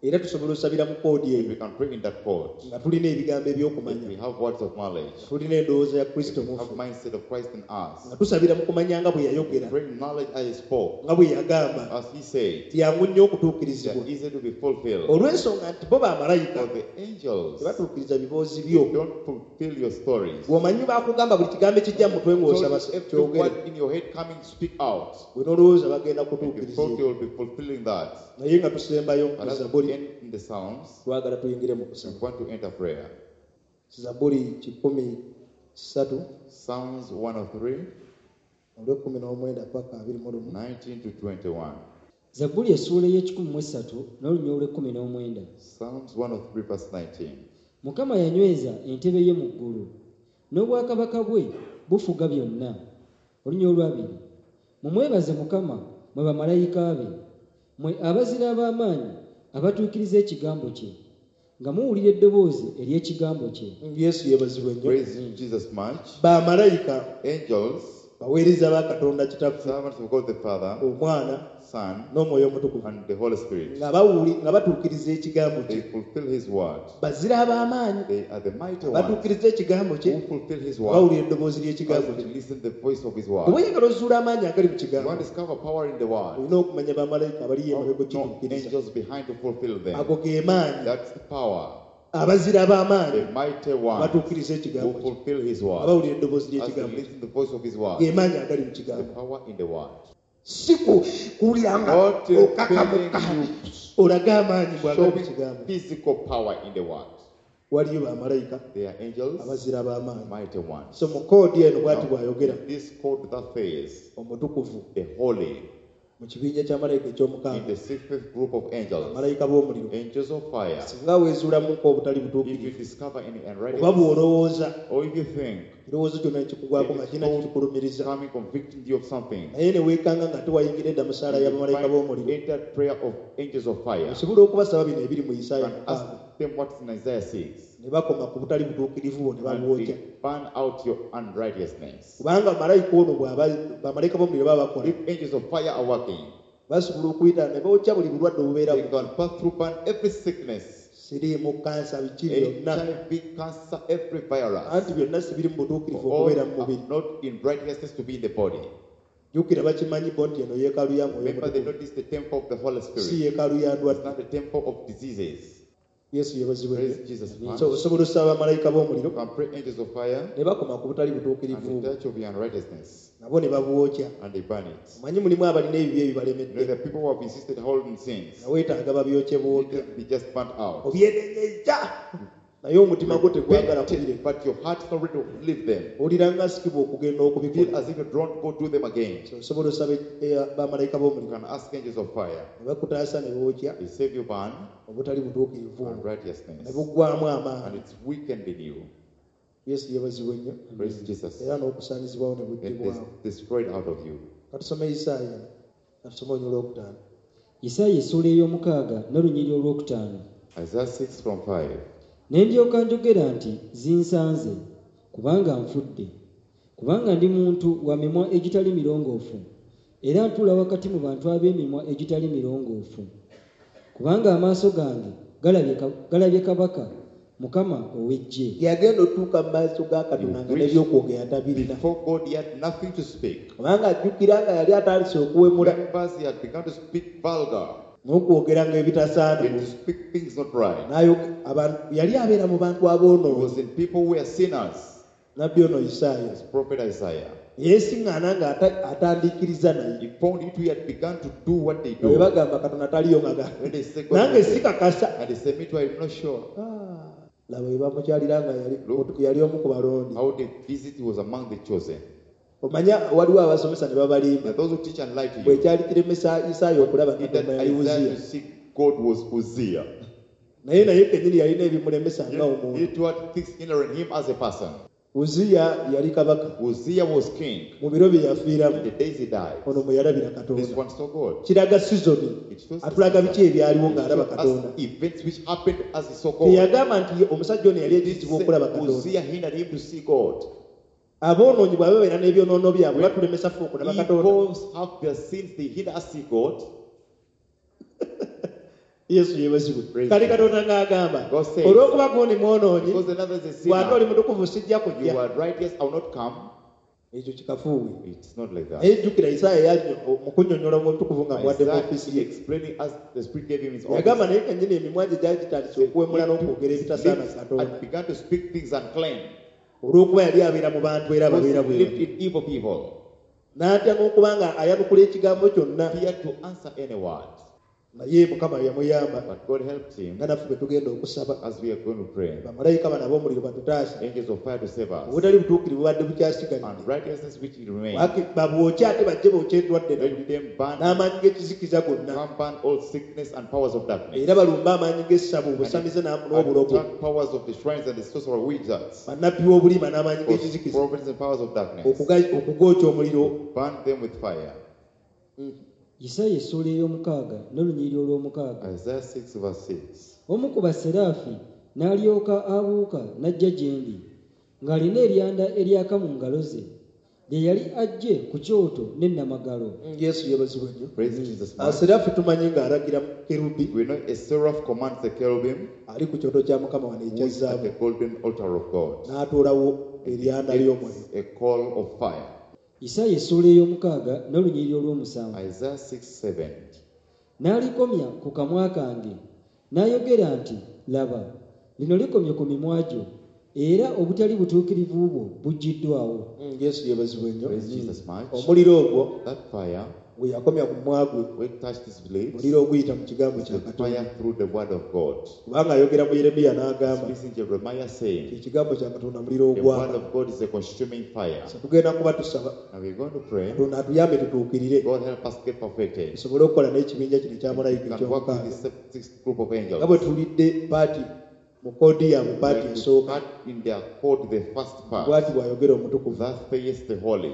Era tusobola osabira mu koodi And eyo we can pray in that code. nga tulina ebigambo If we eby'okumanya, have words of knowledge, tulina endowooza ya Kristo if we have mufu, mindset of Christ in us, nga tusabira mu kumanya nga bwe yayogera, pray in knowledge as he spoke, nga bwe yagamba, as he said, tyangu nnyo they okutuukirizibwa. are easy to be fulfilled. Olw'ensonga nti bo bamalayika For the angels tebatuukiriza biboozi byo. don't fulfill your stories. Bw'omanyi baakugamba buli kigambo ekijja mu mutwe So ng'osaba every kyogere, word in your head coming, speak out. bwe n'olowooza bagenda You kutuukiriza thought ebyo. you will be fulfilling that. Naye nga tusembayo But mu as Zabbuli, we end in the Psalms, twagala tuyingire mu we kusaba. want to enter prayer. Zabbuli 103, Psalms 103, olw'ekkumi n'omwenda paka 21. 19 to 21. Zabbuli essuula ey'ekikumi mu esatu n'olunyiriri olw'ekkumi n'omwenda. Psalms 103, verse 19. Mukama yanyweza entebe ye mu ggulu, n'obwakabaka bwe bufuga byonna. Olunyiriri olwabiri, mumwebaze Mukama mwe bamalayika be, Mmwe abazira ab'amaanyi abatuukiriza ekigambo kye, nga muwulira eddoboozi ery'ekigambo kye. Yesu yeebazibwe nnyo. Praise Jesus much. Bamalayika Angels, baweereza ba Katonda Kitaffe, servants of God the Father, Omwana Son, n'Omwoyo Omutukuvu, and the Holy Spirit. nga batuukiriza ekigambo They kye. fulfill His word. Bazira ab'amaanyi They are the mighty ones batuukiriza ekigambo kye, who fulfill His word bawulira eddoboozi as ly'ekigambo they kye. listen the voice of His Bw'oba word. oyagala ozuula amaanyi agali mu You kigambo, want to discover power in the word. olina okumanya bamalayika abaliyo emabega No okituukiriza. angels behind to fulfill them. Ago ge maanyi. That's the power. Abazira ab'amaanyi The mighty ones batuukiriza who ekigambo kye, fulfill His word. abawulira eddoboozi As they ly'ekigambo kye. listen the voice of His word. Ge maanyi agali mu The kigambo. power in the word. Si kuwulira nga Not in okakamuka, feeling olage amaanyi bw'agali mu Showing kigambo. physical power in the word. Waliyo bamalayika They are angels, abazira ab'amaanyi. mighty ones. So mu koodi eno bw'ati Now, bw'ayogera this code that says omutukuvu the holy mu kibinja kya malayika in eky'omukaaga, the sixth group of angels, malayika b'omuliro. angels of fire. Singa weezuulamuko obutali If you butuukirivu discover any oba unrighteousness, bw'olowooza or if you think ekirowoozo kyonna nekikugwako nga kirina kikikulumiriza, coming convicting you of something, naye ne weekanga nga tewayingira edda mu ssaala ya bamalayika b'omuliro, entered prayer of angels of fire osobola okubasaba bino ebiri mu Isaaya and ask 6, them what's in Isaiah 6, ne bakoma ku butali butuukirivu bwo ne and babwokya. they burn out your unrighteousness. Kubanga malayika ono bw'aba bamalayika b'omuliro baba bakola, If angels of fire are working, basobola okuyita ne bookya buli bulwadde obubeera they can pass through, burn every sickness, siriimu, kansa, biki byonna, HIV, cancer, every virus. Anti byonna si biri mu butuukirivu All okubeera mu mubiri. are not in righteousness to be in the body. Jjukira bakimanyi bo nti eno yeekaalu ya Mwoyo Remember, they Mutukuvu, notice the temple of the Holy si Spirit. yeekaalu ya It's ndwadde. not the temple of diseases. Yesu yeebazibwe Praise nnyo. Jesus much. So osobola osaba bamalayika b'omuliro You can pray angels of fire ne bakoma ku butali butuukirivu and the touch of your unrighteousness, nabo ne babwokya. and they burn it. Omanyi mulimu abalina ebibi You know, ebibalemedde, the people who have insisted holding sins, nga weetaaga babyokye need bwokya. to be just burnt out. Obyenenyeza naye omutima gwo tegwagala Repented, kubireka. but your heart is not ready to leave them. Owulira nga asikibwa okugenda Feel okubikola. as if you don't go do them again. So osobola osaba bamalayika You b'omuliro can ask angels of fire. ne bakutaasa ne bookya They save you burn obutali butuukirivu obwo ne unrighteousness, buggwamu and amaanyi. it's weakened in you. Yesu yeebazibwe nnyo. Praise Jesus. Era n'okusaanyizibwawo ne It is buggyibwawo. destroyed out of you. Katusome Isaaya, katusome olunyiriri olwokutaano. Isaaya essuula ey'omukaaga n'olunyiriri olwokutaano. Isaiah 6 from 5. Ne ndyoka njogera nti zinsanze, kubanga nfudde, kubanga ndi muntu wa mimwa egitali mirongoofu, era ntuula wakati mu bantu ab'emimwa egitali mirongoofu, kubanga amaaso gange galabye kabaka, Mukama ow'eggye. Yagenda otuuka mu maaso ga Katonda nga n'ebyokwogera tabirina, Before God, he had nothing to speak. kubanga ajjukira nga yali atandise okuwemula Remembers he had begun to speak vulgar, n'okwogera nga ebitasaana. and to speak things not right. Yali abeera mu bantu He aboonoonyi. was in people who were sinners. Nabbi ono Isaaya His prophet Isaiah. yeesiŋŋaana nga atandiikiriza naye. He found it he had begun to do what they Nga bwe do. bagamba Katonda taliyo nga When they say God nange is there, sikakasa. and they say, me too, I'm not sure. Ah, laba bwe bamukyalira nga Look. yali omu ku balondi. How they visit he was among the chosen. Omanya waliwo abasomesa ne babalimba. There are those who teach and lie to Bwe you. kyali kiremesa Isaaya okulaba In that Katonda yali Isaiah Uziya. to seek God was Uzziah. Naye kennyini yalina ebimulemesa nga omuntu. He too had things hindering him as a person. Uziya yali kabaka Uzziah was king. mu biro bye yafiiramu. In the days he died, Ono mwe yalabira this Katonda. one saw God. Kiraga sizoni, It shows atulaga biki ebyaliwo It ng'alaba shows Katonda. us events which happened as he saw God. Teyagamba nti omusajja ono yali It ekizibu okulaba Katonda. Uzziah hindered him to see God. Aboonoonyi bwe babeera n'ebyonoono byabwe batulemesa ffe okulaba Katonda. Evils have their sins, they hinder us see God. Yesu yeebazibwe. Praise Kale God. Katonda ng'agamba God says, olw'okuba gundi mwonoonyi, Because another is a bw'ate oli sinner, mutukuvu sijja you kujja. are righteous, I will not come. Ekyo kikafuuwe. It's not like that. Naye jjukira Isaaya mu kunnyonnyola omutukuvu nga muwadde mu Isaiah ofiisi ye, explaining as the Spirit gave him his yagamba office. naye kennyini emimwa gye gyali gitandise okuwemula n'okwogera His ebitasaana lips Katonda, had begun to speak things unclean. olw'okuba yali abeera mu bantu era Because ababeera he bwe lived batyo. in evil people. N'atya n'okuba nga ayanukula ekigambo kyonna, Feared to answer any word. naye Mukama yamuyamba But God helped him nga naffe bwe tugenda okusaba as we are going to pray. bamalayika bano ab'omuliro batutaase. Angels of fire to save us. Obutali butuukirivu bubadde bukyasigalidde, And righteousness which it remains. Babwokye ate bajje bookye endwadde Let them burn, n'amaanyi g'ekizikiza gonna, come burn all sickness and powers of darkness. era balumbe amaanyi g'essabo, obusamize And n'obulogo, attack powers of the shrines and the sorcerer wizards. bannabbi b'obulimba n'amaanyi g'ekizikiza, Prophets and powers of darkness. okugookya omuliro. Burn them with fire. Isaaya essuula ey'omukaaga n'olunyiriri olw'omukaaga. Isaiah 6, verse 6. Omu ku baseraafi n'alyoka abuuka n'ajja gye ndi, ng'alina eryanda eryaka mu ngalo ze, lye yali aggye ku kyoto n'ennamagalo. Yesu yeebazibwe nnyo. Praise Jesus. Much. Seraafi tumanyi ng'alagira kerubi We know a seraph commands the cherubim ali ku kyoto kya Mukama wano who ekya is at zaabu the golden altar of God. n'atoolawo eryanda ly'omuliro. Gets a coal of fire. Isaaya essuula ey'omukaaga n'olunyiriri olw'omusanvu. Isaiah 6, 7. N'alikomya ku kamwa kange, n'ayogera nti, Laba, lino likomye ku mimwa gyo, era obutali butuukirivu bwo buggiddwawo. Yesu yeebazibwe nnyo. Praise Jesus much. Omuliro ogwo That fire, gwe yakomya ku mumwa gwe, when touched his lips, muliro oguyita mu kigambo kya the Katonda. fire through the word of God. Kubanga ayogera mu Yeremiya n'agamba Speaks in Jeremiah saying, ekigambo kya Katonda muliro the word ogwaka. of God is a consuming fire. So tugenda kuba tusaba Now we're going to pray. Katonda atuyambe tutuukirire God help us get perfected. tusobole okukola n'ekibinja kino ekya We malayika can work with ekyomukaaga. the sixth group of angels. Nga bwe tuwulidde paati mu koodi yaabwe paati Like we esooka cut in their code the first part. bw'ati bw'ayogera omutukuvu. Thus saith the holy.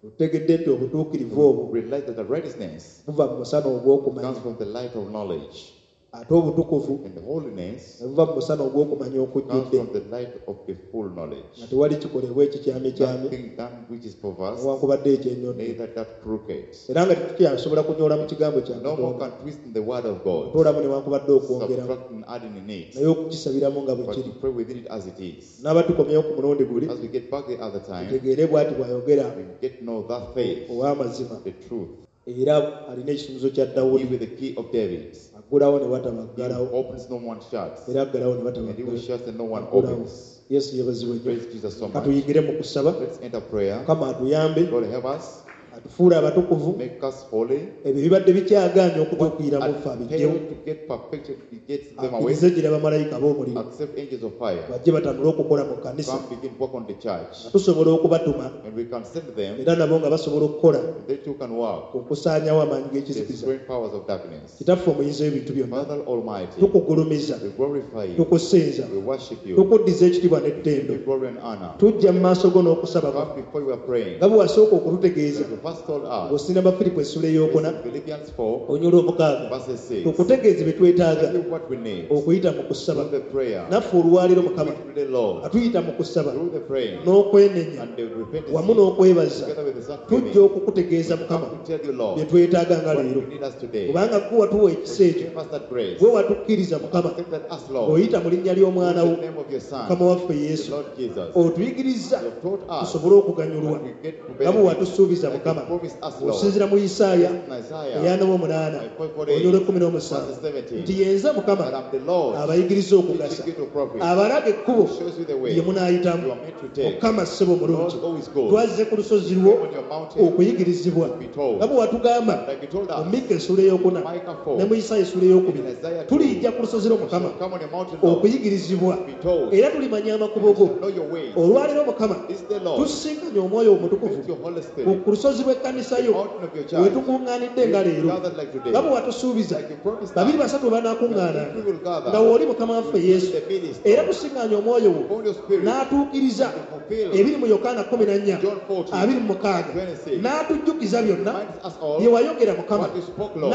Tutegedde nti obutuukirivu obwo Realize that the righteousness buva mu musana ogw'okumanya comes from the light of knowledge, ate obutukuvu and the holiness ne buva mu musana ogw'okumanya comes okujjudde from the light of the full knowledge. nga tewali kikolebwa ekikyamyekyamye Nothing done which is perverse, newankubadde ekyenyonyi neither that crooked. era nga tetukyasobola kunyoola mu kigambo kya No more Katonda can twist in the word of God, okutoolamu newankubadde okwongeramu subtract and adding in it, naye okukisabiramu nga bwe but kiri. to pray within it as it is. N'aba tukomyewo ku mulundi guli As we get back the other time, tutegeere bw'ati bw'ayogera we get to know that faith, ow'amazima the truth. era alina ekisumuzo kya He Dawudi with the key of David. aggulawo ne wataba He aggalawo who opens, no one shuts. era aggalawo ne wataba And he who shuts, and no one aggulawo. opens. Yesu yeebazibwe nnyo. Praise Jesus so much. Katuyigire mu kusaba. Let's enter prayer. Mukama atuyambe God help us, atufuule abatukuvu make us holy. ebyo bibadde bikyagaanye okutuukirira mu ffe And abijjewo fail to get perfected, he gets them away. akkirize gira bamalayika b'omuliro Accept angels of fire. bajje batandule okukola mu kkanisa Come begin work on the church. nga tusobola okubatuma And we can send them, era nabo nga basobola okukola and they too can work. okusaanyawo amaanyi g'ekizikiza. Destroying powers of darkness. Kitaffe omuyinza w'ebintu byonna Father Almighty, tukugulumiza we glorify you, tukusinza we worship you, tukuddiza ekitiibwa we n'ettendo give glory and honor. tujja mu maaso go n'okusaba Come kwaffe before you are praying. nga bwe wasooka okututegeeza Like you first told us, ng'osinda Bafiripo essula ey'okuna Philippians 4, onyola omukaaga verses 6. tukutegeeze bye twetaaga Tell you what we need okuyita mu kusaba through the prayer, naffe olwaleero Mukama through the Lord, atuyita mu kusaba through the praying n'okwenenya and the repentance, wamu n'okwebaza together with the tujja thanksgiving. okukutegeeza Mukama Come to tell you, Lord, bye twetaaga nga what leero you need us today. kubanga gwe watuwa ekisa ekyo Give us that grace. gwe watukkiriza Mukama Accept that us, Lord, ng'oyita mu linnya ly'omwana in wo the name of your Son, Mukama waffe the Yesu Lord Jesus. otuyigiriza You have taught us tusobole okuganyulwa that we get to nga bwe benefit. watusuubiza Like you Mukama promised us, Lord. osinzira mu Isaaya In Isaiah, eyana omunaana onyola ekkumi n'omusanvu verse 17, nti yenza Mukama that I'm the Lord, abayigiriza okugasa teaching you to profit, abalaga ekkubo shows you the way lye munaayitamu you are meant to take. Mukama ssebo mulungi Lord, always good. twazze ku lusozi lwo On your mountain, okuyigirizibwa be told. nga bwe watugamba Like you told mu us, Mikka essula ey'okuna Micah 4, ne mu Isaaya essula ey'okubiri in Isaiah 2, tulijja ku lusozi lwo Mukama come on your mountain, Lord, okuyigirizibwa be told, era tulimanya amakubo go know your ways. olwaleero Mukama This day, Lord, tusisinkanye omwoyo omutukuvu with your Holy ku Spirit, ku lusozi lw'ekkanisa yo mountain of your we church, tukuŋŋaanidde nga leero gathered like today, nga bwe watusuubiza like you promised babiri us, basatu banaakuŋŋaananga we will gather nga w'oli Mukama waffe Yesu the minister, era tusiŋŋaanye omwoyo wo upon your spirit, n'atuukiriza to fulfill ebiri mu Yokaana 14 John 14, 26 n'atujjukiza byonna reminds us all bye wayogera Mukama what you spoke, Lord,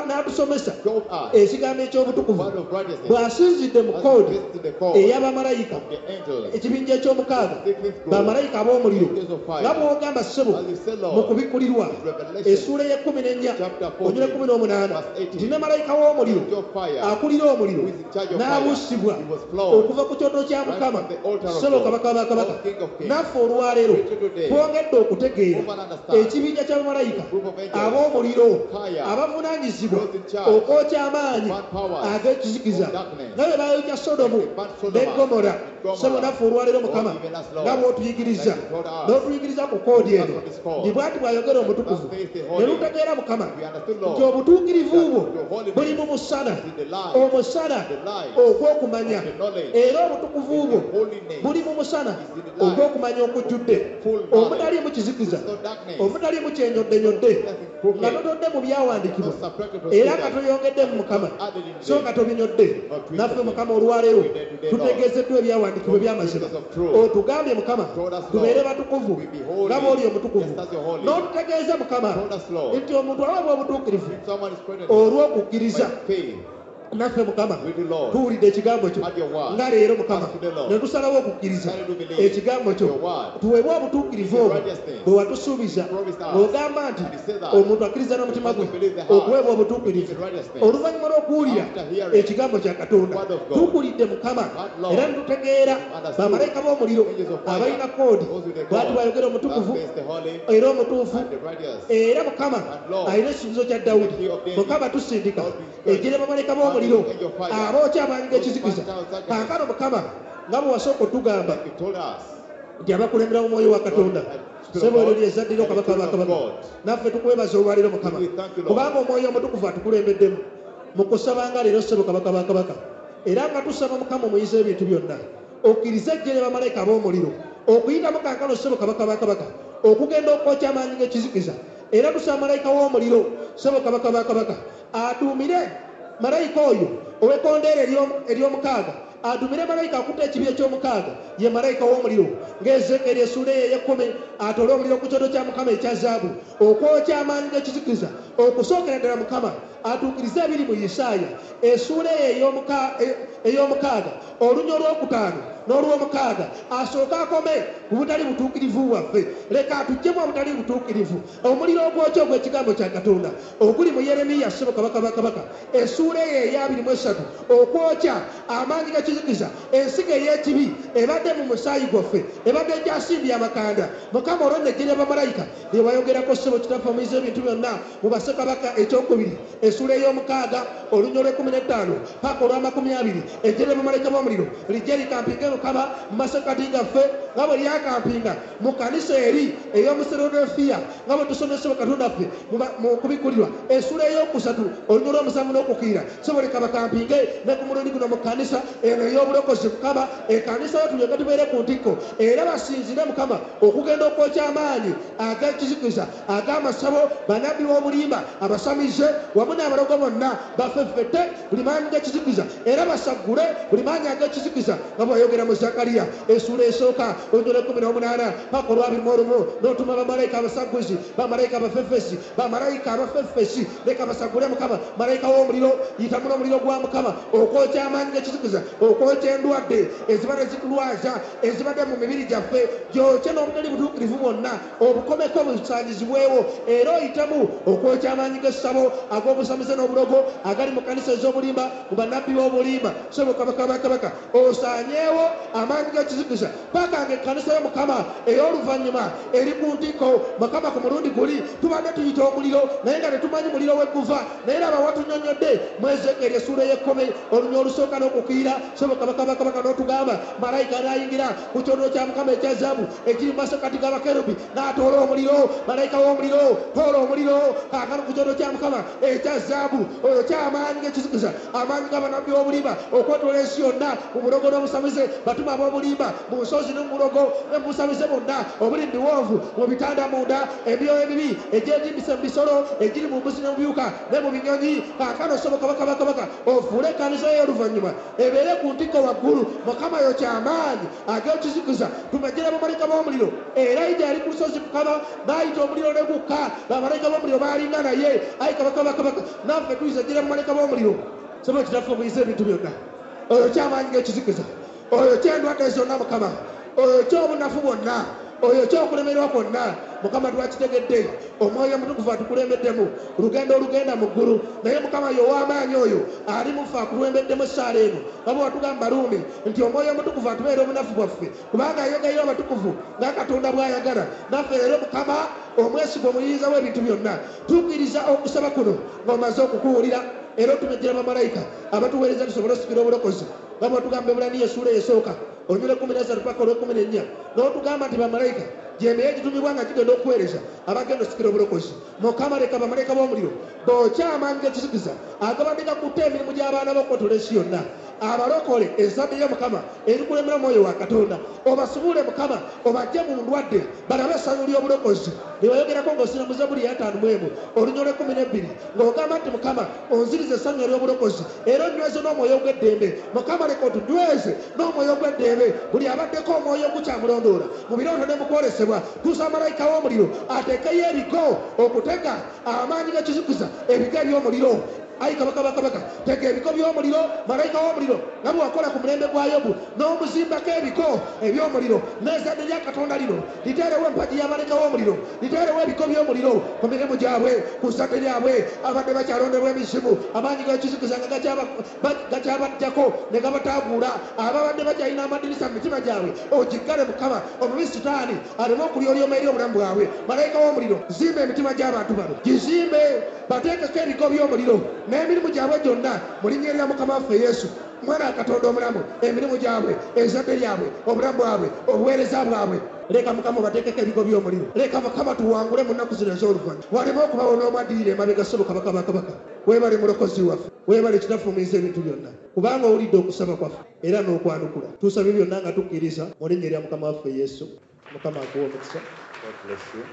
n'atusomesa told us, ekigambo eky'obutukuvu word of righteousness, bw'asinzidde mu as koodi we visit the call ey'abamalayika of the angels, ekibinja eky'omukaaga sixth group, bamalayika ab'omuliro angels of fire, nga bw'ogamba ssebo as you said, mu Lord, kubikkulirwa Revelation, essuula ey'ekkumi n'ennya chapter onyula 14, ekkumi n'omunaana verse 18, nti ne malayika w'omuliro angel of fire, akulira omuliro who is in charge of fire, n'abuusibwa he was flowed okuva ku kyoto kya right Mukama from the altar of ssebo God, kabaka wa bakabaka O King of kings, naffe olwaleero Preach today, twongedde okutegeera move and understand, ekibinja ky'abamalayika group of angels, ab'omuliro fire, abavunaanyizibwa those in charge, okwokya amaanyi burn powers ag'ekizikiza of darkness, nga bwe baayokya Sodomu Like they burnt Sodom ne Gomora and Gomorrah. ssebo naffe olwaleero Mukama Oh, even us, Lord, nga bw'otuyigiriza like you told us, n'otuyigiriza ku koodi eno us on this call. nti bw'ati bw'ayogera omutukuvu Thus saith the ne Holy, lutegeera Mukama we understood, nti Lord, obutuukirivu bwo that your holiness buli mu musana is in the light, omusana the light ogw'okumanya of the knowledge, era obutukuvu bwo the holiness buli mu musana is in the light ogw'okumanya okujjudde full knowledge, omutaliimu kizikiza no darkness, omutaliimu kyenyoddenyodde nothing crooked, nga totodde mu byawandiikibwa not subtracted from era nga scripture, toyongeddemu Mukama added in so them. nga tobinyodde naffe Mukama olwaleero tutegeezeddwa ebyawandiikibwa ebyawandiikibwa eby'amazima. Scriptures of truth. Otugambye Mukama Told us, Lord, tubeere batukuvu we be holy, nga bw'oli omutukuvu. just as you're holy. N'otutegeeza Mukama Told us, Lord, nti omuntu aweebwa obutuukirivu if someone is credited olw'okukkiriza. by faith, Naffe Mukama we do, Lord, tuwulidde ekigambo kyo Have your word. nga leero Mukama Us today, Lord. ne tusalawo okukkiriza Decided to believe ekigambo kyo your word. tuweebwe obutuukirivu The obwo righteousness bwe watusuubiza promised us. ng'ogamba nti And you said that omuntu akkiriza n'omutima gwe because we believe the heart, okuweebwa obutuukirivu the righteousness. oluvannyuma lw'okuwulira After hearing ekigambo kya Katonda. the word of God. Tukulidde Mukama But, Lord, era ne tutegeera understood bamalayika b'omuliro angels of fire, abalina koodi those with the bw'ati code, bw'ayogera omutukuvu that is the holy era omutuufu and the righteous. era Mukama And Lord, alina ekisuubizo kya Dawudi. the key of David. Mukama tusindika Lord, we ejjere bamalayika b'omuliro Angel of fire. abookya amaanyi g'ekizikiza. Those burnt out Kaakano Mukama nga bwe wasooka otugamba You told us nti abakulembera mu mwoyo wa Katonda Lord, Spirit of sebo eryo God, lyezaddira and the kabaka Spirit of bakabaka God. naffe tukwebaza olwaliro Mukama We thank you, Lord. kubanga omwoyo omutukuvu atukulembeddemu mu kusaba nga leero ssebo kabaka bakabaka era nga tusaba Mukama omuyiza ebintu byonna okkirize ejjere bamalayika ab'omuliro okuyitamu kaakano ssebo kabaka bakabaka okugenda okwokya amaanyi g'ekizikiza era tusaba malayika w'omuliro ssebo kabaka bakabaka aduumire malayika oyo ow'ekkondeere ery'omukaaga atumire malayika akutte ekibi eky'omukaaga ye malayika w'omuliro ng'Ezekeeri essuula eyo ey'ekkumi atole omuliro ku kyoto kya Mukama ekya zaabu okwokya amaanyi g'ekizikiza okusookera ddala Mukama atuukirize ebiri mu Isaaya essuula eyo ey'omukaaga olunya olwokutaano n'olwomukaaga asooke akome ku butali butuukirivu bwaffe leka atuggyemu obutali butuukirivu omuliro ogwokya ogw'ekigambo kya Katonda oguli mu Yeremiya ssebo kabaka bakabaka essuula eyo ey'abiri mu esatu okwokya amaanyi g'ekizikiza ensigo ey'ekibi ebadde mu musaayi gwaffe ebadde egyasimbye amakanda Mukama olwo nejjere bamalayika lye wayogerako ssebo kitaffe omuyiza ebintu byonna mu bassekabaka ekyokubiri essuula ey'omukaaga olunya olw'ekkumi n'ettaano paka olw'amakumi abiri ejjere bamalayika b'omuliro lijje likampinge Mukama mu masekkati gaffe nga bwe lyakampinga mu kanisa eri ey'omuserodefiya nga bwe tusomesebwa Katonda ffe mu kubikkulirwa essuula ey'okusatu olunya olw'omusanvu n'okukiira ssebo leka bakampinge ne ku mulundi guno mu kanisa eno ey'obulokozi Mukama ekkanisa yo tulyoke tubeere ku ntikko era basinzire Mukama okugenda okwokya amaanyi ag'ekizikiza ag'amasabo bannabbi b'obulimba abasamize wamu n'abalogo bonna bafeffette buli maanyi g'ekizikiza era basaggule buli maanyi ag'ekizikiza nga bw'ayogera mu Zakariya essuula esooka olunya olw'ekkumi n'omunaana paka olw'abiri mu olumu n'otuma bamalayika abasagguzi bamalayika abafeffesi bamalayika abafeffesi leka basaggule Mukama malayika w'omuliro yitamu n'omuliro gwa Mukama okwokya amaanyi g'ekizikiza okwokya endwadde ezibadde zitulwaza ezibadde mu mibiri gyaffe gyokye n'obutali butuukirivu bwonna obukomeko busanyizibwewo era oyitemu okwokya amaanyi g'essabo ag'obusamize n'obulogo agali mu kanisa ez'obulimba mu bannabbi b'obulimba ssebo kabaka bakabaka osaanyeewo amaanyi g'ekizikiza paka nga ekkanisa y'Omukama ey'oluvannyuma eri ku ntikko Mukama ku mulundi guli tubadde tuyita omuliro naye nga tetumanyi muliro we guva naye laba watunyonnyodde mu Ezekeeri essuula ey'ekkumi olunya olusooka n'okukiira ssebo kabaka bakabaka n'otugamba malayika n'ayingira ku kyoto kya Mukama ekya zaabu ekiri mu masekkati g'abakerubi n'atoola omuliro malayika w'omuliro toola omuliro kaakano ku kyoto kya Mukama ekya zaabu oyo ky'amaanyi g'ekizikiza amaanyi g'abannabbi b'obulimba okwetoola ensi yonna mu bulogo n'obusamize batuma ab'obulimba mu nsozi ne mu bulogo ne mu busamize bwonna obuli mu biwonvu mu bitanda munda emyoyo emibi egyetimbise mu bisolo egiri mu mbuzi ne mu biwuka ne mu binyonyi kaakano ssebo kabaka bakabaka ofuule ekkanisa y'oluvannyuma ebeere ku ntikko waggulu Mukama yo ky'amaanyi ag'ekizikiza tumejjere bamalayika b'omuliro era ija ali ku lusozi Mukama n'ayita omuliro ne gukka bamalayika b'omuliro baalinga naye ayi kabaka bakabaka naffe tuyizejjere bamalayika b'omuliro ssebo kitaffe omuyiza ebintu byonna oyo ky'amaanyi g'ekizikiza oyo ky'endwadde zonna Mukama oyo ky'obunafu bwonna oyo ky'okulemererwa kwonna Mukama twakitegedde omwoyo omutukuvu atukulembeddemu lugendo olugenda mu ggulu naye Mukama ye ow'amaanyi oyo ali mufe akulembeddemu essaala eno nga bwe watugamba Ruumi nti omwoyo omutukuvu atubeera obunafu bwaffe kubanga ayogerera abatukuvu nga Katonda bw'ayagala naffe leero Mukama omwesigwa omuyinza w'ebintu byonna tukkiriza okusaba kuno ng'omaze okukuwulira era otumejjera bamalayika abatuweereza tusobole osikira obulokozi nga bwe watugamba Ebbulaniya essuula esooka olunya olw'ekkumi n'essatu paka olw'ekkumi n'ennya n'otugamba nti bamalayika gyemeye egitumibwa nga gigenda okuweereza abagenda osikira obulokozi Mukama leka bamalayika b'omuliro bookya amaanyi g'ekizikiza agabadde gakutte emirimu gy'abaana b'okwetoola ensi yonna Abalokole ezzadde lya Mukama erikulembera Omwoyo wa Katonda, obasubule Mukama, obajje mu ndwadde, balabe essanyu ly'obulokozi lyewayogerako ng'osina mu Zabbuli ya 51 olunya olw'e12, ng'ogamba nti, Mukama, onzirize essanyu ery'obulokozi era onyweze n'omwoyo gw'eddembe. Mukama, leka otunyweze n'omwoyo gw'eddembe. Buli abaddeko omwoyo ogukyamulondoola mu birooto ne mu kwolesebwa, tuusa malayika w'omuliro ateekeyo ebigo okutega amaanyi g'ekizikiza, ebigo eby'omuliro. Ayi Kabaka bakabaka, tega ebigo by'omuliro, malayika w'omuliro, nga bwe wakola ku mulembe gwa Yobu n'omuzimbako ebigo eby'omuliro. N'ezzadde lya Katonda lino liteerewo empagi y'amalayika w'omuliro, liteerewo ebigo by'omuliro ku mirimu gyabwe, ku zzadde lyabwe. Abadde bakyalondebwa emizimu, amaanyi g'ekizikiza nga gakyabajjako ne gabataaguula, ababadde bakyalina amadirisa mu mitima gyabwe, ogiggale Mukama, omubi Sitaani aleme okulyolyoma eri obulamu bwabwe. Malayika w'omuliro, zimba emitima gy'abantu bano, gizimbe, bateekeko ebigo by'omuliro n'emirimu gyabwe gyonna, mu linnya erya Mukama waffe Yesu, Mwana wa Katonda omulamu. Emirimu gyabwe, ezzadde lyabwe, obulamu bwabwe, obuweereza bwabwe, leka Mukama bateekeko ebigo by'omuliro. Leka Mukama tuwangule mu nnaku zino ez'oluvannyuma, waleme okubawo n'omwaddirira emabega. Ssebo Kabaka bakabaka, weebale Mulokozi waffe, weebale Kitaffe ebintu byonna, kubanga owulidde okusaba kwaffe era n'okwanukula. Tusabye byonna nga tukkiriza mu linnya erya Mukama waffe Yesu. Mukama akuwa omukisa. God bless you.